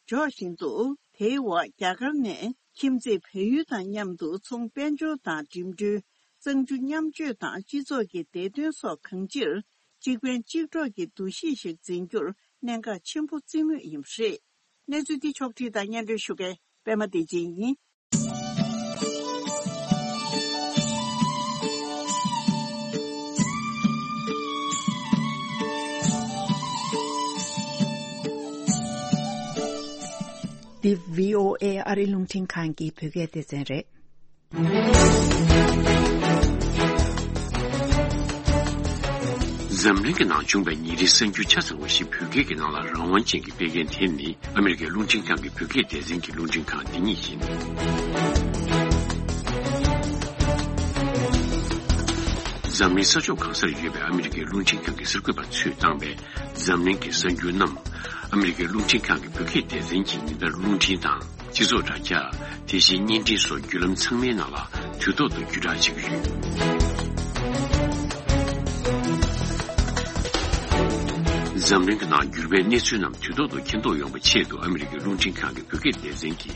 འཇོག་བཞིན་འདུག་དེའི་འོག་རྒྱ་གར་ནས་ཁྱིམ་མཚེས་བལ་ཡུལ་དང་མཉམ་དུ་ཚོང་དཔལ་འབྱོར་དང་འགྲིམ་འགྲུལ། གཙང་ཆུ་མཉམ་སྤྱོད་དང་སྤྱི་ཚོགས་ཀྱི་བདེ་དོན་སོགས་གང་ཅིར་གཅིག་ཕན་གཅིག་གྲོགས་ཀྱི་འདུ་ཤེས་ཤིག་འཛིན་རྒྱུར་གནད་འགག་ཆེན་པོ་བརྩི་མུས་ཡིན་པ་རེད། གནས་ཚུལ་འདི་ཕྱོགས་བསྒྲིགས་དང་སྙན་སྒྲོན་ཞུ་མཁན་པད་མ་བདེ་ཆེན་ཡིན། འདི་བྷི་ཨོ་ཨེ་ཨ་རིའི་རླུང་འཕྲིན་ཁང་གི་བོད་སྐད་སྡེ་ཚན་རེད། འཛམ་གླིང་གི་ནང་བྱུང་བའི་ཉིན་རེའི་གསར་འགྱུར་ཆ་ཚང་བ་ཞིག་བོད་སྐད་ཀྱི་ནང་ལ་རང་དབང་ཅན་གྱི་སྤེལ་མཁན་དེ་ནི་ཨ་མི་རི་ཀའི་རླུང་འཕྲིན་ཁང་གི་བོད་སྐད་སྡེ་ཚན་གྱི་རླུང་འཕྲིན་ཁང་འདི་ཉིད་ཡིན། འཛམ་གླིང་ས་ཕྱོགས་གང་སར་ཡོད་པའི་ཨ་མི་རི་ཀའི་རླུང་འཕྲིན་ཁང་གི་གསར་འགོད་པ་ཚོས་བཏང་བའི་འཛམ་གླིང་གི་གསར་འགྱུར་རྣམས། ཨ་མི་རི་ཀའི་རླུང་འཕྲིན་ཁང་གི་བོད་སྐད་སྡེ་ཚན་གྱིས་ཉིན་ལྟར་རླུང་འཕྲིན་དང་། སྤྱི་ཚོགས་དྲ་རྒྱ། དེ་བཞིན་བརྙན་འཕྲིན་སོགས་བརྒྱུད་ལམ་ཚང་མའི་ནང་ལ་དུས་ཐོག་ཏུ་བརྒྱུད་བསྒྲགས་བྱེད་ཀྱི་ཡོད། འཛམ་གླིང་གི་ནང་འགྱུར་བའི་གནས་ཚུལ་རྣམས་དུས་ཐོག་ཏུ་མཁྱེན་རྟོགས་ཡོང་བའི་ཆེད་དུ། ཨ་མི་རི་ཀའི་རླུང་འཕྲིན་ཁང་གི་བོད་སྐད་སྡེ་ཚན་གྱི་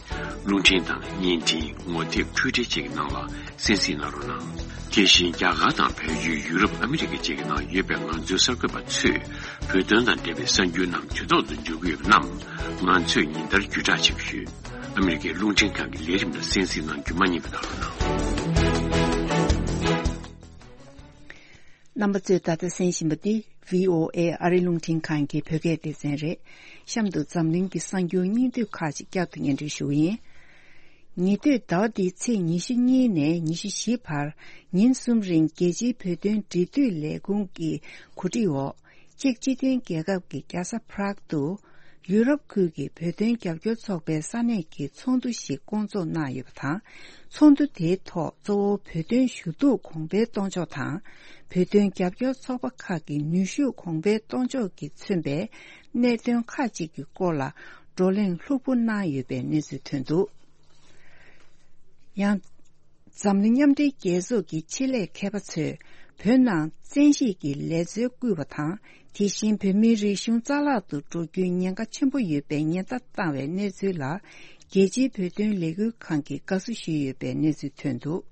རླུང་འཕྲིན་དང་བརྙན་འཕྲིན། ངོ་དེབ། འཕྲུལ་འཕྲིན་བཅས་ཀྱི་ནང་ལ་གསན་གཟིགས་གནང་རོགས་གནང་། དེ་བཞིན་རྒྱ་གར་དང་བལ་ཡུལ། ཡུ་རོབ། ཨ་མི་རི་ཀ་བཅས་ཀྱི་ནང་ཡོད་པའི་ང་ཚོའི་གསར་འགོད་པ་ཚོས། བོད་དོན་དང་འབྲེལ་བའི་གསར་འགྱུར་རྣམས་དུས་ཐོག་ཏུ་འབྱོར་གྱི་ཡོད་པ་རྣམས། ང་ཚོས་ཉིན་ལྟར་བརྒྱུད་བསྒྲགས་བྱེད་ཀྱི་ཡོད། ཨ་མི་རི་ཀའི་རླུང་འཕྲིན་ཁང་གི་ལས་རིམ་ལ་གསན་གཟིགས་གནང་རྒྱུ་མ་བསྙེལ་བ་གནང་རོགས་གནང་། རྣམ་པ་ཚོས་ད་ལྟ་གསན་བཞིན་པ་འདི་བྷི་ཨོ་ཨེ་ཨ་རིའི་རླུང་འཕྲིན་ཁང་གི་བོད་སྐད་སྡེ་ཚན་རེད། གཤམ་དུ་འཛམ་གླིང་གི་གསར་འགྱུར་སྙིང་བསྡུས་ཁག་ཅིག་བསྐྱར་དུ་སྙན་སྒྲོན་ཞུ་གི་ཡིན། ཉེ་དུས་ཟླ་བ་འདིའི་ཚེས་ཉི་ཤུ་གཉིས་ནས་ཉི་ཤུ་བཞི་བར་ཉིན་གསུམ་རིང་རྒྱལ་སྤྱིའི་བོད་དོན་འབྲེལ་མཐུད་ལས་ཁུངས་ཀྱི་གོ་སྒྲིག་འོག་ཅེཀ་སྤྱི་མཐུན་རྒྱལ་ཁབ་ཀྱི་རྒྱལ་ས་Prague་དུ་ཡུ་རོབ་ཁུལ་གྱི་བོད་དོན་རྒྱབ་སྐྱོར་ཚོགས་པའི་ས་གནས་ཀྱི་ཚོགས་འདུ་ཞིག་བསྐོང་ཚོགས་གནང་ཡོད་པ་དང་། ཚོགས་འདུ་དེའི་ཐོག་གཙོ་བོ་བོད་དོན་ཞུ་གཏུག་གོང་འཕེལ་གཏོང་ཕྱོགས་དང་། བོད་དོན་རྒྱབ་སྐྱོར་ཚོགས་པ་ཁག་གི་ནུས་ཤུགས་གོང་འཕེལ་གཏོང་ཕྱོགས་ཀྱིས་མཚོན་པའི་གནད་དོན་ཁག་ཅིག་གི་སྐོར་ལ་བགྲོ་གླེང་ལྷུག་པོ་གནང་ཡོད་པའི་གནས་ཚུལ་ཐོན་འདུག་ཡང་། འཛམ་གླིང་མཉམ་འབྲེལ་རྒྱལ་ཚོགས་ཀྱི་ཆེད་ལས་མཁས་པ་ཚོས་བོད་ནང་བཙན་ཤེད་ཀྱི་ལས་འཛོལ་བསྐུལ་བ་དང་། དེ་བཞིན་བོད་མིའི་རིག་གཞུང་རྩ་བརླག་ཏུ་འགྲོ་རྒྱུའི་ཉེན་ཁ་ཆེན་པོ་ཡོད་པའི་ཉེན་བརྡ་བཏང་བའི་གནས་ཚུལ་ལ། རྒྱལ་སྤྱིའི་བོད་དོན་ལས་འགུལ་ཁང་གིས་དགའ་བསུ་ཞུས་ཡོད་པའི་གནས་ཚུལ་ཐོན་འདུག་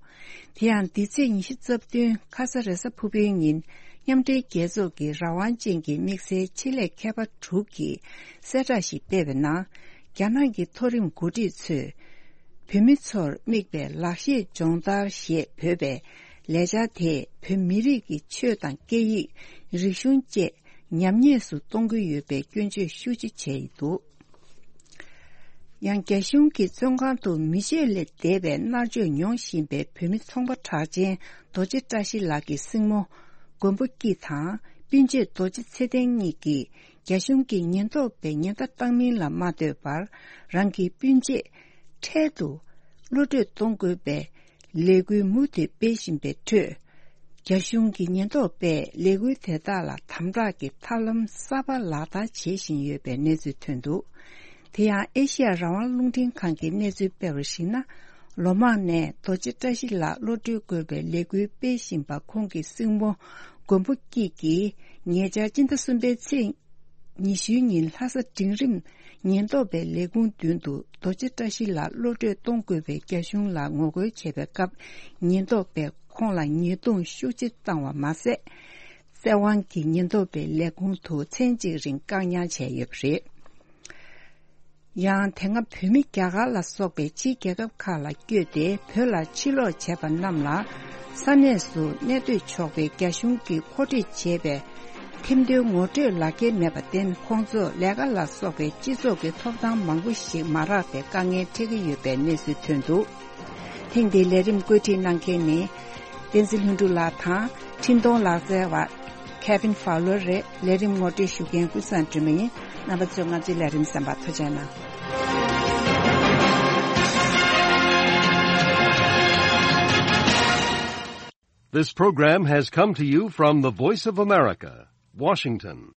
དེ་ཡང་། འདི་ཚེས་ཉི་ཤུ་རྩ་བདུན་ཁ་ས་རེས་གཟའ་ཕུར་བུའི་ཉིན། མཉམ་འབྲེལ་རྒྱལ་ཚོགས་ཀྱི་རང་དབང་ཅན་གྱི་དམིགས་བསལ་ཆེད་ལས་མཁས་པ་དྲུག་གིས་གསལ་བསྒྲགས་ཤིག་སྤེལ་བའི་ནང་། རྒྱ་ནག་གི་མཐོ་རིམ་འགོ་ཁྲིད་ཚོས། བོད་མི་ཚོར་དམིགས་པའི་ལག་ཤེས་སྦྱོང་བརྡར་ཞེས་འབོད་པའི་ལས་འཆར་དེས། བོད་མི་རིགས་ཀྱི་ཆོས་དང་སྐད་ཡིག་རིག་གཞུང་བཅས་ཉམས་ཉེས་སུ་གཏོང་གི་ཡོད་པའི་སྐྱོན་བརྗོད་ཤུགས་ཆེ་བྱས་ཡོད་འདུག་ཡང་། རྒྱ་གཞུང་གི་བཙོན་ཁང་དུ་མི་ཆད་ལས་འདས་པའི་མནར་གཅོད་མྱོང་བཞིན་པའི་བོད་མི་ཚོང་པ་གྲགས་ཅན་རྡོ་རྗེ་བཀྲ་ཤིས་ལགས་ཀྱི་སྲིང་མོ་མགོན་པོ་སྐྱིད་དང་། སྤུན་མཆེད་རྡོ་རྗེ་ཚེ་བརྟན་གཉིས་ཀྱིས། རྒྱ་གཞུང་གི་ཉེན་རྟོག་པས་ཉེན་བརྡ་བཏང་མིན་ལ་མ་ལྟོས་པར། རང་གི་སྤུན་མཆེད་འཕྲལ་དུ་གློད་གྲོལ་གཏོང་དགོས་པའི་ལས་འགུལ་མུ་མཐུད་སྤེལ་བཞིན་པའི་ཁྲོད། རྒྱ་གཞུང་གི་ཉེན་རྟོག་པས་ལས་འགུལ་དེ་དག་ལ་དམ་དྲག་གི་ཐབས་ལམ་གསར་པ་ལག་བསྟར་བྱེད་བཞིན་ཡོད་པའི་གནས་ཚུལ་ཐོན་འདུག་དེ་ཡང་། ཨེ་ཤི་ཡ་རང་དབང་རླུང་འཕྲིན་ཁང་གིས་གནས་ཚུལ་སྤེལ་བར་གཞིགས་ན། ལོ་མང་ནས་རྡོ་རྗེ་བཀྲ་ཤིས་ལགས་གློད་གྲོལ་དགོས་པའི་ལས་འགུལ་སྤེལ་བཞིན་པ། ཁོང་གི་སྲིང་མོ་མགོན་པོ་སྐྱིད་ཀྱིས་ཉེ་ཆར་སྤྱི་ཟླ་གསུམ་པའི་ཚེས་ཉི་ཤུའི་ཉིན་ལྷ་ས་འབྲིང་རིམ་ ཉེན་རྟོག་པའི་ལས་ཁུངས་མདུན་དུ་རྡོ་རྗེ་བཀྲ་ཤིས་ལགས་གློད་གྲོལ་གཏོང་དགོས་པའི་རྒྱ་གཞུང་ལ་ངོ་རྒོལ་བྱས་པའི་སྐབས། ཉེན་རྟོག་པས་ཁོང་ལ་ཉེས་རྡུང་ཤུགས་ཆེ་བཏང་བ་མ་ཟད། བཙན་དབང་གིས་ཉེན་རྟོག་པའི་ལས་ཁུངས་དུ་མཚན་གཅིག་རིང་བཀག་ཉར་བྱས་ཡོད་པ་རེད། ཡང་དེ་སྔ་བོད་མི་རྒྱ་གར་ལ་སོགས་པའི་ཕྱིའི་རྒྱལ་ཁབ་ཁག་ལ་བསྐྱོད་དེ་བོད་ལ་ཕྱིར་ལོག་བྱས་པ་རྣམས་ལ། ས་གནས་སུ་གནས་སྡོད་ཆོག་པའི་རྒྱ་གཞུང་གིས་མཁོ་སྤྲོད་བྱས་པའི་ཐེམ་མདོའི་ངོ་སྤྲོད་ལག་འཁྱེར་མེད་པར་བརྟེན། ཁོང་ཚོར་ལས་ཀ་ལ་སོགས་པའི་སྤྱི་ཚོགས་ཀྱི་ཐོབ་ཐང་མང་པོ་ཞིག་མ་རག་པའི་དཀའ་ངལ་འཕྲད་ཀྱི་ཡོད་པའི་གནས་ཚུལ་ཐོན་འདུག། ཐེངས་འདིའི་ལས་རིམ་བཀོད་སྒྲིག་གནང་མཁན་ནི། བསྟན་འཛིན་ལྷུན་གྲུབ་ལགས་དང་། འཕྲིན་གཏོང་ལག་རྩལ་བ། Kevin Fowler རེད། ལས་རིམ་ངོ་སྤྲོད་ཞུ་མཁན་ཀུན་བཟང་སྒྲོལ་མ་ཡིན། རྣམ་པ་ཚོས་ང་ཚོའི་ལས་རིམ་གསན་པར་ཐུགས་རྗེ་གནང་། This program has come to you from the Voice of America, Washington.